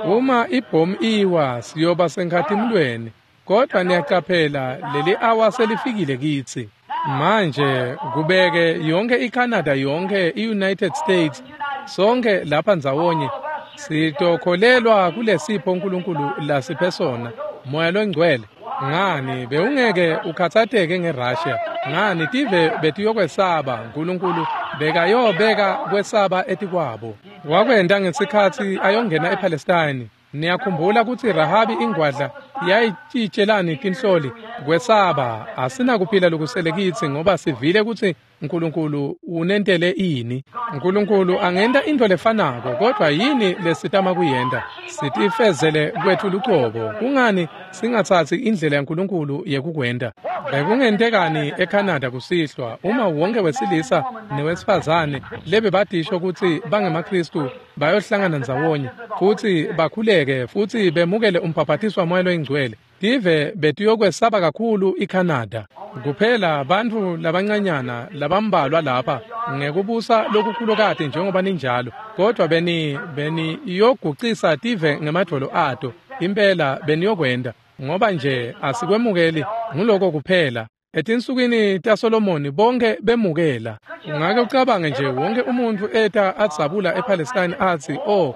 Uma ibhomu iwa siyoba senkhatimulweni. Kodwa niyacaphela leli awa selifikile kitsi. Manje kubeke yonke iCanada, yonke iUnited States, sonke lapha ndzawonye sitokholelwa kulesipho uNkulunkulu lasiphe sona, Moya loNgcwele. Ngani bewungeke ukhathateke ngeRussia? Ngani tive betiyokwesaba? uNkulunkulu bekayobeka kwesaba etikwabo. Wakwenta ngesikhatsi ayongena ePalestine. Niyakhumbula kutsi Rahabi ingwadla yayitshitshelani tinhloli? Kwesaba. Asinakuphila lokusele kitsi ngoba sivile kutsi uNkulunkulu unentele ini. uNkulunkulu angenta intfo lefanako, kodwa yini lesitama kuyenta? Sitifezele kwethu lucobo. Kungani singatsatsi indlela yaNkulunkulu yekukwenta? Bekungentekani eCanada kusihlwa uma wonke wesilisa newesifazane lebebatisho kutsi bangemaKhristu bayohlangana ndzawonye futsi bakhuleke futsi bemukele umbhaphatiswa Moya loyiNgcwele? Tive betiyokwesaba kakhulu iCanada. Kuphela bantfu labancanyana labambalwa lapha ngekubusa lokukhulukati njengoba ninjalo, kodwa beni iyogucisa tive ngemadvolo ato. Impela beniyokwenta, ngoba nje asikwemukeli nguloko kuphela. Etinsukwini taSolomoni bonke bemukela. Ungake ucabange nje wonke umuntfu eta adzabula ePalestine atsi, "Oh,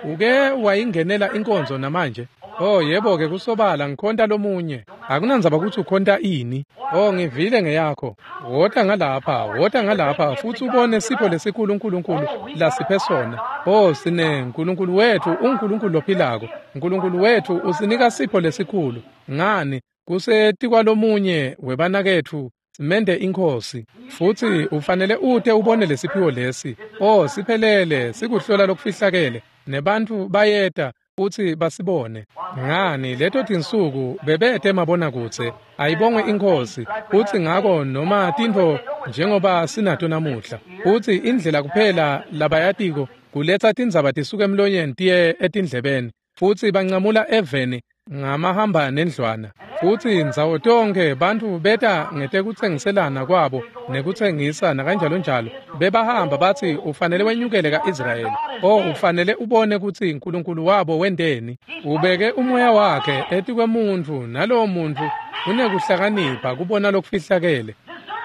uke wayingenela inkonzo namanje?" Oh yebo-ke, kusobala ngikhonta lomunye. Akunandzaba kutsi ukhonta ini. Oh, ngivile ngeyakho. Wota ngalapha, wota ngalapha futsi ubone sipho lesikhulu uNkulunkulu lasiphe sona. Oh, sine uNkulunkulu wethu, uNkulunkulu lophilako. uNkulunkulu wethu usinika sipho lesikhulu. Ngani? Kusetikwalomunye webanaketfu simende inkhosi. Futsi ufanele ute ubone lesiphiwo lesi. Oh, siphelele, sikuhlola lokufihlakele. Nebantfu bayeta futsi basibone. Ngani leto tinsuku bebete mabonakudze. Ayibongwe inkhosi. Futsi ngako noma tintfo njengoba sinato namuhla. Futsi indlela kuphela labayatiko kuletsa tindzaba tisuke emlonyeni tiye etindlebeni. Futsi bancamula eveni ngamahamba nendlwana. Futsi ndzawo tonkhe bantfu beta ngetekutsengiselana kwabo nekutsengisa nakanjalo njalo. Bebahamba batsi ufanele wenyukele ka-Israyeli. Oh, ufanele ubone kutsi uNkulunkulu wabo wenteni. Ubeke umoya wakhe etikwemuntfu, nalowo muntfu unekuhlakanipha kubona lokufihlakele.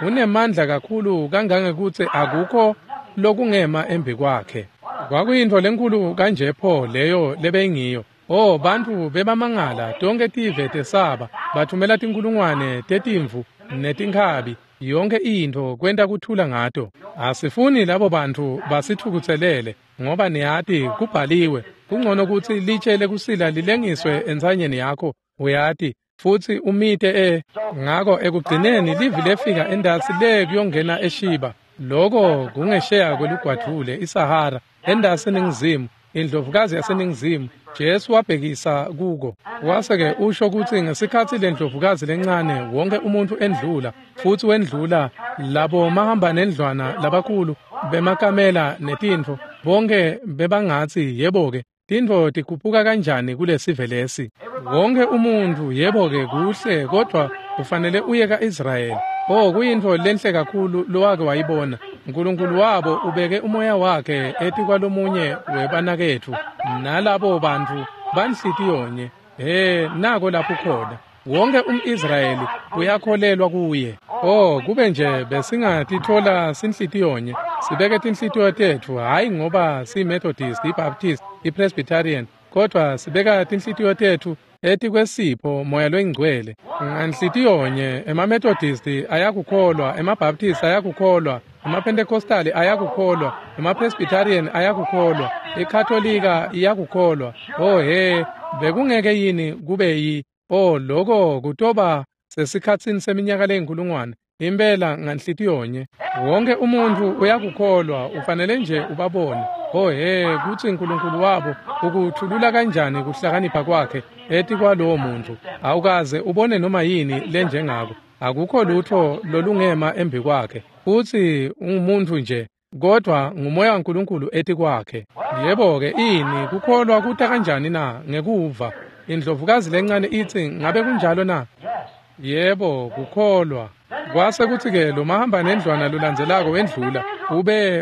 Unemandla kakhulu kangangekutsi akukho lokungema embi kwakhe. Kwakuyintfo lenkhulu kanje pho leyo lebeyingiyo. Oh, bantfu bebamangala, tonke tive tesaba, bathumela tinkhulungwane tetimvu netinkhabi, yonke intfo kwenta kuthula ngato. Asifuni labo bantfu basithukutselele, ngoba niyati kubhaliwe, kungcono kutsi litshe lekusila lilengiswe entsanyeni yakho, uyati, futsi umite Ngako ekugcineni livi lefika endasi le kuyongena eShiba. Loko kungesheya kwelugwadvule iSahara, endasi eNingizimu, indlovukazi yaseNingizimu. Jesu wabhekisa kuko. Wase-ke usho kutsi ngesikhatsi lendlovukazi lencane wonke umuntfu endlula, futsi wendlula labo mahamba nendlwana labakhulu bemakamela netintfo, bonke bebangatsi yebo-ke, tintfo tikhuphuka kanjani kulesive lesi. Wonke umuntfu yebo-ke kuhle, kodvwa ufanele uye ka-Israyeli. Oh, kuyintfo lenhle kakhulu lowake wayibona. uNkulunkulu wabo ubeke umoya wakhe etikwalomunye webanaketfu, nalabo bantfu banhlitiyonye. He, nako lapho khona. Wonke umIsrayeli uyakholelwa kuye. Oh, kube nje besingatithola sinhlitiyonye, sibeke tinhlitiyo tetfu, hhayi ngoba siyiMethodist, iBaptist, iPresbyterian, kodwa sibeka tinhlitiyo tetfu etikwesipho Moya loyiNgcwele. Nganhlitiyonye emaMethodist ayakukholwa, emaBaptist ayakukholwa, emaPentecostali ayakukholwa, emaPresbyterian ayakukholwa, iKatolika iyakukholwa. Oh he, bekungeke yini kube yi? Oh, loko kutoba sesikhatsini seminyaka leyinkulungwane. Impela nganhlitiyonye. Wonke umuntfu uyakukholwa, ufanele nje ubabone. Oh he, kutsi uNkulunkulu wabo ukuthulula kanjani kuhlakanipha kwakhe etikwalowo muntfu. Awukaze ubone noma yini lenjengako. Akukho lutho lolungema embi kwakhe. Futsi ungumuntu nje, kodwa ngumoya waNkulunkulu etikwakhe. Yebo-ke, ini kukholwa kuta kanjani na? Ngekuva. Indlovukazi lencane itsi, ngabe kunjalo na? Yebo, kukholwa. Kwase kutsi-ke lo mahamba nendlwana lolandzelako wendlula,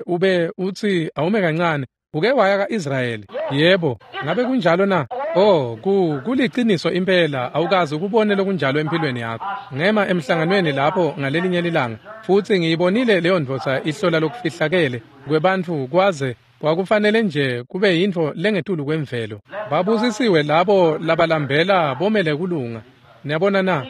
ube utsi awume kancane, uke waya ka-Israyeli. Yebo, ngabe kunjalo na? Oh, kuliciniso impela, awukaze ukubone lokunjalo empilweni yakho. Ngema emhlanganweni lapho ngalelinye lilanga, futsi ngiyibonile leyo ndvodza ihlola lokufihlakele kwebantfu kwaze kwakufanele nje kube yintfo lengetulu kwemvelo. Babusisiwe labo labalambela bomele kulunga. Niyabona na?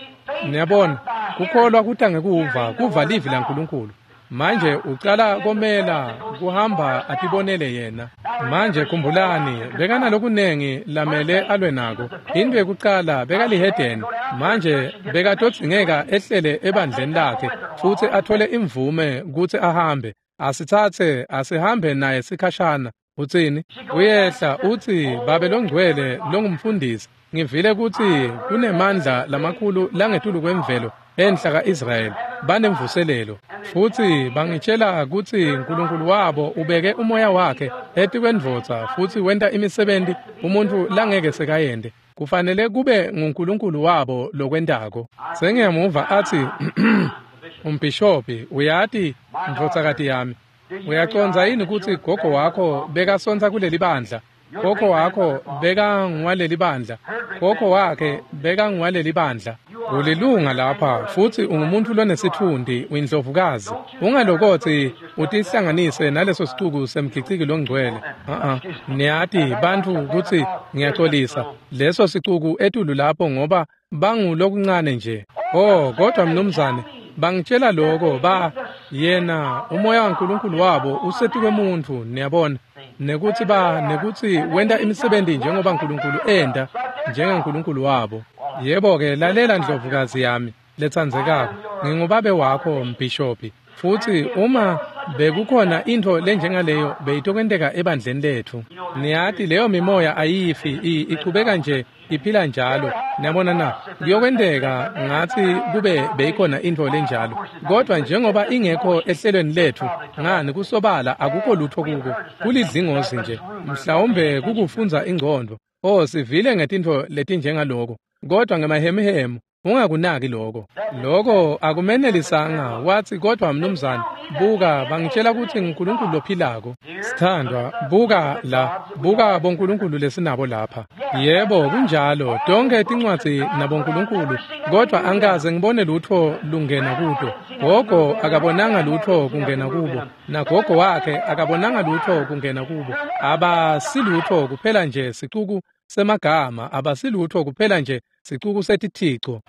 Niyabona, kukholwa kuta ngekuva, kuva livi laNkulunkulu. Manje ucala komela kuhamba atibonele yena. Manje khumbulani, bekanalokunengi lamele alwe nako. Into yekucala bekalihedeni. Manje bekatodzingeka ehlele ebandleni lakhe futsi athole imvume kutsi ahambe. Asitsatse asihambe naye sikhashana. Utsini? Uyehla utsi, Babe longcwele longumfundisi, ngivile kutsi kunemandla lamakhulu langetulu kwemvelo enhla ka-Israyeli, banemvuselelo. Futsi bangitshela kutsi uNkulunkulu wabo ubeke umoya wakhe etikwendvodza futsi wenta imisebenti umuntfu langeke sekayente. Kufanele kube nguNkulunkulu wabo lokwentako. Sengiyamuva atsi, umbhishobhi, uyati ndvodzakati yami, uyacondza yini kutsi gogo wakho bekasontsa kuleli bandla? Gogo wakho bekangwaleli bandla. Gogo wakhe bekangwaleli bandla. Ulilunga lapha futsi ungumuntu lonesitfundi, uyindlovukazi. Ungalokotsi utihlanganise naleso sicuku semgiciki longcwele. Niyati bantfu kutsi ngiyaxolisa leso sicuku etulu lapho ngoba bangulokuncane nje. Oh, kodwa mnumzane, bangitshela lokho ba yena umoya waNkulunkulu wabo usetikwemuntfu, niyabona, nekutsi nekutsi wenta imisebenzi njengoba uNkulunkulu enta, njengaNkulunkulu wabo. Yebo-ke, lalela ndlovukazi yami letsandzekako, ngingubabe wakho mbhishobhi, futsi uma bekukhona intfo lenjengaleyo beyitokwenteka ebandleni letfu. Niyati leyo mimoya ayifi, ichubeka nje iphila njalo. Niyabona na? Kuyokwenteka ngathi kube beyikhona intfo lenjalo, kodwa njengoba ingekho ehlelweni letfu, ngani kusobala akukho lutho kuko, kulidlingozi nje, mhlawumbe kukufundza ingcondvo. Oh, sivile ngetintfo letinjengaloko, kodwa ngemahemuhemu ungakunaki lokho. Lokho akumenelisanga. Wathi, kodwa mnumzane, buka, bangitshela kutsi nguNkulunkulu lophilako. Sithandwa, buka la, buka boNkulunkulu lesinabo lapha. Yebo, kunjalo, tonke tincwadzi naboNkulunkulu, kodwa angikaze ngibone lutho lungena kuto. Gogo akabonanga lutho kungena kubo, nagogo wakhe akabonanga lutho kungena kubo. Abasilutho kuphela nje sicuku semagama, abasilutho kuphela nje sicuku setithico.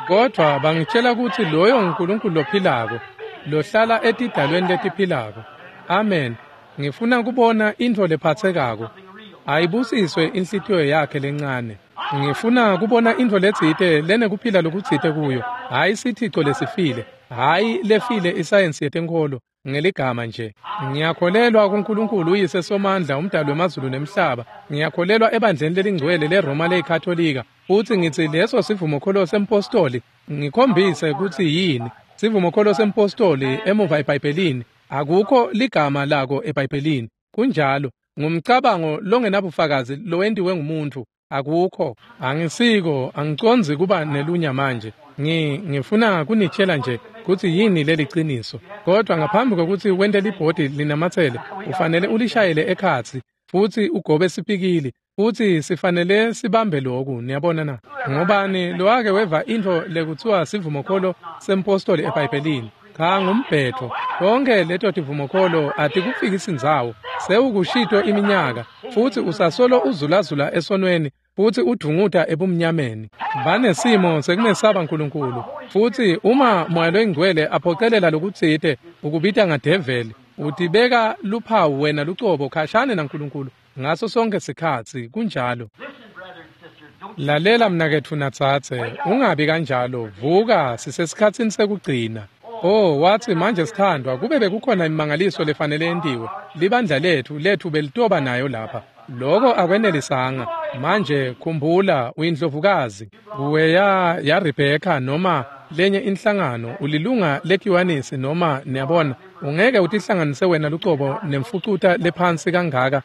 Kodwa bangitshela kutsi loyo nguNkulunkulu lophilako, lohlala etidalweni letiphilako. Amen. Ngifuna kubona intfo lephatsekako. Ayibusiswe inhlitiyo yakhe lencane. Ngifuna kubona intfo letsite lenekuphila lokutsite kuyo, hhayi sithico lesifile, hhayi lefile isayensi yetenkholo ngeligama nje. Ngiyakholelwa kuNkulunkulu uyise Somandla, umdali wemazulu nemhlaba. Ngiyakholelwa ebandleni lelingcwele leRoma leyiKatolika, futsi ngitsi leso sivumokholo sempostoli. Ngikhombise kutsi yini sivumokholo sempostoli emuva eBhayibhelini. Akukho ligama lako eBhayibhelini. Kunjalo, ngumcabango longenabufakazi lowentiwe ngumuntfu. Akukho. Angisiko, angicondzi kuba nelunya manje. Ngifuna kunitshela nje kutsi yini leliciniso. Kodwa ngaphambi kokuthi wente libhodi linamatsele, ufanele ulishayele ekhatsi futsi ugobe sipikili, futsi sifanele sibambe loku. Niyabona na? Ngobani lowake weva intfo lekutsiwa sivumokholo sempostoli eBhayibhelini? Cha, ngumbhetho. Tonke leto tivumokholo atikufikisi ndzawo. Sewukushito iminyaka, futsi usasolo uzulazula esonweni, futsi udvunguta ebumnyameni. Banesimo sekumesaba Nkulunkulu, futsi uma Moya loyiNgcwele aphocelela lokutsite ukubita ngadeveli, utibeka luphawu wena lucobo khashane naNkulunkulu ngaso sonke sikhatsi. Kunjalo. Lalela mnaketfu natsatse, ungabi kanjalo. Vuka, sisesikhatsini sekugcina. Oh, watsi manje sithandwa, kube bekukhona imimangaliso lefanele yentiwe, libandla lethu belitoba nayo lapha. Loko akwenelisanga. Manje khumbula, uyindlovukazi. Uweya ya Rebecca noma lenye inhlangano, ulilunga lekiwanisi noma niyabona, ungeke utihlanganise wena lucobo nemfucuta lephansi kangaka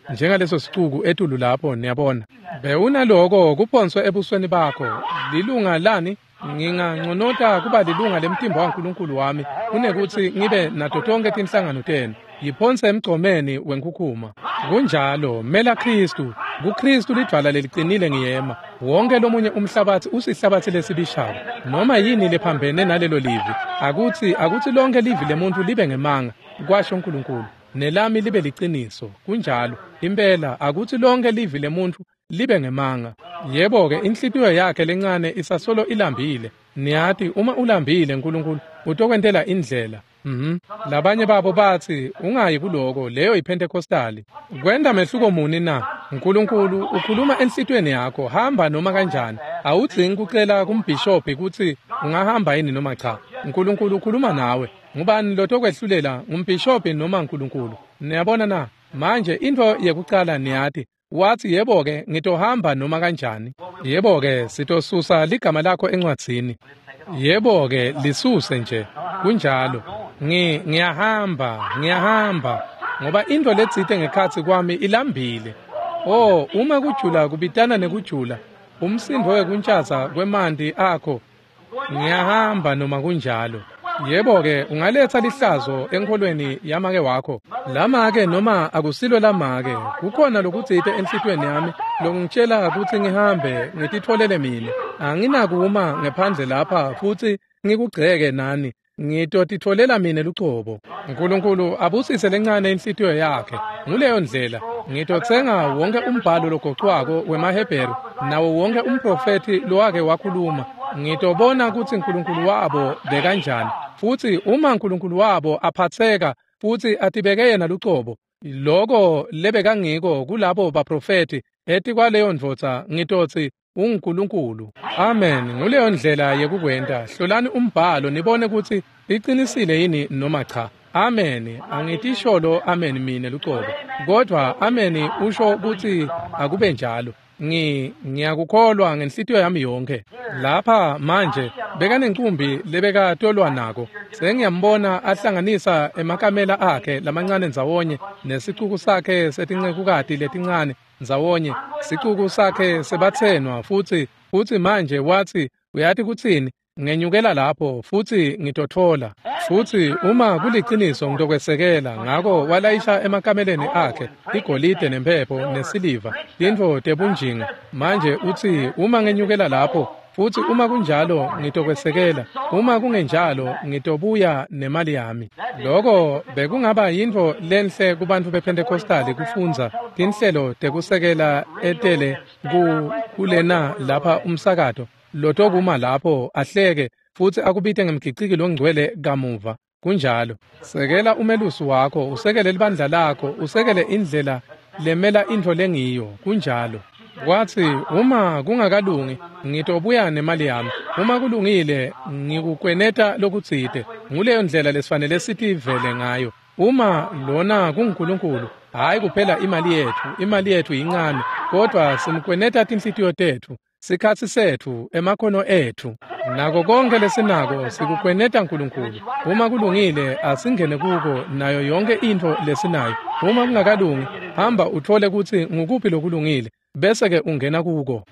njengaleso sicuku etulu lapho, niyabona. Bewunaloko kuphonswe ebusweni bakho. Lilunga lani? Nginganconota kuba lilunga lemtimba waNkulunkulu wami kunekutsi ngibe nato tonke tinhlangano tenu. Yiphonse emgcomeni wenkhukhuma. Kunjalo, mela Khristu. KuKhristu lidvwala leliqinile ngiyema. Wonke lomunye umhlabatsi usihlabatsi lesibishako. Noma yini lephambene nalelo livi, akutsi lonke livi lemuntu libe ngemanga, kwasho uNkulunkulu, nelami libe liciniso. Kunjalo, impela akutsi lonke livi lemuntu libe ngemanga. Yebo-ke, inhlitiyo yakhe lencane isasolo ilambile. Niyati, uma ulambile uNkulunkulu utokwentela indlela. Labanye babo batsi ungayi kuloko, leyo yiPentecostali. Kwenta mehluko muni na? uNkulunkulu ukhuluma enhlitiyweni yakho, hamba noma kanjani. Awudzingi kucela kumbhishobhi kutsi ungahamba yini noma cha. uNkulunkulu ukhuluma nawe. Ngubani lotokwehlulela, ngumbhishobhi noma uNkulunkulu? Niyabona na? Manje intfo yekucala niyati, watsi yebo-ke ngitohamba noma kanjani. Yebo-ke sitosusa ligama lakho encwadzini. Yebo-ke lisuse nje. Kunjalo. Ngiyahamba ngoba intfo letsite ngekhatsi kwami ilambile. Oh, uma kujula kubitana nekujula, umsindvo wekuntshaza kwemanti akho, ngiyahamba noma kunjalo. Yebo-ke ungaletsa lihlazo enkholweni yamake wakho. Lamake noma akusilo lamake, kukhona lokutsite enhlitiyweni yami lokungitshela kutsi ngihambe ngititfolele mine. Anginakuma ngephandle lapha futsi ngikugceke nani. Ngitotitfolela mine lucobo. uNkulunkulu abusise lencane inhlitiyo yakhe. Nguleyo ndlela ngitotsenga wonke umbhalo logocwako wemaHebheru nawo wonke umprofethi lowake wakhuluma. Ngitobona kutsi uNkulunkulu wabo bekanjani, futsi uma uNkulunkulu wabo aphatseka futsi atibeke yena lucobo, loko lebekangiko kulabo baprofethi etikwaleyo ndvodza, ngitotsi unguNkulunkulu. Amen. Nguleyo ndlela yekukwenta. Hlolani umbhalo nibone kutsi liqinisile yini noma cha. Amen. Angitisholo amen mine lucobo, kodwa amen usho kutsi akube njalo. Ngiyakukholwa ngenhlitiyo yami yonke. Lapha manje bekanencumbi lebekatolwa nako. Sengiyambona ahlanganisa emakamela akhe lamancane ndzawonye nesicuku sakhe setincekukati letincane ndzawonye, sicuku sakhe sebatsenwa, futsi manje watsi, uyati kutsini? Ngenyukela lapho futsi ngitotfola. Futsi uma kuliciniso ngitokwesekela. Ngako walayisha emakameleni akhe igolide nemphepho nesiliva, tintfo tebunjinga. Manje utsi uma ngenyukela lapho futsi uma kunjalo ngitokwesekela, uma kungenjalo ngitobuya nemali yami. Loko bekungaba yintfo lenhle kubantfu bePentecostali kufundza tinhlelo tekusekela etele kulena lapha umsakato lotokuma lapho ahleke futsi akubite ngemgiciki longcwele kamuva. Kunjalo. Sekela umelusi wakho, usekele libandla lakho, usekele indlela lemela intfo lengiyo. Kunjalo. Kwatsi uma kungakalungi ngitobuya nemali yami, uma kulungile ngikukweneta lokutsite. Nguleyo ndlela lesifanele sitivele ngayo. Uma lona kunguNkulunkulu, hhayi kuphela imali yethu yincane, kodwa simkweneta tinhlitiyo tetfu, sikhatsi setfu, emakhono etfu, nako konke lesinako sikukweneta uNkulunkulu. Uma kulungile asingene kuko nayo yonke intfo lesinayo. Uma kungakalungi, hamba utfole kutsi ngukuphi lokulungile, bese-ke ungena kuko.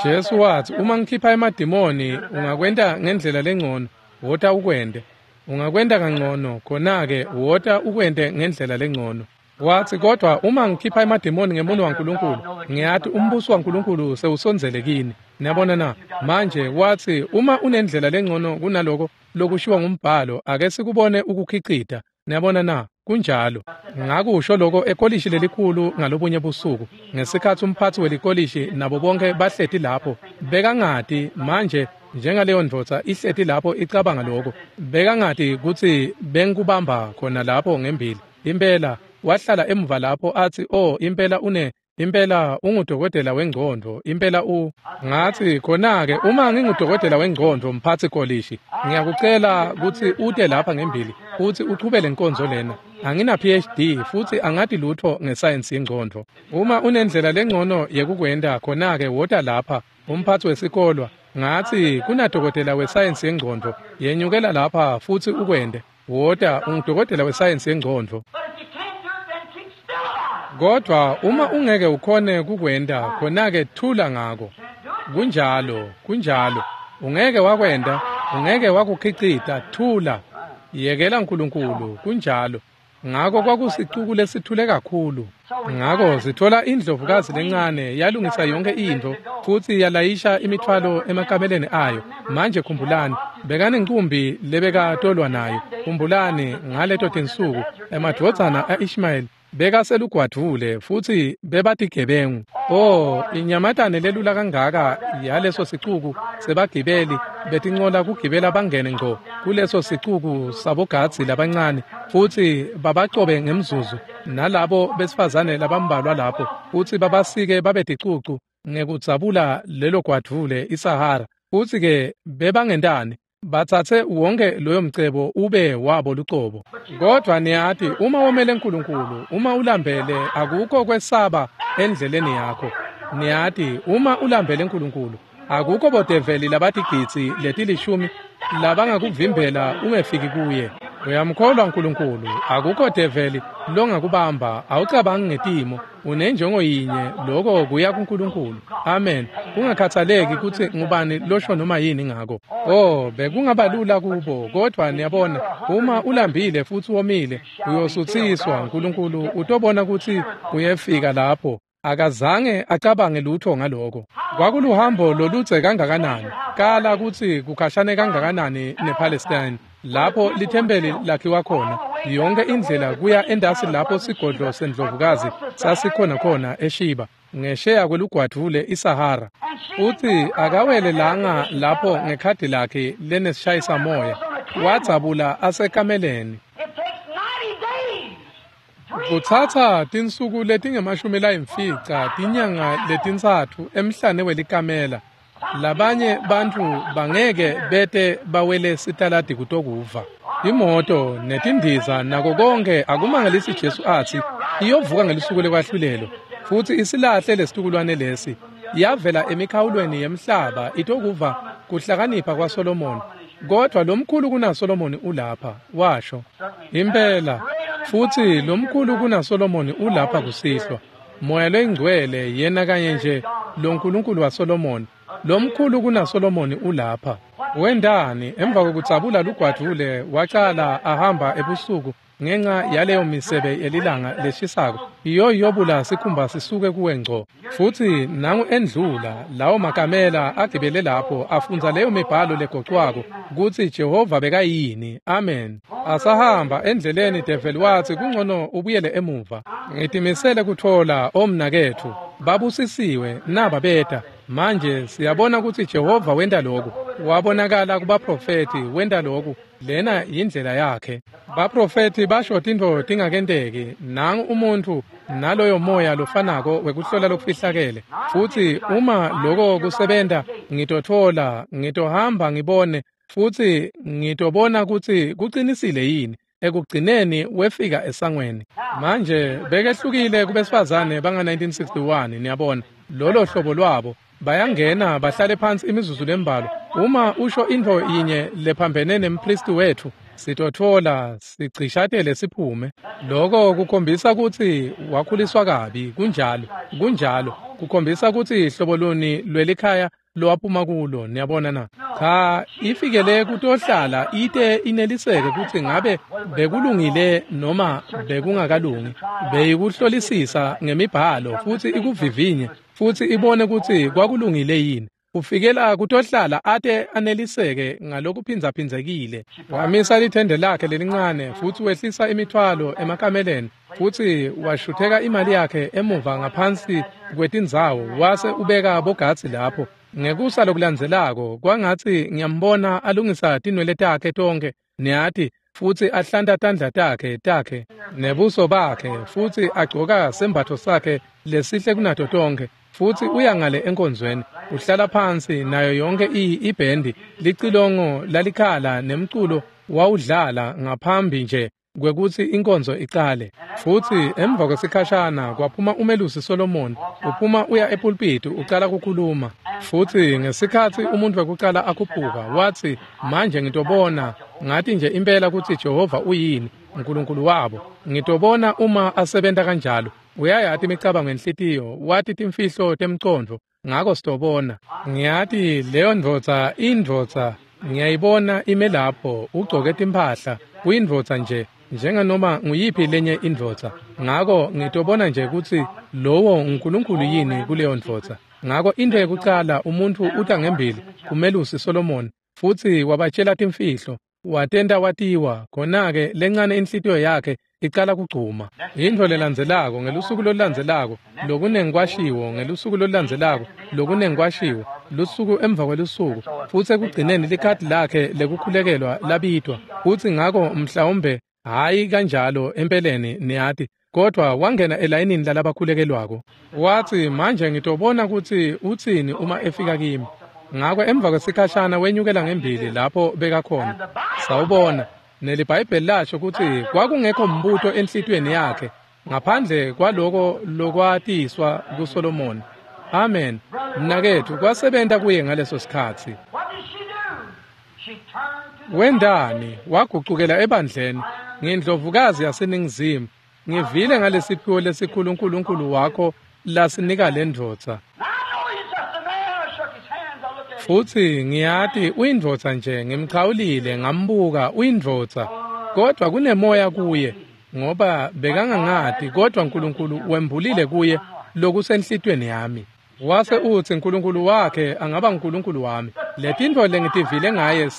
Jesu watsi uma ngikhipha emadimoni ungakwenta ngendlela lengcono, wota ukwente. Ungakwenta kangcono, khona-ke wota ukwente ngendlela lengcono. Watsi kodwa uma ngikhipha emadimoni ngemuno waNkulunkulu, ngiyati umbuso waNkulunkulu sewusondzele kini. Niyabona na? Manje watsi uma unendlela lengcono kunaloko lokushiwo ngumbhalo, ake sikubone ukukhicita. Niyabona na? Kunjalo. Ngakusho loko ekolishi lelikhulu ngalobunye busuku, ngesikhatsi umphatsi welikolishi nabo bonke bahleti lapho, bekangati manje njengaleyo ndvodza ihleti lapho icabanga loko, bekangati kutsi bengikubamba khona lapho ngembili. Impela wahlala emuva lapho atsi, oh impela une Impela ungudokotela wengcondvo, impela u. Ngathi, khona-ke uma ngingudokotela wengcondvo mphatsi kolishi, ngiyakucela kutsi ute lapha ngembili futsi uchubele inkonzo lena. Angina PhD futsi angati lutho ngesayensi yengcondvo. Uma unendlela lengcono yekukwenta, khona-ke wota lapha, umphatsi wesikolwa. Ngathi kunadokotela wesayensi yengcondvo, yenyukela lapha futsi ukwente. Wota, ungudokotela wesayensi yengcondvo. Kodwa uma ungeke ukhone kukwenta, khona-ke thula ngako. Kunjalo, kunjalo. Ungeke wakwenta, ungeke wakukhicita, thula. Yekela uNkulunkulu, kunjalo. Ngako kwakusicuku lesithule kakhulu. Ngako sithola indlovukazi lencane yalungisa yonke intfo futsi yalayisha imithwalo emakameleni ayo. Manje khumbulani, bekanencumbi lebekatolwa nayo. Khumbulani ngaleto tinsuku emadvodzana a-Ishmayeli bekaselugwadvule futsi bebatigebengu. Oh, inyamatane lelula kangaka yaleso sicuku sebagibeli betincola kugibela bangene ngco kuleso sicuku sabogadzi labancane futsi babacobe ngemzuzu nalabo besifazane labambalwa lapho futsi babasike babe ticucu ngekudzabula lelo gwadvule iSahara. Futsi-ke bebangentani? Batsatse wonke loyo mcebo ube wabo lucobo. Kodwa niyati, uma womele uNkulunkulu, uma ulambele, akukho kwesaba endleleni yakho. Niyati, uma ulambele uNkulunkulu, akukho bodeveli labatigidzi letilishumi labangakuvimbela ungefiki kuye. Uyamkholwa uNkulunkulu, akukho develi longakubamba, awucabangi ngetimo, unenjongo yinye, lokho kuya kuNkulunkulu. Amen. Kungakhathaleki kutsi ngubani losho noma yini ngako. Oh, bekungabalula kubo, kodwa niyabona, uma ulambile futsi womile, uyosuthiswa. uNkulunkulu utobona kutsi uyefika lapho. Akazange acabange lutho ngaloko. Kwakuluhambo loludze kangakanani, kala kutsi kukhashane kangakanani nePalestine, lapho lithempeli lakhiwa khona, yonke indlela kuya endasi lapho sigodlo sendlovukazi sasikhona khona eShiba, ngesheya kwelugwadvule iSahara. Futsi akawelelanga lapho ngekhadi lakhe lenesishayisa moya, wadzabula asekameleni. Kutsatsa tinsuku letingemashumi layimfica, tinyanga letintsatfu emhlane welikamela. Labanye bantfu bangeke bete bawele sitaladi kutokuva. Imoto netindiza nako konke akumangalisi Jesu atsi iyovuka ngelusuku lekwahlulelo futsi isilahle lesitukulwane lesi. Yavela emikhawulweni yemhlaba itokuva kuhlakanipha kwaSolomoni. Kodwa lomkhulu kunaSolomoni ulapha, washo. Impela, futsi lomkhulu kunaSolomoni ulapha kusihlwa. Moya loyingcwele yena kanye nje loNkulunkulu waSolomoni. Lomkhulu kunaSolomoni ulapha. Wendani emva kokudzabula lugwadvule wacala ahamba ebusuku ngenxa yaleyo misebe yelilanga leshisako iyoyobula sikhumba sisuke kuwe ngco. Futsi nangu endlula lawo makamela agibele lapho afundza leyo mibhalo legocwako kutsi Jehova bekayini. Amen. Asahamba endleleni develi watsi kungcono ubuyele emuva. Ngitimisele kutfola omnaketfu babusisiwe naba beta. Manje siyabona kutsi Jehova wenta lokhu. Wabonakala kubaprofethi wenta lokhu. Lena yindlela yakhe. Baprofethi basho tintfo tingakenteki. Nangu umuntfu naloyo moya lofanako wekuhlola lokufihlakele. Futsi uma loko kusebenta, ngitotfola, ngitohamba ngibone, futsi ngitobona kutsi kucinisile yini. Ekugcineni wefika esangweni. Manje bekehlukile kubesifazane banga-1961, niyabona, lolo hlobo lwabo. Bayangena bahlale phansi imizuzu lembalwa. Uma usho intfo yinye lephambene nempristi wetfu, sitotfola sigcishatele siphume. Loko kukhombisa kutsi wakhuliswa kabi. Kunjalo, kunjalo. Kukhombisa kutsi hlobo luni lwelikhaya lowaphuma kulo, niyabona na? Cha, ifikele kutohlala ite ineliseke kutsi ngabe bekulungile noma bekungakalungi. Beyikuhlolisisa ngemibhalo futsi ikuvivinye futsi ibone kutsi kwakulungile yini. Ufikela kutohlala ate aneliseke ngalokuphindzaphindzekile. Wamisa lithende lakhe lelincane futsi wehlisa imithwalo emakameleni futsi washutheka imali yakhe emuva ngaphansi kwetindzawo wase ubeka bogadzi lapho. Ngekusa lokulandzelako kwangatsi ngiyambona alungisa tinwele takhe tonkhe, niyati, futsi ahlanta tandla takhe nebuso bakhe, futsi agcoka sembatfo sakhe lesihle kunato tonkhe, futsi uya ngale enkonzweni, uhlala phansi nayo yonke ibhendi, licilongo lalikhala nemculo wawudlala ngaphambi nje kwekutsi inkonzo icale. Futsi emva kwesikhashana kwaphuma umelusi Solomon, uphuma uya epulpiti ucala kukhuluma. Futsi ngesikhatsi umuntu wekucala akhuphuka, watsi, manje ngitobona, ngathi nje impela kutsi Jehova uyini, uNkulunkulu wabo. Ngitobona uma asebenta kanjalo. Uyayati imicabango enhlitiyo, wati timfihlo temcondvo, ngako sitobona. Ngiyati leyo ndvodza indvodza, ngiyayibona ime lapho, ugcoke timphahla, uyindvodza nje, njenganoma nguyiphi lenye indvodza. Ngako ngitobona nje kutsi lowo uNkulunkulu yini kuleyo ndvodza. Ngako into yekucala umuntu uta ngembili kumelusi Solomon, futsi wabatshela timfihlo, watenta watiwa, khona-ke lencane inhlitiyo yakhe icala kugcuma. Intfo lelandzelako ngelusuku lolulandzelako, lokunengi kwashiwo ngelusuku lolulandzelako, lokunengi kwashiwo lusuku emva kwelusuku, futsi ekugcineni likhadi lakhe lekukhulekelwa labitwa. Futsi ngako mhlawumbe hhayi kanjalo empeleni niyati, kodwa wangena elayinini lalabakhulekelwako. Watsi, manje ngitobona kutsi utsini uma efika kimi. Ngako emva kwesikhashana wenyukela ngembili lapho bekakhona. Sawubona, neliBhayibheli lasho kutsi kwakungekho mbuto enhlitiyweni yakhe ngaphandle kwaloko lokwatiswa kuSolomon. Amen. Mnaketfu, kwasebenta kuye ngaleso sikhatsi. Wendani? Wagucukela ebandleni. Ngindlovukazi yaseNingizimu. Ngivile ngalesiphiwo lesikhulu uNkulunkulu wakho lasinika lendvodza. Futsi ngiyati uyindvodza nje, ngimchawulile ngambuka uyindvodza, kodwa kunemoya kuye, ngoba bekangangati, kodwa uNkulunkulu wembulile kuye lokusenhlitiyweni yami. Wase utsi uNkulunkulu wakhe angaba uNkulunkulu wami. Letintfo lengitivile ngaye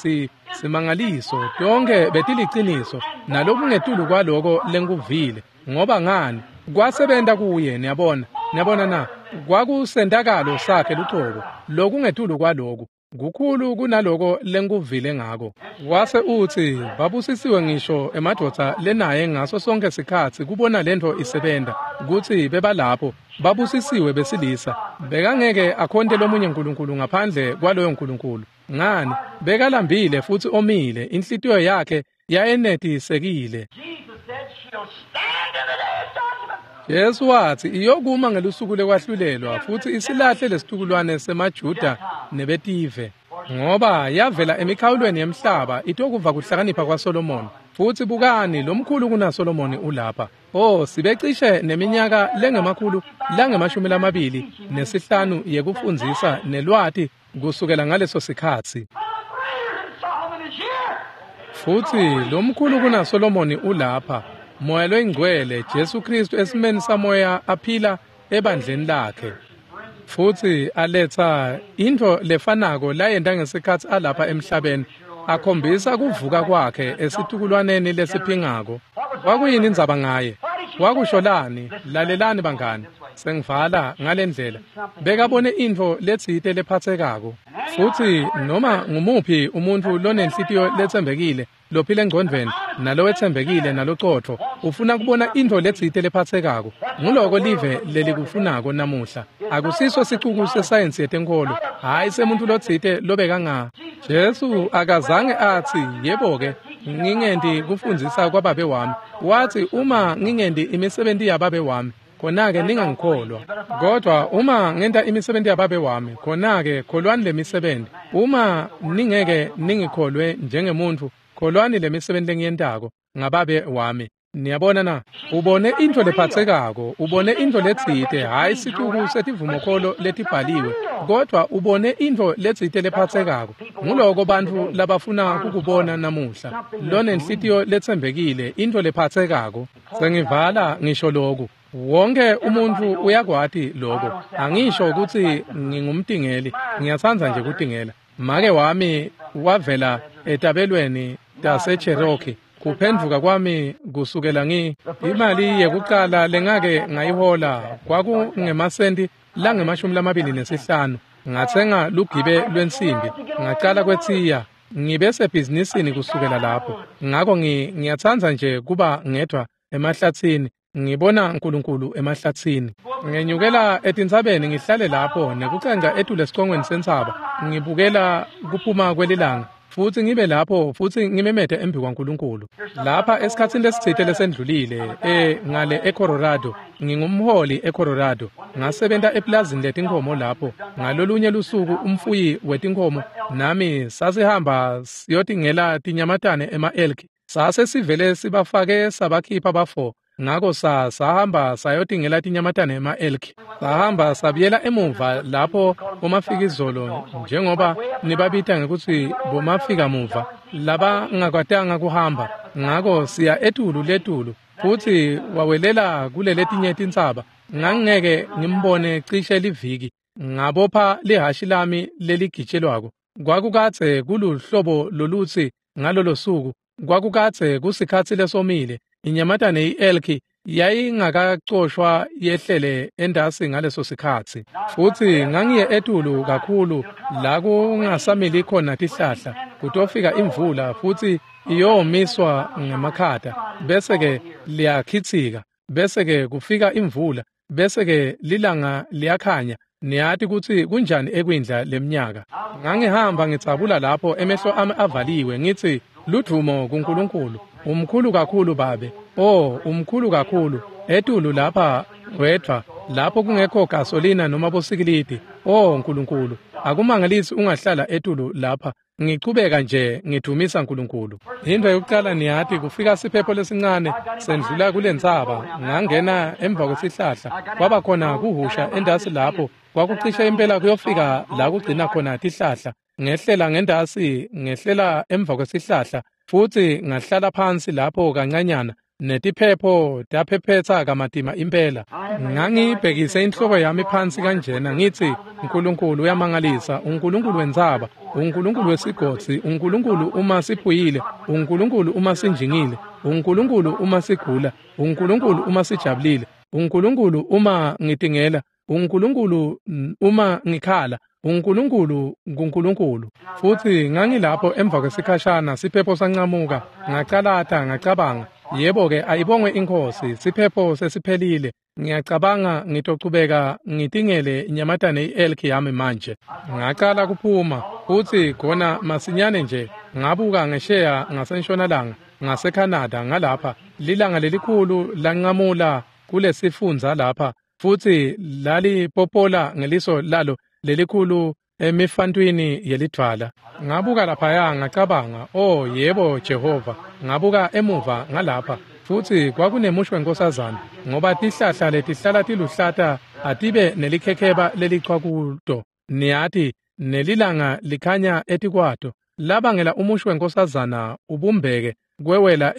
simangaliso, tonke betiliciniso, nalokungetulu kwaloko lengikuvile. Ngoba ngani? Kwasebenta kuye, niyabona. Niyabona na? Kwakusentakalo sakhe lucobo, lokungetulu kwaloku, kukhulu kunaloko lengikuvile ngako. Wase utsi, babusisiwe ngisho emadvodza lenaye ngaso sonke sikhatsi kubona lentfo isebenta, kutsi bebalapho, babusisiwe besilisa. Bekangeke akhonte lomunye uNkulunkulu ngaphandle kwaloyo Nkulunkulu. Ngani? Bekalambile futsi omile, inhlitiyo yakhe yayenetisekile. Jesu watsi iyokuma ngelusuku lekwahlulelwa futsi isilahle lesitukulwane semaJuda nebetive, ngoba yavela emikhawulweni yemhlaba itokuva kuhlakanipha kwaSolomon. Futsi bukani, lomkhulu kunaSolomoni ulapha. Oh, sibecishe neminyaka lengemakhulu lange-25 yekufundzisa nelwati kusukela ngaleso sikhatsi. Futsi lomkhulu kunaSolomoni ulapha, Moya loyingcwele, Jesu Kristu esimeni samoya aphila ebandleni lakhe. Futsi aletsa intfo lefanako layenta ngesikhatsi alapha emhlabeni, akhombisa kuvuka kwakhe esitukulwaneni lesiphingako. Kwakuyini indzaba ngaye? Wakusholani? Lalelani bangani, sengivala ngalendlela. Bekabone intfo letsite lephatsekako. Futsi noma ngumuphi umuntfu lonenhlitiyo letsembekile, lophila engcondvweni, nalowetsembekile nalocotfo, ufuna kubona intfo letsite lephatsekako. Nguloko live lelikufunako namuhla. Akusiso sicuku sesayensi yetenkholo, hhayi semuntu lotsite lobekanga. Jesu akazange atsi, yebo-ke, ngingenti kufundzisa kwababe wami. Watsi, uma ngingenti imisebenti yababe wami, khona-ke ningangikholwa. Kodwa uma ngenta imisebenti yababe wami, khona-ke kholwani lemisebenti. Uma ningeke ningikholwe njengemuntfu, kholwani lemisebenti lengiyentako ngababe wami. Niyabona na? Ubone intfo lephatsekako, ubone intfo letsite, hhayi sicuku setivumokholo letibhaliwe, kodwa ubone intfo letsite lephatsekako. Nguloko bantfu labafuna kukubona namuhla, lonenhlitiyo letsembekile, intfo lephatsekako. Sengivala ngisho loku. Wonke umuntfu uyakwati loko. Angisho kutsi ngingumtingeli, ngiyatsandza nje kutingela. Make wami wavela etabelweni taseCherokee. Kuphendvuka kwami kusukela imali yekucala lengake ngayihola kwakungemasenti lange-25. Ngatsenga lugibe lwensimbi, ngacala kwetsiya. Ngibe sebhizinisini kusukela lapho. Ngako ngiyatsandza nje kuba ngedvwa emahlatsini, ngibona uNkulunkulu emahlatsini. Ngenyukela etintsabeni ngihlale lapho nekucanca etulu esicongweni sentsaba, ngibukela kuphuma kwelilanga, futsi ngibe lapho futsi ngimemete embi kwaNkulunkulu. Lapha esikhatsini lesitsite lesendlulile, ngale eColorado, ngingumholi eColorado. Ngasebenta eplazini letinkhomo lapho. Ngalolunye lusuku umfuyi wetinkhomo nami sasihamba siyotingela tinyamatane ema-elk. Sase sivele sibafake sabakhipha bafo. Ngako sahamba sayotingela tinyamatane ema-elk. Sahamba sabuyela emuva lapho bomafikizolo, njengoba nibabita ngekutsi bomafika muva, labangakwatanga kuhamba. Ngako siya etulu letulu, futsi wawelela kuleletinye tintsaba. Ngangingeke ngimbone cishe liviki. Ngabopha lihashi lami leligitshelwako. Kwakukadze kuluhlobo lolutsi ngalolo suku. Kwakukadze kusikhatsi lesomile. Inyamatane i-elki yayingakacoshwa yehlele endasi ngaleso sikhatsi. Futsi ngangiye etulu kakhulu la kungasamili khona tihlahla, kutofika imvula futsi iyomiswa ngemakhata, bese-ke liyakhitsika, bese-ke kufika imvula, bese-ke lilanga liyakhanya. Niyati kutsi kunjani ekwindla leminyaka. Ngangihamba ngitsabula lapho emehlo ami avaliwe ngitsi, ludvumo kuNkulunkulu, umkhulu kakhulu babe. Oh, umkhulu kakhulu. Etulu lapha wedvwa, lapho kungekho gasolina noma bosikilidi. Oh Nkulunkulu, akumangalisi ungahlala etulu lapha. Ngichubeka nje ngidumisa uNkulunkulu. Into yokuqala niyati kufika siphepho lesincane sendlula kulentsaba, ngangena emva kwesihlahla. Kwaba khona kuhusha endasi lapho, kwakucishe impela kuyofika la kugcina khona tihlahla. Ngehlela ngendasi, ngehlela emva kwesihlahla, futsi ngahlala phansi lapho kancanyana, netiphepho taphephetsa kamatima impela. Ngangibhekise inhloko yami phansi kanjena ngithi, uNkulunkulu uyamangalisa, uNkulunkulu wentsaba, uNkulunkulu wesigodzi, uNkulunkulu uma siphuyile, uNkulunkulu uma sinjingile, uNkulunkulu uma sigula, uNkulunkulu uma sijabulile, uNkulunkulu uma ngitingela, uNkulunkulu uma ngikhala, uNkulunkulu nguNkulunkulu. Futsi ngangilapho emva kwesikhashana siphepho sancamuka, ngacalata ngacabanga, yebo-ke ayibongwe iNkhosi, siphepho sesiphelile. Ngiyacabanga ngitochubeka ngitingele inyamatane i-elk yami manje. Ngacala kuphuma, futsi khona masinyane nje ngabuka ngesheya ngasentshonalanga, ngaseCanada ngalapha, lilanga lelikhulu lanqamula kulesifundza lapha, futsi lalipopola ngeliso lalo lelikhulu emifantwini yelidvwala. Ngabuka laphaya ngacabanga, oh yebo Jehova. Ngabuka emuva ngalapha, futsi kwakunemusho wenkosazana, ngoba tihlahla letihlala tiluhlata atibe nelikhekheba lelichwa kuto, niyati, nelilanga likhanya etikwato. Labangela umusho wenkosazana ubumbeke kwewela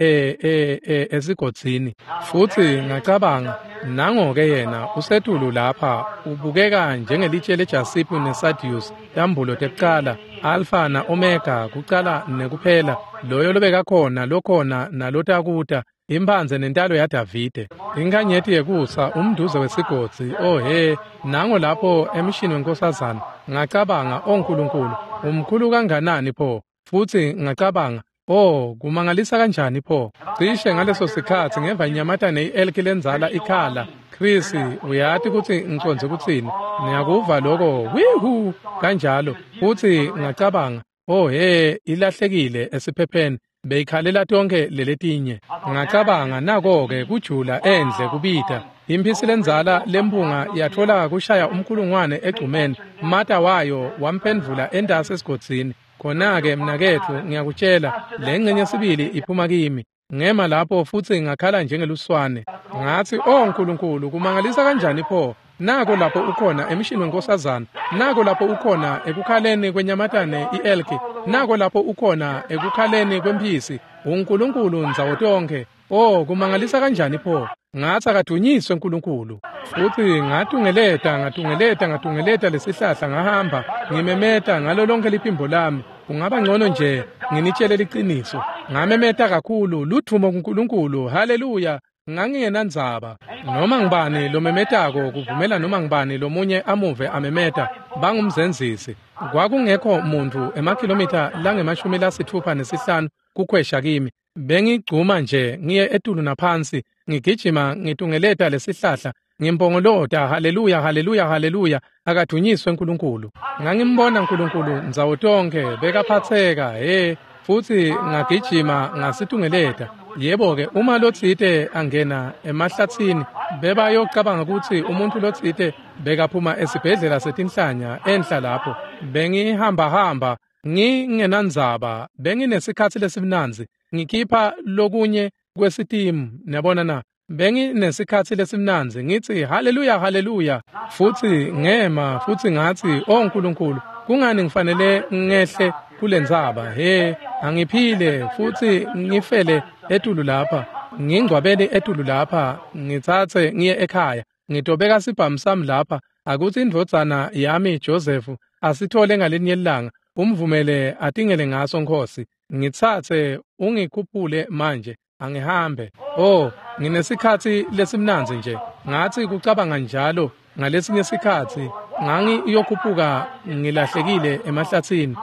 esigodzini. Futsi ngacabanga, nango-ke yena usetulu lapha, ubukeka njengelitshe lejasiphu nesadius, tambulo tekucala, Alpha na Omega, kucala nekuphela, loyo lobekakhona, lokhona nalotakuta, imphandze nentalo yaDavide, inkhanyeti yekusa, umduze wesigodzi. Oh he, nango lapho emshini wenkosazana. Ngacabanga, oh Nkulunkulu, umkhulu kanganani pho. Futsi ngacabanga, oh, kumangalisa kanjani pho. Cishe ngaleso sikhatsi ngeva inyamatane i-elk lenzala ikhala. Chris, uyati kutsi ngicondze kutsini. Ngiyakuva loko, wihu, kanjalo. Futsi ngacabanga, oh he, ilahlekile esiphepheni. Beyikhalela tonke leletinye. Ngacabanga, nako-ke kujula endle kubita. Imphisi lenzala lempunga yatfola kushaya umkhulungwane egcumeni. Mata wayo wamphendvula entasi esigodzini. Khona-ke mnaketfu, ngiyakutshela, lengcenye sibili iphuma kimi. Ngema lapho futsi ngakhala njengeluswane. Ngatsi, oh Nkulunkulu, kumangalisa kanjani pho. Nako lapho ukhona emshini wenkosazana, nako lapho ukhona ekukhaleni kwenyamatane i-elki, nako lapho ukhona ekukhaleni kwemphisi, uNkulunkulu ndzawo tonkhe. Oh, kumangalisa kanjani pho. Ngatsi akadunyiswe uNkulunkulu. Futsi ngatungeleta ngatungeleta ngatungeleta lesihlahla, ngahamba ngimemeta ngalo lonke liphimbo lami. Kungaba ngcono nje nginitshele liciniso. Ngamemeta kakhulu, ludvumo kuNkulunkulu, haleluya. Ngangingenandzaba noma ngibani lomemetako kuvumela noma ngibani lomunye amuve amemeta bangumzenzisi. Kwakungekho muntu emakhilomitha langama-65 kukhwesha kimi. Bengigcuma nje ngiye etulu naphansi ngigijima ngitungeleta lesihlahla ngimpongolota haleluya haleluya haleluya akadunyiswe uNkulunkulu. Ngangimbona uNkulunkulu ndzawo tonke bekaphatseka he futhi ngagijima ngasitungeleta. Yebo-ke uma lotsite angena emahlatsini bebayocabanga ukuthi umuntu lotsite bekaphuma esibhedlela setinhlanya enhla lapho. Bengihambahamba ngingenandzaba, benginesikhatsi lesimnandzi ngikhipha lokunye kwesitimu niyabona na. Benginesikhatsi lesimnandzi ngithi haleluya haleluya futhi ngema futhi ngathi o Nkulunkulu kungani ngifanele ngehle kulendzaba he angiphile futhi ngifele etulu lapha ngingcwabele etulu lapha ngitsatse ngiye ekhaya ngitobeka sibhamu sami lapha akuthi indvodzana yami Joseph asithole ngalinye ilanga umvumele atingele ngaso Nkosi ngitsatse ungikhuphule manje angihambe. Oh nginesikhatsi lesimnandzi nje ngathi kucabanga njalo ngalesinye isikhatsi ngangiyokhuphuka ngilahlekile emahlatsini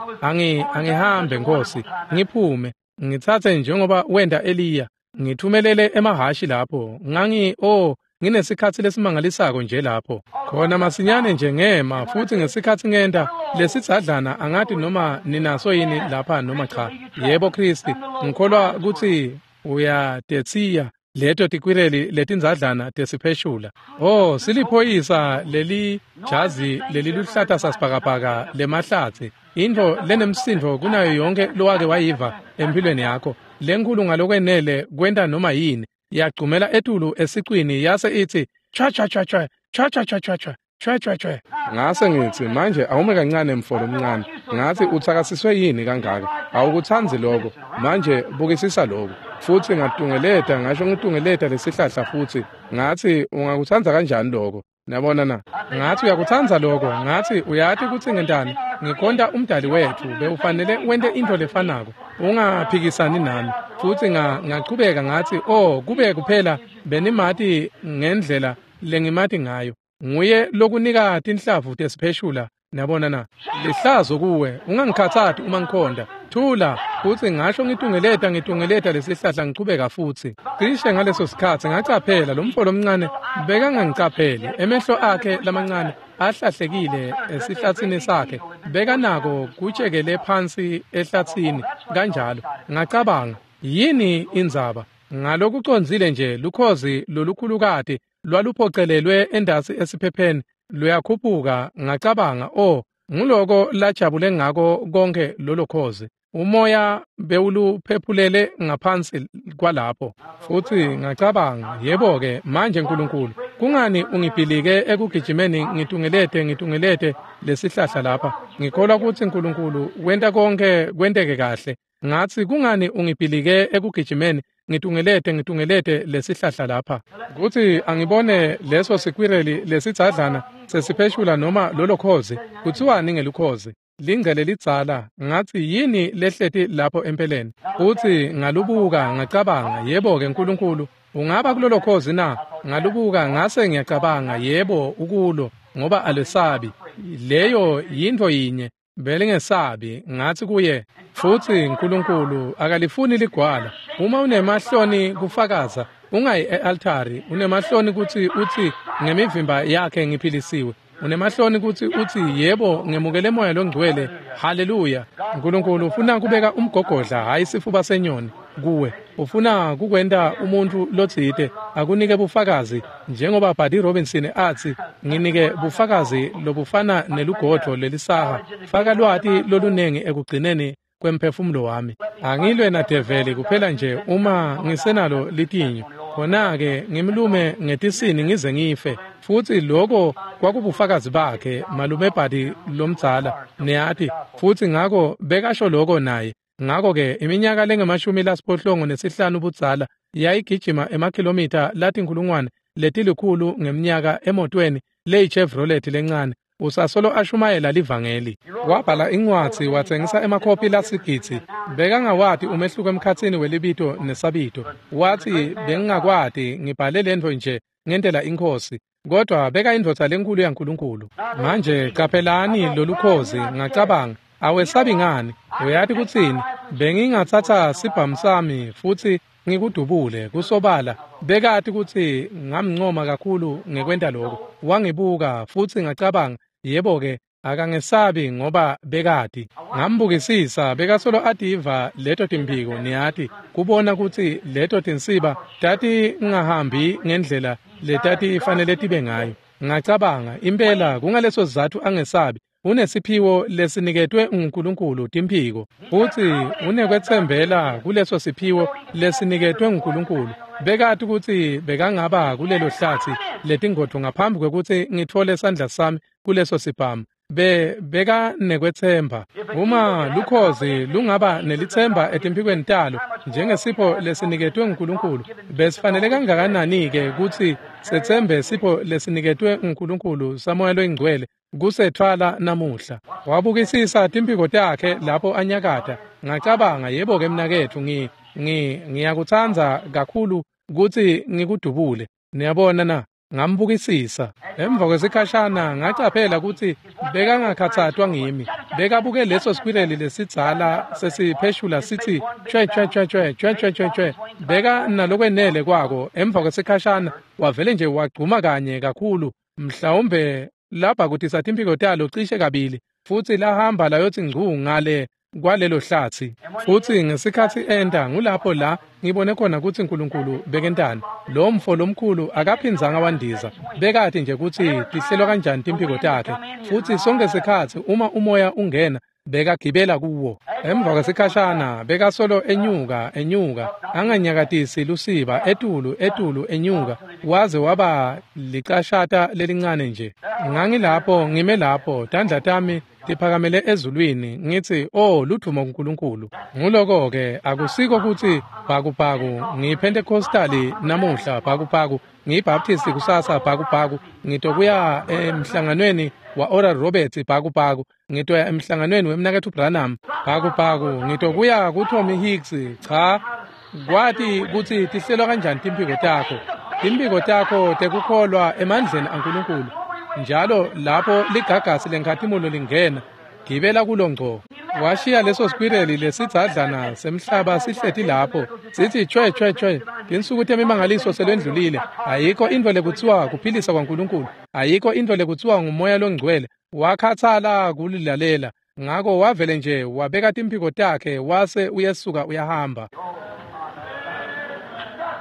angihambe Nkosi ngiphume ngitsatse njengoba wenda Eliya ngithumelele emahashi lapho ngangi oh nginesikhatsi lesimangalisako nje lapho khona masinyane nje ngema futhi ngesikhatsi ngenta lesidzadlana angathi noma ninaso yini lapha noma cha. Yebo Kristi ngikholwa ukuthi uyatethiya leto tikwireli letindzadlana tesipheshula. Oh siliphoyisa leli jazi leliluhlata sasibhakabhaka lemahlatsi into lenemsindo kunayo yonke lowake wayiva empilweni yakho lenkulu ngalokwenele kwenta noma yini yagcumela etulu esicwini yase ithi cha cha cha cha cha cha cha cha cha cha cha cha. Ngase ngithi manje awume kancane mfolo omncane. Ngathi uthakasiswe yini kangaka awukuthanzi lokho manje bukisisa lokho futhi ngatungeleta ngasho ngitungeleta lesihlahla futhi ngathi ungakuthanda kanjani lokho niyabona na. Ngathi uyakuthanda lokho ngathi uyati ukuthi ngentani ngikhonta umdali wethu bewufanele wente into lefanako ungaphikisani nami futhi ngachubeka ngathi oh kube kuphela benimati ngendlela lengimati ngayo nguye lokunika tinhlavu tesipheshula niyabona na. Lihlazo kuwe ungangikhathati uma ngikhonda thula futhi ngasho ngitungeleta lesihlahla ngichubeka futhi cishe ngaleso sikhatsi ngacaphela lo mfolo omncane bekangangicapheli emehlo akhe lamancane ahlahlekile esihlatsini sakhe bekanako kutshekele phansi ehlatsini kanjalo. Ngacabanga yini indzaba ngalokucondzile nje lukhozi lolukhulukati lwaluphocelelwe endasi esiphepheni luyakhuphuka. Ngacabanga oh nguloko lajabule ngako konke lolo khozi umoya bewuluphephulele ngaphansi kwalapho futhi ngacabanga yebo-ke manje Nkulunkulu kungani ungibhilike ekugijimeni ngitungelete lesihlahla lapha ngikholwa ukuthi Nkulunkulu wenta konke kwenteke kahle. Ngathi kungani ungibhilike ekugijimeni ngitungelete lesihlahla lapha kuthi angibone leso sikwireli lesidzadlana sesipheshula noma lolo khozi kuthiwani ngelukhozi lingcele lidzala. Ngathi yini lehleti lapho empeleni futhi ngalubuka ngacabanga yebo-ke Nkulunkulu ungaba kulolo khozi na. Ngalubuka ngase ngiyacabanga yebo ukulo ngoba alesabi leyo yinto yinye belingesabi. Ngathi kuye futhi Nkulunkulu akalifuni ligwala uma unemahloni kufakaza ungayi e-altari unemahloni ukuthi uthi ngemivimba yakhe ngiphilisiwe unemahloni ukuthi uthi yebo ngemukele moya longcwele haleluya. Nkulunkulu ufuna kubeka umgogodla hayi sifuba senyoni kuwe ufuna kukwenta umuntu lotsite akunike bufakazi njengoba Buddy Robinson athi nginike bufakazi lobufana nelugodvo lelisaha faka lwati lolunengi ekugcineni kwemphefumulo wami. Angilwe nadeveli kuphela nje uma ngisenalo litinyo khona-ke ngimlume ngetisini ngize ngife. Futhi lokho kwakubufakazi bakhe malume Buddy lomdzala niyati futhi ngako bekasho lokho naye. Ngako-ke iminyaka lengama-65 budzala yayigijima emakhilomitha latinkulungwane letilkhulu ngeminyaka emotweni leyi-Chevrolet lencane. Usasolo ashumayela livangeli. Wabhala incwadzi watsengisa emakhophi lasigidzi. Bekangawati umehluko emkhatsini welibito nesabito. Watsi bengingakwati ngibhale lento nje ngentela inkosi. Kodwa beka indvodza lenkulu yaNkulunkulu. Manje qaphelani lolukhozi ngacabanga awesabi ngani? Uyati kutsini? Bengingatsatsa sibhamu sami futsi ngikudubule kusobala. Bekati kutsi ngamncoma kakhulu ngekwenta lokho. Wangibuka futsi ngacabanga yebo-ke akangesabi ngoba bekati. Ngambukisisa bekasolo ativa leto timphiko niyati kubona kutsi leto tinsiba tatingahambi ngendlela letatifanele tibe ngayo. Ngacabanga impela kungaleso sizatfu angesabi. Unesiphiwo lesiniketwe nguNkulunkulu timphiko futsi unekwetsembela kuleso siphiwo lesiniketwe nguNkulunkulu. Bekati kutsi bekangaba kulelo hlatsi letingodvo ngaphambi kwekutsi ngitfole sandla sami kuleso sibhamu. Beka nekwetsemba. Uma lukhozi lungaba nelitsemba etimphikweni talo njengesipho lesiniketwe nguNkulunkulu, besifanele kangakanani-ke kutsi setsembe sipho lesiniketwe nguNkulunkulu saMoya loyiNgcwele kusethwala namuhla. Wabukisisa timphiko takhe lapho anyakata. Ngacabanga yebo-ke mnaketfu ngiyakutsandza kakhulu kutsi ngikudubule. Niyabona na? Ngambukisisa. Emva kwesikhashana ngacaphela kutsi bekangakhatsatwa ngimi. Bekabuke leso sikwireli lesidzala sesipheshula sithi chwe chwe chwe chwe chwe chwe chwe chwe. Beka nalokwenele kwako. Emva kwesikhashana wavele nje wagcuma kanye kakhulu, mhlawumbe lapha kutisa timphiko talo cishe kabili, futsi lahamba layotsi ngcu ngale kwalelo hlatsi. Futsi ngesikhatsi enta ngulapho la ngibone khona kutsi uNkulunkulu bekentani. Lo mfo lomkhulu akaphindzanga wandiza. Bekati nje kutsi tihlelwa kanjani timphiko takhe. Futsi sonke sikhatsi uma umoya ungena bekagibela kuwo. Emva kwesikhashana bekasolo enyuka enyuka anganyakatisi lusiba etulu etulu enyuka waze waba licashata lelincane nje. Ngangilapho ngime lapho tandla tami tiphakamele ezulwini ngitsi oh ludvumo kuNkulunkulu. Nguloko-ke akusiko kutsi bhakubhaku ngiyiPentecostali namuhla, bhakubhaku ngiyiBaptist kusasa, bhakubhaku ngitokuya emhlanganweni wa Oral Roberts, bhakubhaku ngitoya emhlanganweni wemnaketfu Branham, bhakubhaku ngitokuya kuTommy Hicks. Cha, kwati kutsi tihlelwa kanjani timphiko takho. Timphiko takho tekukholwa emandleni aNkulunkulu. Njalo lapho ligagasi lenkhatimulo lingena, gibela kulo ngco. Washiya leso sikwireli lesidzadlana semhlaba sihleti lapho sithi chwe chwe chwe. Tinsuku temimangaliso selwendlulile. Ayikho intfo lekutsiwa kuphilisa kwaNkulunkulu, ayikho intfo lekutsiwa ngumoya longcwele. Wakhatsala kulilalela, ngako wavele nje wabeka timphiko takhe wase uyesuka uyahamba.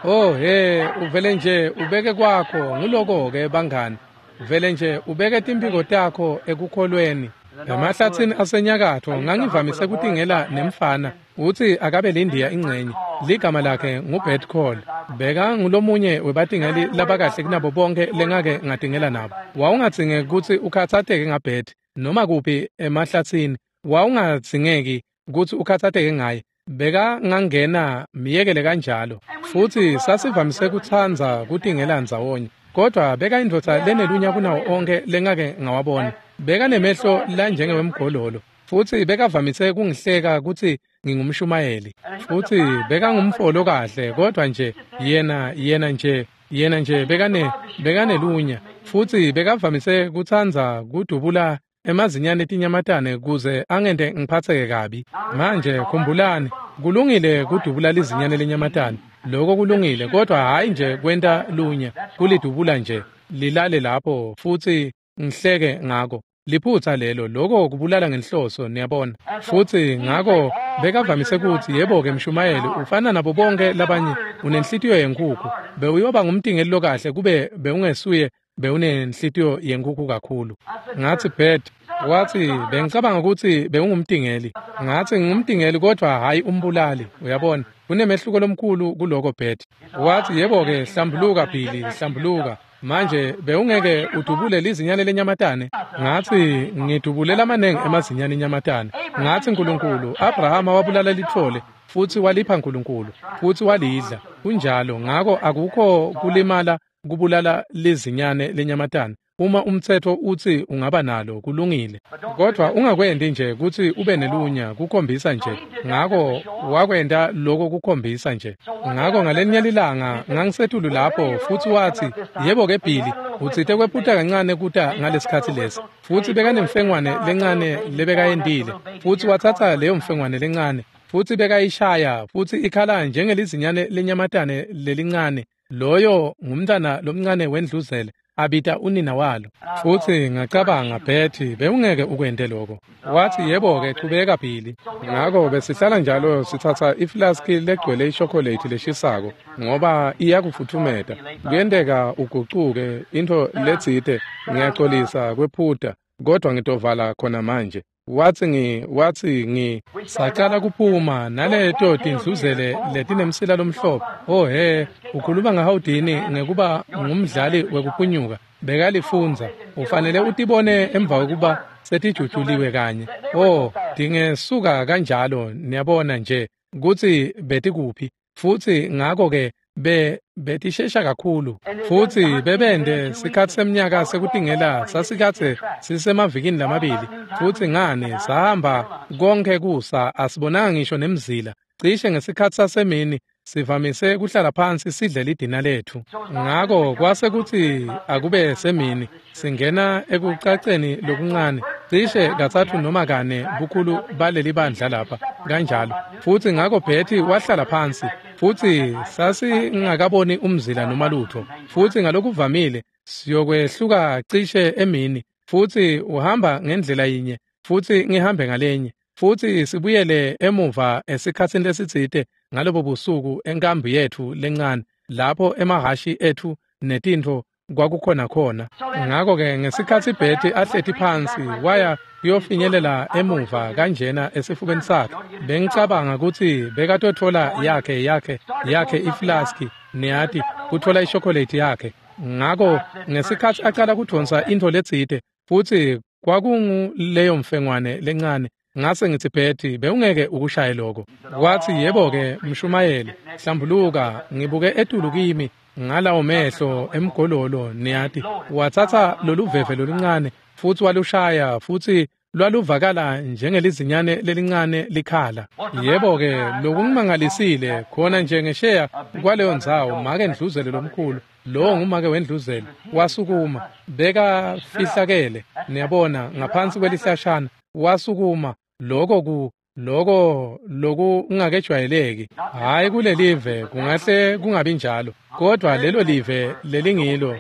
Oh he, uvele nje ubeke kwakho. Nguloko-ke bangani, vele nje ubeke timphiko takho ekukholweni. Emahlatsini asenyakatfo ngangivamise kutingela nemfana utsi akabe lindiya ingcenye. Ligama lakhe nguBert Call. Beka ngulomunye webatingeli labakahle kunabo bonke lengake ngatingela nabo. Wawungadzingeki kutsi ukhatsateke ngaBert noma kuphi emahlatsini. Wawungadzingeki kutsi ukhatsateke ngaye. Beka ngangena miyekele kanjalo. Futsi sasivamise kutsandza kutingela ndzawonye. Kodwa beka indvodza lenelunya kunawo onke lengake ngawabona. Beka nemehlo lanjengewemgololo. Futsi bekavamise kungihleka kutsi ngingumshumayeli. Futsi beka ngumfolo kahle, kodwa nje yena nje bekanelunya. Futsi bekavamise kutsandza kudubula emazinyane etinyamatane kuze angente ngiphatseke kabi. Manje khumbulani, kulungile kudubula lizinyane lenyamatane. Lokho kulungile, kodwa hhayi nje kwenta lunya, kulidubula nje lilale lapho futsi ngihleke ngako. Liphutsa lelo, lokho kubulala ngenhloso, niyabona. Futsi ngako bekavamise kutsi yebo-ke mshumayeli ufana nabo bonke labanye, unenhlitiyo yenkhukhu. Bewuyoba ngumtingeli lokahle kube bewungesuye bewunenhlitiyo yenkhukhu kakhulu. Ngatsi Bert, watsi bengicabanga kutsi bewungumtingeli. Ngatsi ngingumtingeli kodwa hhayi umbulali, uyabona. Kunemehluko lomkhulu kuloko Bert. Watsi yebo-ke hlambuluka Billy, hlambuluka. Manje bewungeke udubule lizinyane lenyamatane? Ngatsi ngidubule lamanengi emazinyane enyamatane. Ngatsi Nkulunkulu, Abrahama wabulala litfole futsi walipha Nkulunkulu futsi walidla. Kunjalo, ngako akukho kulimala kubulala lizinyane lenyamatane. Uma umtsetfo utsi ungaba nalo, kulungile. Kodvwa ungakwenti nje kutsi ube nelunya, kukhombisa nje. Ngako wakwenta loko kukhombisa nje. Ngako ngalenye lilanga ngangisetulu lapho futsi watsi, "Yebo-ke Billy, utsite kwephuta kancane kuta ngalesikhatsi lesi." Futsi bekanemfengwane lencane lebekayentile, futsi watsatsa leyo mfengwane lencane futsi bekayishaya futsi ikhala njengelizinyane lenyamatane lelincane. Loyo ngumntana lomncane wendluzele abita unina walo. Futsi ngacabanga, "Betty, bewungeke ukwente lokho." Watsi, "Yebo-ke, chubeka Billy." Ngako besihlala njalo sitsatsa iflaski legcwele ishokolate leshisako ngoba iyakufutfumeta. Kuyenteka ugucuke intfo letsite, ngiyacolisa kwephuta, kodvwa ngitovala khona manje. Watsi ngi sacala kuphuma naleto tindluzele letinemsila lomhlophe. Oh he, ukhuluma ngaHoudini ngekuba ngumdlali wekuphunyuka. Bekalifundza, ufanele utibone emva kwekuba setijujuliwe kanye. Oh, tingesuka kanjalo, niyabona nje kutsi betikuphi. Futsi ngako-ke betishesha kakhulu. Futsi bebende sikhatsi semnyaka sekutingela sasikadze sisemavikini lamabili. Futsi ngani sahamba konkhe kusa asibonanga ngisho nemzila. Cishe ngesikhatsi sasemini sivamise kuhlala phansi sidle lidina letfu. Ngako kwase kutsi akube semini singena ekucaceni lokuncane cishe katsatfu noma kane bukhulu baleli bandla lapha kanjalo. Futsi ngako Betty wahlala phansi futsi sasingakaboni umzila noma lutho. Futsi ngalokuvamile siyokwehluka cishe emini, futsi uhamba ngendlela yinye futsi ngihambe ngalenye, futsi sibuyele emuva esikhatsini lesitsite ngalobo busuku enkambu yetfu lencane lapho emahhashi etfu netintfo kwakukhona khona. Ngako-ke ngesikhatsi Betty ahleti phansi waya kuyofinyelela emuva kanjena esifubeni sakhe, bengicabanga kutsi bekatotfola yakhe iflaski, niyati, kutfola ishokolate yakhe. Ngako ngesikhatsi acala kudvonsa intfo letsite futsi kwakunguleyo mfengwane lencane, ngase ngitsi, "Betty, bewungeke ukushaye lokho." Watsi, "Yebo-ke, mshumayeli, hlambuluka." Ngibuke etulu kimi ngalawo mehlo emgololo, niyati. Watsatsa loluveve loluncane futsi walushaya, futsi lwaluvakala njengelizinyane lelincane likhala. Yebo-ke, lokungimangalisile khona nje ngesheya kwaleyo ndzawo, make ndluzele lomkhulu, lowo ngumake wendluzele, wasukuma, bekafihlakele, niyabona, ngaphansi kwelihlashana. Wasukuma, loko lokungakejwayeleki. Hhayi kulelive, kungahle kungabi njalo, kodvwa lelo live lelingilo,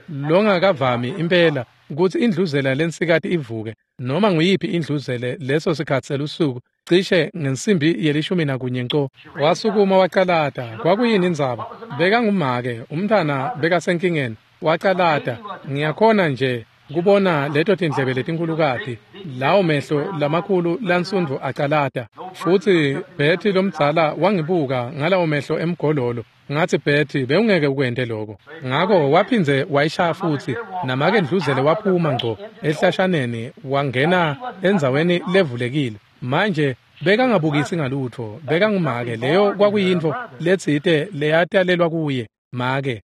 longakavami impela kutsi indluzela lensikati ivuke, noma nguyiphi indluzele leso sikhatsi selusuku, cishe ngensimbi ye-11 nco. Wasukuma wacalata. Kwakuyini indzaba? Bekangumake, umntfana bekasenkingeni. Wacalata. Ngiyakhona nje kubona leto tindlebe letinkhulukati, lawo mehlo lamakhulu lansundvu acalata. Futsi Betty lomdzala wangibuka ngalawo mehlo emgololo. Ngatsi, "Betty, bewungeke ukwente lokho." Ngako waphindze wayishaya futsi, namake ndluzele waphuma ngco ehlashaneni wangena endzaweni levulekile. Manje bekangabukisi ngalutfo, bekangumake, leyo kwakuyintfo letsite leyatalelwa kuye, make.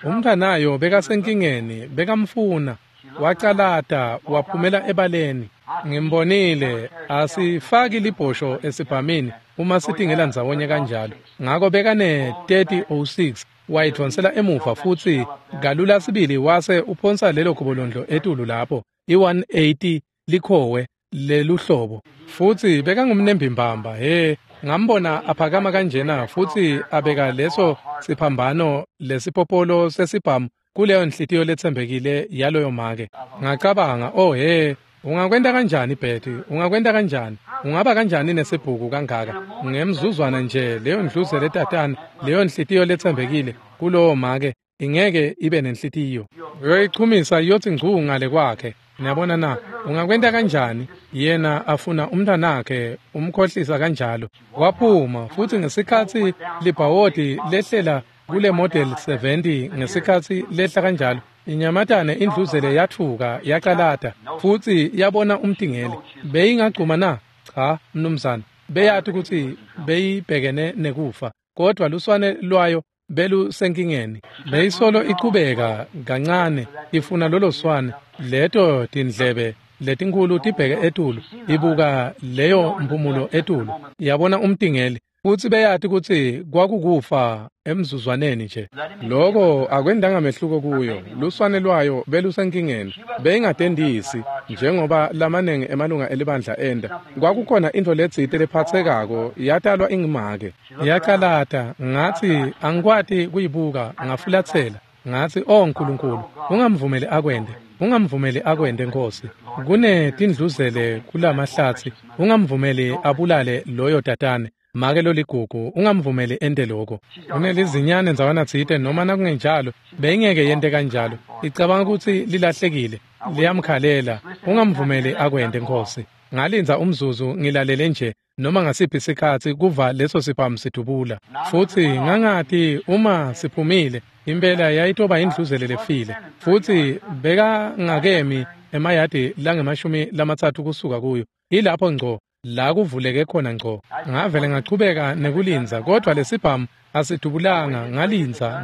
Umntfanayo bekasenkingeni, bekamfuna. Wacalata waphumela ebaleni. Ngimbonile, asifaki libhosho esibhamini uma sitingela ndzawonye kanjalo. Ngako bekane 3006 wayidvonsela emuva futsi kalula sibili wase uphonsa lelo gobolondlo etulu lapho, i-180 likhowe leluhlobo. Futsi bekangumnembimbamba, he, ngambona aphakama kanjena futsi abeka leso siphambano lesipopolo sesibhamu kuleyo nhliziyo letsembekile yaloyo make. Ngacabanga, "Oh he, ungakwenta kanjani Betty? Ungakwenta kanjani? Ungaba kanjani nesibhuku kangaka?" Ngemzuzwana nje leyo ndluzele tatana, leyo nhliziyo letsembekile kulowo make ingeke ibe nenhlitiyo. Uyoyichumisa iyothi ngcu ngale kwakhe. Niyabona na? Ungakwenta kanjani? Yena afuna umntwanakhe, umkhohlisa kanjalo. Waphuma futsi ngesikhatsi libhawodi lehlela kule model 70, ngesikhatsi lehla kanjalo, inyamatane indluzele yathuka yacalata futsi yabona umtingeli. Beyingagcuma na? Cha, mnumzane. Beyati kutsi beyibhekene nekufa, kodvwa luswane lwayo belusenkingeni. Beyisolo ichubeka kancane ifuna lolo swane, leto tindlebe letinkhulu tibheke etulu, ibuka leyo mpumulo etulu, yabona umtingeli, futsi beyati kutsi kwakukufa emzuzwaneni nje. Loko akwendanga mehluko kuyo, luswane lwayo belusenkingeni, beyingatendisi njengoba lamanengi emalunga elibandla enda. Kwakukhona intfo letsite lephatsekako, yatalwa ingimake. Yacalata, ngatsi angikwati kuyibuka, ngafulatsela. Ngatsi, "Oh Nkulunkulu, ungamvumeli akwende, ungamvumeli akwende Nkosi. Kunetindluzele kulamahlatsi, ungamvumeli abulale loyo tatane. Make loligugu, ungamvumeli ente lokho. Unelizinyane ndzawana tsite, noma nakungenjalo beyingeke yente kanjalo. Icabanga kutsi lilahlekile, liyamkhalela. Ungamvumeli akwende Nkosi." Ngalindza umzuzu ngilalele nje noma ngasiphi sikhatsi kuva leso sibhamu sidubula. Futsi ngangati uma siphumile impela yayitoba indluzele lefile. Futsi bekangakemi emayadi langemashumi 30 kusuka kuyo. Ilapho ngco la kuvuleke khona ngco. Ngavele ngachubeka nekulindza, kodwa lesibhamu asidubulanga.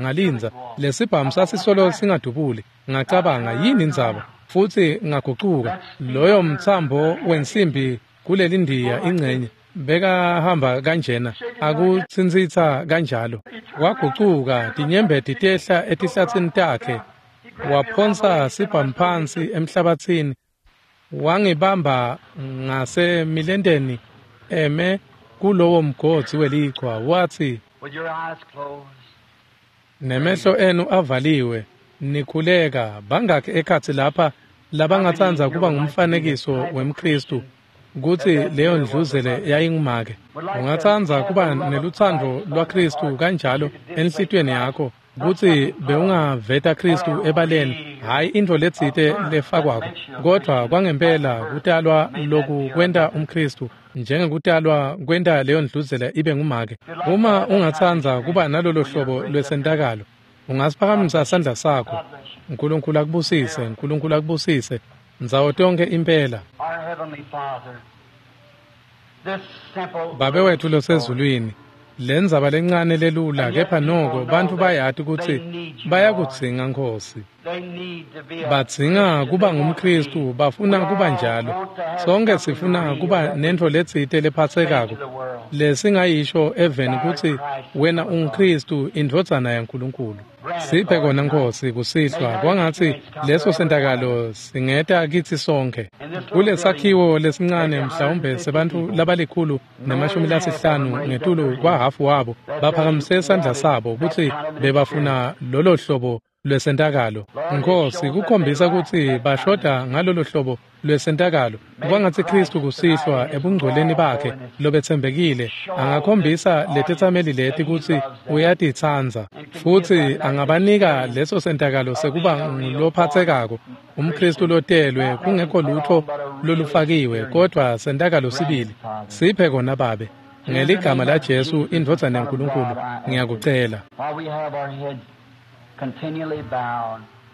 Ngalinza, lesibhamu sasisolo singadubuli. Ngacabanga, yini indzaba? Futsi ngagucuka. Loyo mtsambo wensimbi kulelindiya ingcenye bekahamba kanjena, akutsintsitsa kanjalo. Wagucuka, tinyembeti tehla etihlatsini takhe, waphonsa sibhamu phansi emhlabatsini, wangibamba ngasemilenteni eme kulowo mgodzi welichwa, wathi, "Nemehlo enu avaliwe, nikhuleka, bangakhi ekhatsi lapha labangatsandza kuba ngumfanekiso wemKhristu kutsi leyo ndluzele yayingumake? Ungatsandza kuba nelutsandvo lwaKhristu kanjalo enhlitiyweni yakho kutsi bewungaveta Khristu ebaleni, hhayi intfo letsite lefakwako, kodvwa kwangempela kutalwa loku kwenta umKhristu, njengekutalwa kwenta leyo ndluzele ibe ngumake. Uma ungatsandza kuba nalolo hlobo lwesentakalo, ungasiphakamisa sandla sakho. Nkulunkulu akubusise, Nkulunkulu akubusise, ndzawo tonke impela. Babe wetfu losezulwini, lendzaba lencane lelula, kepha noko bantfu bayati kutsi bayakudzinga Nkosi. Badzinga kuba ngumKhristu, bafuna kuba njalo. Sonke sifuna kuba nentfo letsite lephatsekako lesingayisho eveni kutsi wena unguKhristu, indvodzana yaNkulunkulu. Siphe kona Nkosi kusihlwa, kwangatsi leso sentakalo singeta kitsi sonkhe. Kulesakhiwo lesincane mhlawumbe sebantfu labali-150 ngetulu kwahhafu wabo baphakamise sandla sabo kutsi bebafuna lolo hlobo lwesentakalo. Nkosi, kukhombisa kutsi bashoda ngalolo hlobo lwesentakalo. Kwangatsi Khristu kusihlwa ebungcweleni bakhe lobetsembekile angakhombisa letetsameli leti kutsi uyatitsandza, futsi angabanika leso sentakalo sekuba ngulophatsekako, umKhristu lotelwe kungekho lutfo lolufakiwe, kodvwa sentakalo sibili. Siphe kona Babe, ngeligama laJesu indvodzana yaNkulunkulu, ngiyakucela.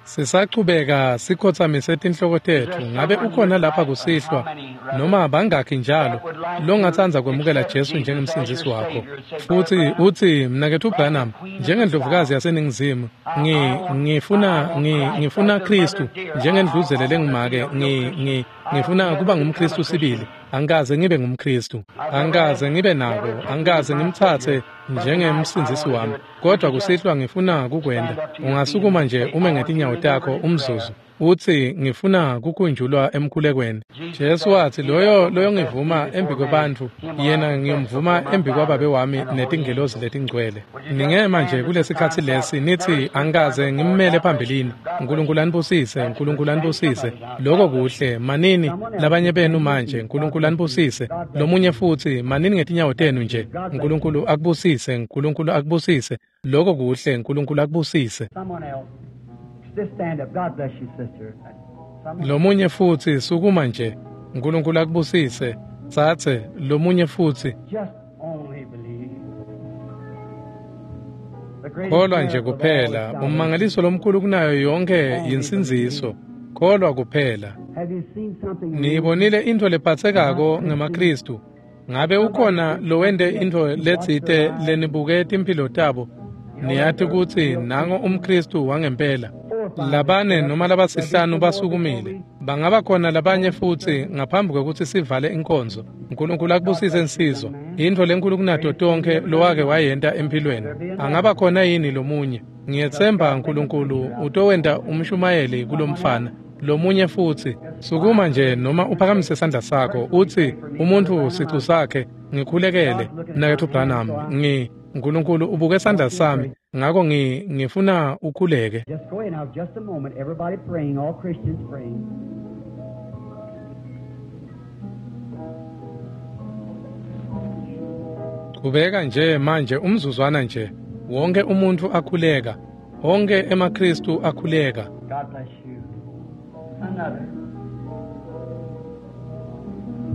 Sisachubeka sikhotsamise tinhloko tetfu. Ngabe ukhona lapha kusihlwa, noma bangakhi njalo, longatsandza kwemukela Jesu njengemsindzisi wakho, futsi utsi, "Mnaketfu Branham, njengendlovukazi yaseNingizimu, ngifuna Khristu njengendluzele lengumake, ngifuna kuba ngumKhristu sibili. Angikaze ngibe ngumKhristu, angikaze ngibe nako, angikaze ngimtsatse njengemsindzisi wami, kodwa kusihlwa ngifuna kukwenta." Ungasukuma nje ume ngetinyawo takho umzuzu, utsi, "Ngifuna kukhunjulwa emkhulekweni." Jesu watsi, "Loyo loyongivuma embikwebantfu, yena ngiyomvuma embikwaBabe wami netingelosi letingcwele." Ningema nje kulesikhatsi lesi nitsi, "Angikaze ngimmele phambilini." Nkulunkulu anibusise, Nkulunkulu anibusise. Loko kuhle, manini labanye benu manje. Nkulunkulu anibusise. Lomunye futsi, manini ngetinyawo tenu nje. Nkulunkulu akubusise, Nkulunkulu akubusise. Loko kuhle, Nkulunkulu akubusise. Lomunye futsi, sukuma nje. Nkulunkulu akubusise. Tsatse, lomunye futsi. Kholwa nje kuphela. Ummangaliso lomkhulu kunayo yonke yinsindziso. Kholwa kuphela. Niyibonile intfo lephatsekako ngemaKhristu? Ngabe ukhona lowente intfo letsite lenibuke timphilo tabo Niyati kutsi nango umKhristu wangempela. Labane noma labasihlanu basukumile. Bangaba khona labanye futsi ngaphambi kwekutsi sivale inkonzo. Nkulunkulu akubusise nsizwa. Intfo lenkulu kunato tonkhe lowake wayenta empilweni. Angaba khona yini lomunye? Ngiyetsemba Nkulunkulu utowenta umshumayeli kulomfana. Lomunye futsi, sukuma nje noma uphakamise sandla sakho utsi umuntfu sicu sakhe ngikhulekele Mnaketfu Branham Nkulunkulu ubuke sandla sami ngako ngifuna ukhuleke. Just go ahead now, just a moment. Everybody praying, all Christians praying. Kubeka nje manje umzuzwana nje wonke umuntu akhuleka, wonke emaKristu akhuleka. God bless you. Another.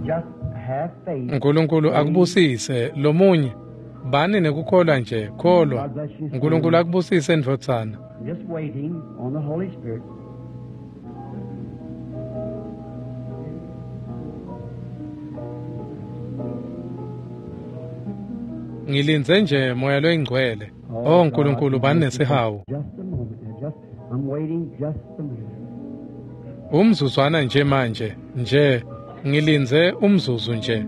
Just have faith. Nkulunkulu akubusise lomunye. Bani nekukholwa nje, kholwa. Nkulunkulu akubusise ndvodzana. Just waiting on the Holy Spirit. Ngilindze nje moya loyingcwele. Oh Nkulunkulu bani nesihawu. Just a moment. Now just I'm waiting just a minute. Umzuzwana nje manje, nje ngilindze umzuzu nje.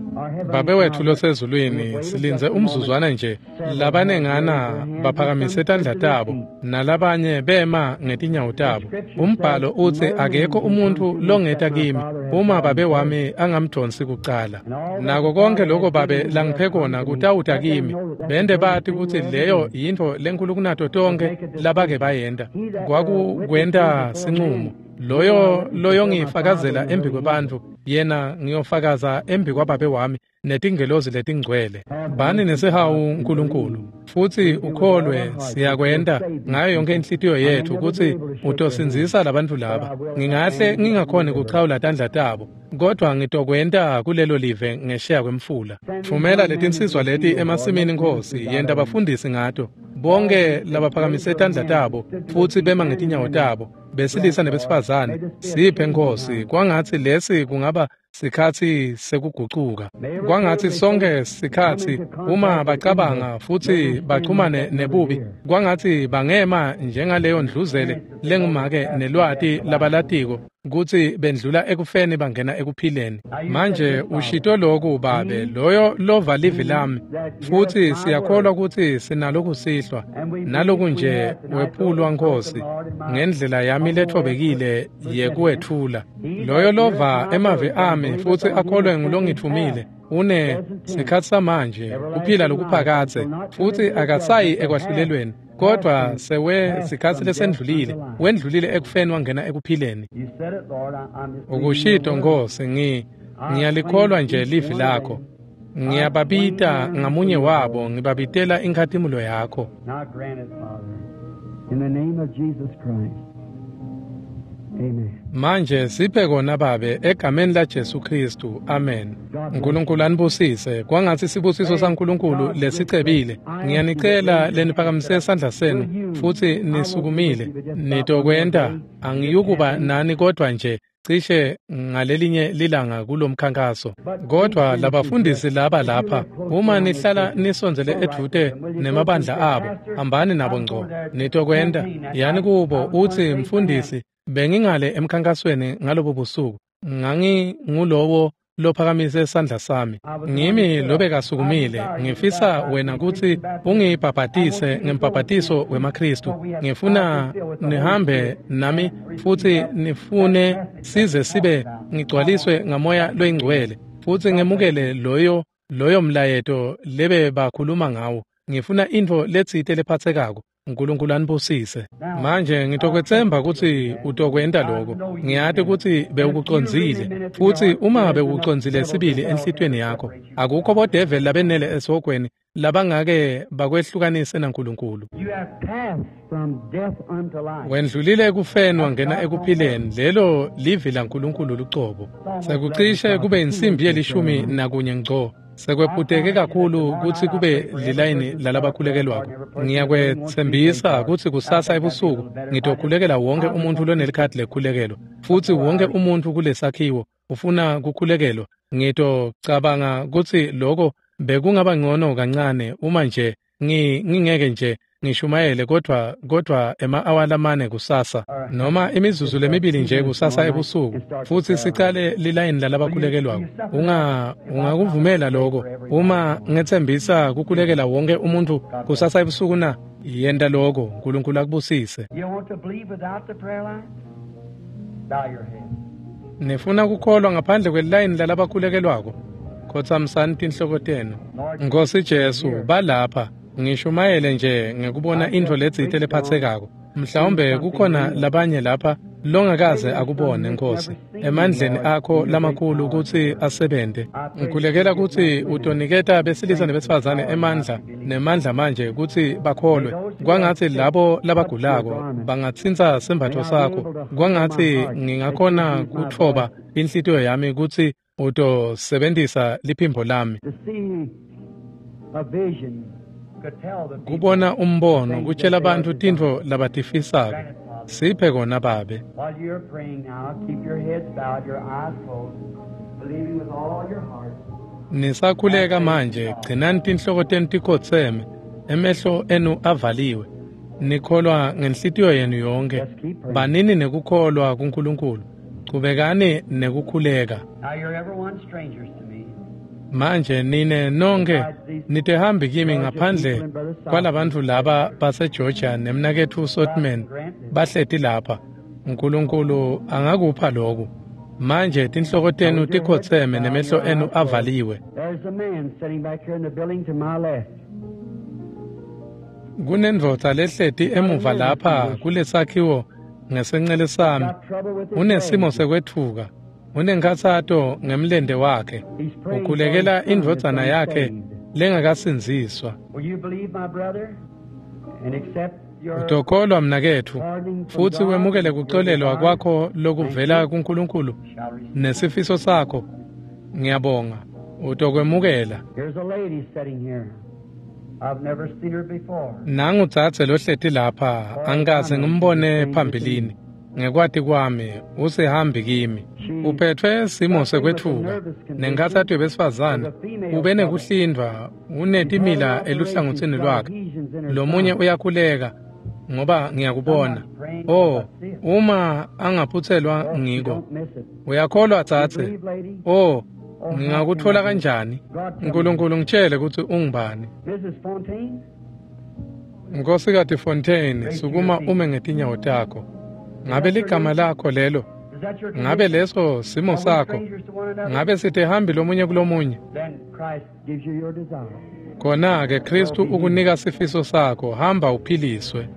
Babe wethu losezulwini, silindze umzuzwana nje. Labanengana baphakamise tandla tabo nalabanye bema ngetinyawo tabo. Umbhalo utsi akekho umuntfu longeta kimi uma babe wami angamdonsi kucala. Nako konke lokho babe langiphe kona kutawuta kimi. Bende bati kutsi leyo yintfo lenkulu kunato tonkhe labake bayenta. Kwakukwenta sincumo. Loyo loyongifakazela embi kwebantfu yena ngiyofakaza embi kwababe wami netingelozi letingcwele. Bani nesihawu Nkulunkulu futsi ukholwe siyakwenta ngayo yonke inhlitiyo yethu kutsi utosindzisa labantfu laba. Ngingahle ngingakhoni kuchawula tandla tabo kodwa ngitokwenta kulelo live ngesheya kwemfula. Thumela letinsizwa leti emasimini Nkosi, yenta bafundisi ngato. Bonke labaphakamise tandla tabo futsi bema ngetinyawo tabo, besilisa nebesifazane, siphe Nkosi kwangatsi lesi kungaba sikhatsi sekugucuka. Kwangatsi sonke sikhatsi uma bacabanga futsi bachumane nebubi, kwangatsi bangema njengaleyo ndluzele lengumake nelwati labalatiko kutsi bendlula ekufeni bangena ekuphileni. Manje ushito loku babe, loyo lova livi lami, futsi siyakholwa kutsi sinaloku sihlwa naloku nje wephulwa Nkosi ngendlela yami lethobekile yekuwetfula. Loyo lova emavi ami futsi akholwe ngulongitfumile une sikhatsi samanje kuphila lokuphakadze futsi akasayi ekwahlulelweni kodwa sewe sikhatsi lesendlulile wendlulile ekufeni wangena ekuphileni. You said it, Lord. I'm just Ukushito Nkosi, ngiyalikholwa nje livi lakho. Ngiyababita ngamunye wabo, ngibabitela inkhatimulo yakho. Now grant it, Father. In the name of Jesus Christ. Amen. Manje siphe kona babe egameni la Jesu Kristu. Amen. Nkulunkulu anibusise. Kwangatsi sibusiso saNkulunkulu lesicebile. Ngiyanicela leniphakamise sandla senu futsi nisukumile. Nitokwenta angiyukuba nani kodwa nje cishe ngalelinye lilanga kulomkhankaso. Kodwa labafundisi laba lapha, uma nihlala nisondzele edvute nemabandla abo, hambani nabo ngco. Nitokwenta yani kubo utsi mfundisi bengingale emkhankasweni ngalobo busuku ngangingulowo lophakamise sandla sami. Ngimi lobekasukumile. Ngifisa wena kutsi ungibhabhatise ngembhabhatiso wemaKristu. Ngifuna nihambe nami futsi nifune size sibe ngigcwaliswe ngamoya loyingcwele futsi ngemukele loyo mlayeto lebe bakhuluma ngawo. Ngifuna intfo letsite lephatsekako. Nkulunkulu anibusise. Manje ngitokwetsemba kutsi utokwenta lokho. Ngiyati kutsi bewukucondzile futsi uma bewukucondzile sibili enhlitiyweni yakho, akukho bodeveli labenele esihogweni labangake bakwehlukanise naNkulunkulu. You have passed from death unto life. Wendlulile ekufeni wangena ekuphileni. Lelo livi laNkulunkulu lucobo. Sekucishe kube insimbi ye-11 ngco. Sekwephuteke kakhulu kutsi kube lilayini lalabakhulekelwako. Ngiyakwetsembisa kutsi kusasa ebusuku ngitokhulekela wonke umuntfu lonelikhadi lekukhulekelwa, futsi wonke umuntfu kulesakhiwo ufuna kukhulekelwa. Ngitocabanga kutsi loko bekungaba ngcono kancane uma nje ngingeke nje ngishumayele kodvwa ema-awa lamane kusasa noma imizuzu lemibili nje kusasa ebusuku futsi sicale lilayini lalabakhulekelwako. Ungakuvumela lokho uma ngetsembisa kukhulekela wonke umuntu kusasa ebusuku na? Yenta lokho, uNkulunkulu akubusise. Nifuna kukholwa ngaphandle kwelilayini lalabakhulekelwako? Khotsamisani tinhloko tenu. Nkosi Jesu, balapha ngishumayele nje ngekubona intfo letsite lephatsekako. Mhlawumbe kukhona labanye lapha longakaze akubone, Nkosi, emandleni akho lamakhulu kutsi asebente. Ngikhulekela kutsi utoniketa besilisa nebesifazane emandla nemandla manje kutsi bakholwe. Kwangatsi labo labagulako bangatsintsa sembatfo sakho. Kwangatsi ngingakhona kutfoba inhlitiyo yami kutsi utosebentisa liphimbo lami. Kubona umbono kutshela bantfu tintfo labatifisako. Siphe kona Babe. Nisakhuleka manje, gcinani tinhloko tenu tikhotseme, emehlo enu avaliwe. Nikholwa ngenhlitiyo yenu yonke. Banini nekukholwa kuNkulunkulu. Chubekani nekukhuleka. Manje nine nonke nitehambi kimi ngaphandle kwalabantfu laba baseGeorgia nemnaketfu Sotman bahleti lapha. uNkulunkulu angakupha lokhu. Manje tinhloko tenu tikhotseme nemehlo enu avaliwe. Kunendvodza lehleti emuva lapha kulesakhiwo ngesencele sami. Unesimo sekwetfuka. Unenkhatsato ngemlente wakhe. Ukhulekela indvodzana yakhe lengakasindziswa. Utokholwa mnaketfu futsi wemukele kuxolelwa kwakho lokuvela kuNkulunkulu nesifiso sakho. Ngiyabonga. Utokwemukela. Nangu dzadze lohleti lapha, angikaze ngimbone phambilini. Ngekwati kwami usehambi kimi. Uphethwe simo sekwetfuka nenkhatsato yebesifazane. Ube nekuhlindvwa, unetimila eluhlangotsini lwakhe. Lomunye uyakhuleka ngoba ngiyakubona. Oh, uma angaphutselwa ngiko. Uyakholwa dzadze? Oh, ngingakutfola kanjani? uNkulunkulu ngitshele kutsi ungubani. Nkosikati Fontaine, sukuma ume ngetinyawo takho. Ngabe ligama lakho lelo? Ngabe leso simo sakho? Ngabe sitehambi lomunye kulomunye? Khona-ke Kristu ukunika sifiso sakho, hamba uphiliswe.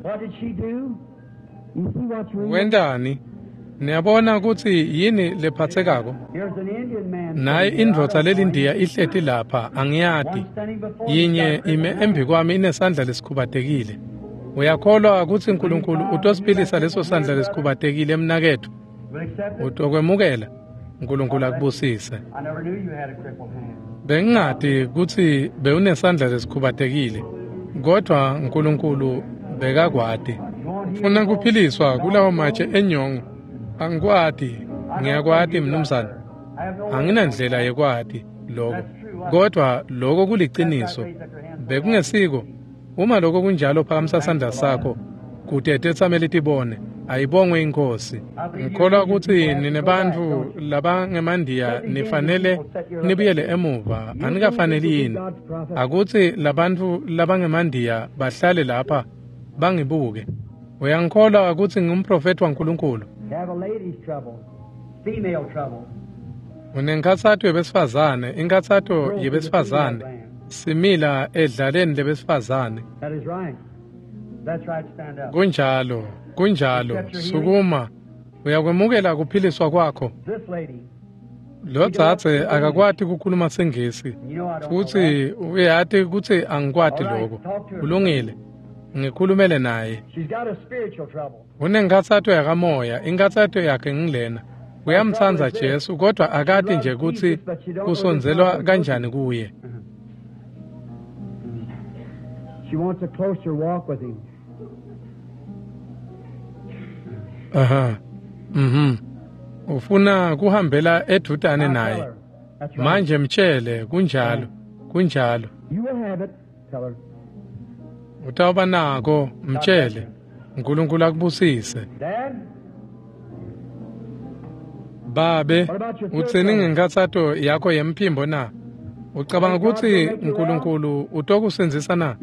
Wentani? Niyabona kutsi yini lephatsekako? Naye indvodza lelindiya ihleti lapha, angiyati. Yinye ime embi kwami inesandla lesikhubatekile. Uyakholwa kutsi uNkulunkulu utosiphilisa leso sandla lesikhubatekile mnaketfu? Utokwemukela? uNkulunkulu akubusise. Bengingati kutsi bewunesandla lesikhubatekile, kodvwa uNkulunkulu bekakwati. Ufuna kuphiliswa kulawo matshe enyongo. Angikwati, ngiyakwati mnumzane. Anginandlela yekwati lokho, kodvwa lokho kuliciniso. Bekungesiko. Uma lokho kunjalo, phakamisa sandla sakho kute tetsameli tibone. Ayibongwe iNkhosi. Ngikholwa kutsi ninebantfu labangemandiya nifanele nibuyele emuva. Anikafaneli yini? Akutsi labantfu labangemandiya bahlale lapha bangibuke. Uyangikholwa kutsi ngingumprofethi waNkulunkulu? Unenkhatsato yebesifazane, inkhatsato yebesifazane. Simila edlaleni lebesifazane. Kunjalo, kunjalo. Sukuma. Uyakwemukela kuphiliswa kwakho. Lo dzadze akakwati kukhuluma siNgisi futsi uyati kutsi angikwati lokho. Kulungile. Ngikhulumele naye. Unenkhatsato yakamoya, inkhatsato yakhe ngilena. Uyamtsandza Jesu kodwa akati nje kutsi kusondzelwa kanjani kuye. She wants a closer walk with him. Aha. Ufuna kuhambela edvutane naye. Manje mtshele kunjalo. Kunjalo. You will have it. Tell her. Utawuba nako, mtshele. Nkulunkulu akubusise. Babe, utsini ngenkhatsato yakho yemphimbo na? Ucabanga kutsi Nkulunkulu utokusindzisa na?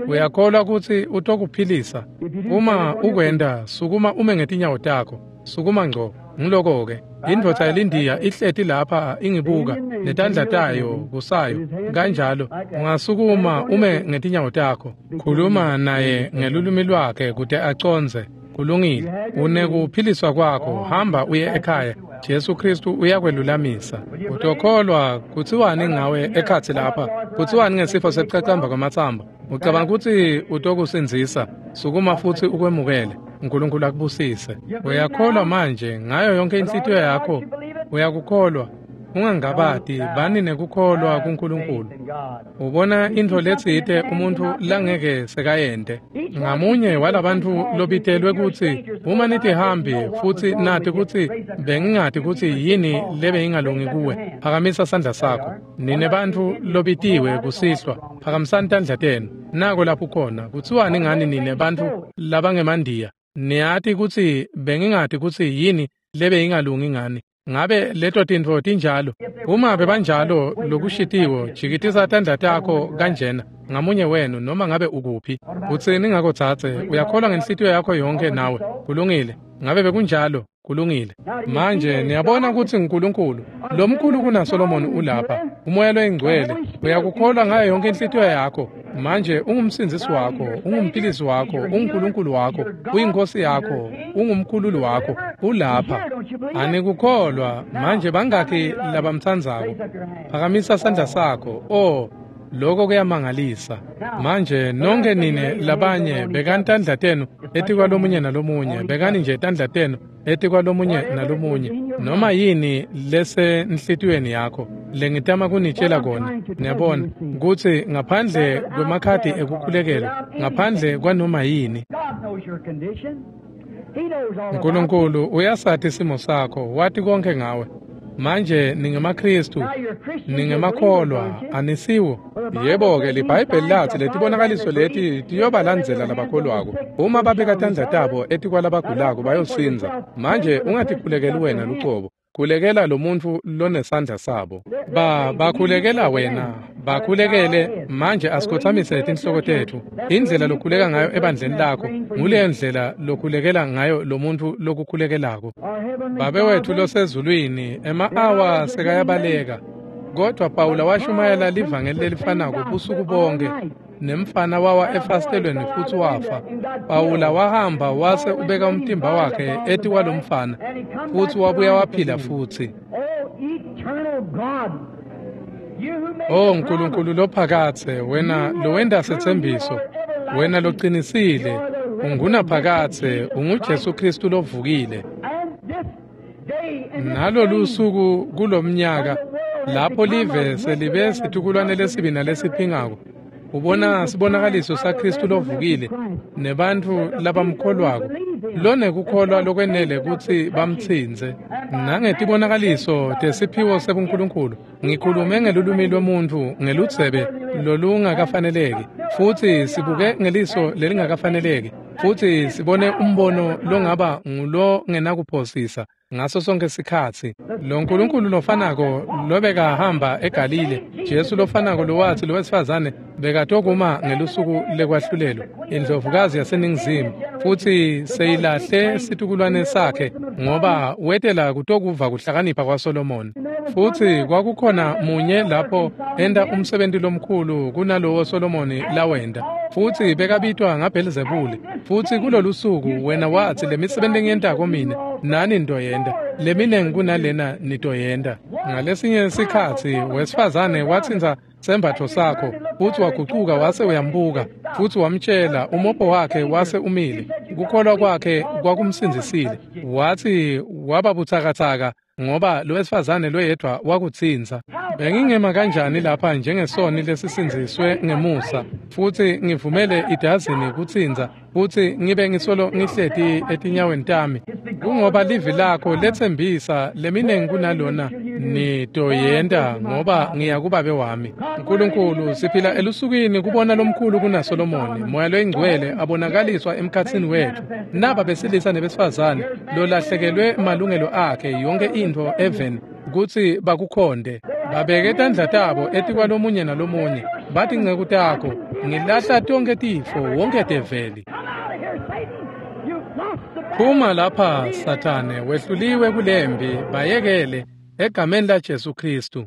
Uyakholwa kutsi utokuphilisa? Uma ukwenta, sukuma ume ngetinyawo takho. Sukuma ngco. Ngiloko-ke. Indvodza yelindiya ihleti lapha ingibuka netandla tayo kusayo kanjalo. Ungasukuma ume ngetinyawo takho. Khuluma naye ngelulwimi lwakhe kute acondze. Kulungile. Unekuphiliswa kwakho. Hamba uye ekhaya. Jesu Kristu uyakwelulamisa. Utokholwa kutsiwani ngawe ekhatsi lapha? Kutsiwani ngesifo sekucacamba kwamatsambo? Ucabanga kutsi utokusindzisa? Sukuma futsi ukwemukele. Nkulunkulu akubusise. Uyakholwa manje ngayo yonke inhlitiyo yakho? Uyakukholwa? Ungangabati, bani nekukholwa kuNkulunkulu. Ubona intfo letsite umuntfu langeke sekayente. Ngamunye walabantfu lobitelwe kutsi uma nitihambi futsi nati kutsi bengingati kutsi yini lebeyingalungi kuwe, phakamisa sandla sakho. Nine bantfu lobitiwe kusihlwa, phakamisani tandla tenu. Nako lapho khona. Kutsiwani ngani nine bantfu labangemandiya? Niyati kutsi bengingati kutsi yini lebeyingalungi ngani. Ngabe leto tintfo tinjalo? Uma bebanjalo lokushitiwo, jikitisa tandla takho kanjena ngamunye wenu noma ngabe ukuphi. Utsini ngako dzadze? Uyakholwa ngenhlitiyo yakho yonke nawe? Kulungile. Ngabe bekunjalo? Kulungile. Manje niyabona kutsi uNkulunkulu lomkhulu kunaSolomoni ulapha. Umoya loyingcwele. Uyakukholwa ngayo yonke inhlitiyo yakho. Manje ungumsindzisi wakho, ungumphilisi wakho, unguNkulunkulu wakho, uyinkosi yakho, ungumkhululi wakho, ulapha. Anikukholwa. Manje bangakhi labamtsandzako? Phakamisa sandla sakho. Oh, lokho kuyamangalisa. Manje nonke nine labanye bekani tandla tenu etikwalomunye nalomunye, bekani nje tandla tenu etikwalomunye nalomunye. Noma yini lesenhlitiyweni yakho lengitama kunitshela kona, niyabona kutsi ngaphandle kwemakhadi ekukhulekelwa, ngaphandle kwanoma yini, Nkulunkulu uyasati simo sakho, wati konke ngawe. Manje ningemaKristu, ningemakholwa, anisiwo? Yebo-ke, liBhayibheli lathi letibonakaliso leti tiyobalandzela labakholwako. Uma babeka tandla tabo etikwalabagulako bayosindza. Manje ungatikhulekeli wena lucobo. Khulekela lo muntfu lonesandla sabo. Bakhulekela wena, bakhulekele. Manje asikhothamise tinhloko tetfu. Indlela lokhuleka ngayo ebandleni lakho nguleyo ndlela lokhulekela ngayo lo muntfu lokukhulekelako. Babe wetfu losezulwini, ema-awa sekayabaleka. Kodvwa Pawula washumayela livangeli lelifanako busuku bonke. Nemfana wawa efasitelweni futsi wafa. Pawula wahamba wase ubeka umtimba wakhe etikwalomfana futsi wabuya waphila futsi. Oh Nkulunkulu lophakadze, wena lowenta setsembiso, wena locinisile, ungunaphakadze, unguJesu Kristu lovukile. Nalolu suku kulomnyaka lapho live selibe situkulwane lesibi nalesiphingako, ubona sibonakaliso saKristu lovukile nebantfu labamkholwako lonekukholwa lokwenele kutsi bamtsintse. Nangetibonakaliso tesiphiwo sebuNkulunkulu ngikhulume ngelulwimi lwemuntfu ngeludzebe lolungakafaneleki, futsi sibuke ngeliso lelingakafaneleki, futsi sibone umbono longaba ngulongenakuphosisa ngaso sonke sikhatsi. Lo Nkulunkulu lofanako lobekahamba eGalile, Jesu lofanako lowatsi lowesifazane bekatokuma ngelusuku lekwahlulelwa, indlovukazi yaseNingizimu, futsi seyilahle situkulwane sakhe ngoba wetela kutokuva kuhlakanipha kwaSolomoni. Futsi kwakukhona munye lapho enta umsebenti lomkhulu kunalowo Solomoni lawenta, futsi bekabitwa ngaBhelzebule. Futsi kulolu suku wena watsi lemisebenti engiyentako mine nani nitoyenta, leminengi kunalena nitoyenta. Ngalesinye sikhatsi wesifazane watsintsa sembatfo sakho, futsi wagucuka wase uyambuka, futsi wamtshela umopho wakhe wase umile. Kukholwa kwakhe kwakumsindzisile. Watsi waba butsakatsaka ngoba lowesifazane loyedvwa wakutsintsa. Bengingema kanjani lapha njengesoni lesisindziswe ngemusa, futsi ngivumele idazini kutsintsa, Futsi ngibe ngisolo ngihleti etinyaweni tami, kungoba livi lakho letsembisa leminingi kunalona nitoyenta, ngoba ngiya kuBabe wami. Nkulunkulu, siphila elusukwini kubona lomkhulu kunaSolomoni, Moya loyiNgcwele abonakaliswa emkhatsini wetfu. Naba besilisa nebesifazane lolahlekelwe malungelo akhe yonke intfo eveni kutsi bakukhonde. Babeke tandla tabo etikwalomunye nalomunye, bathi nceku takho, ngilahla tonkhe tifo, wonke develi. Phuma lapha, Sathane, wehluliwe kulempi, bayekele, egameni laJesu Khristu.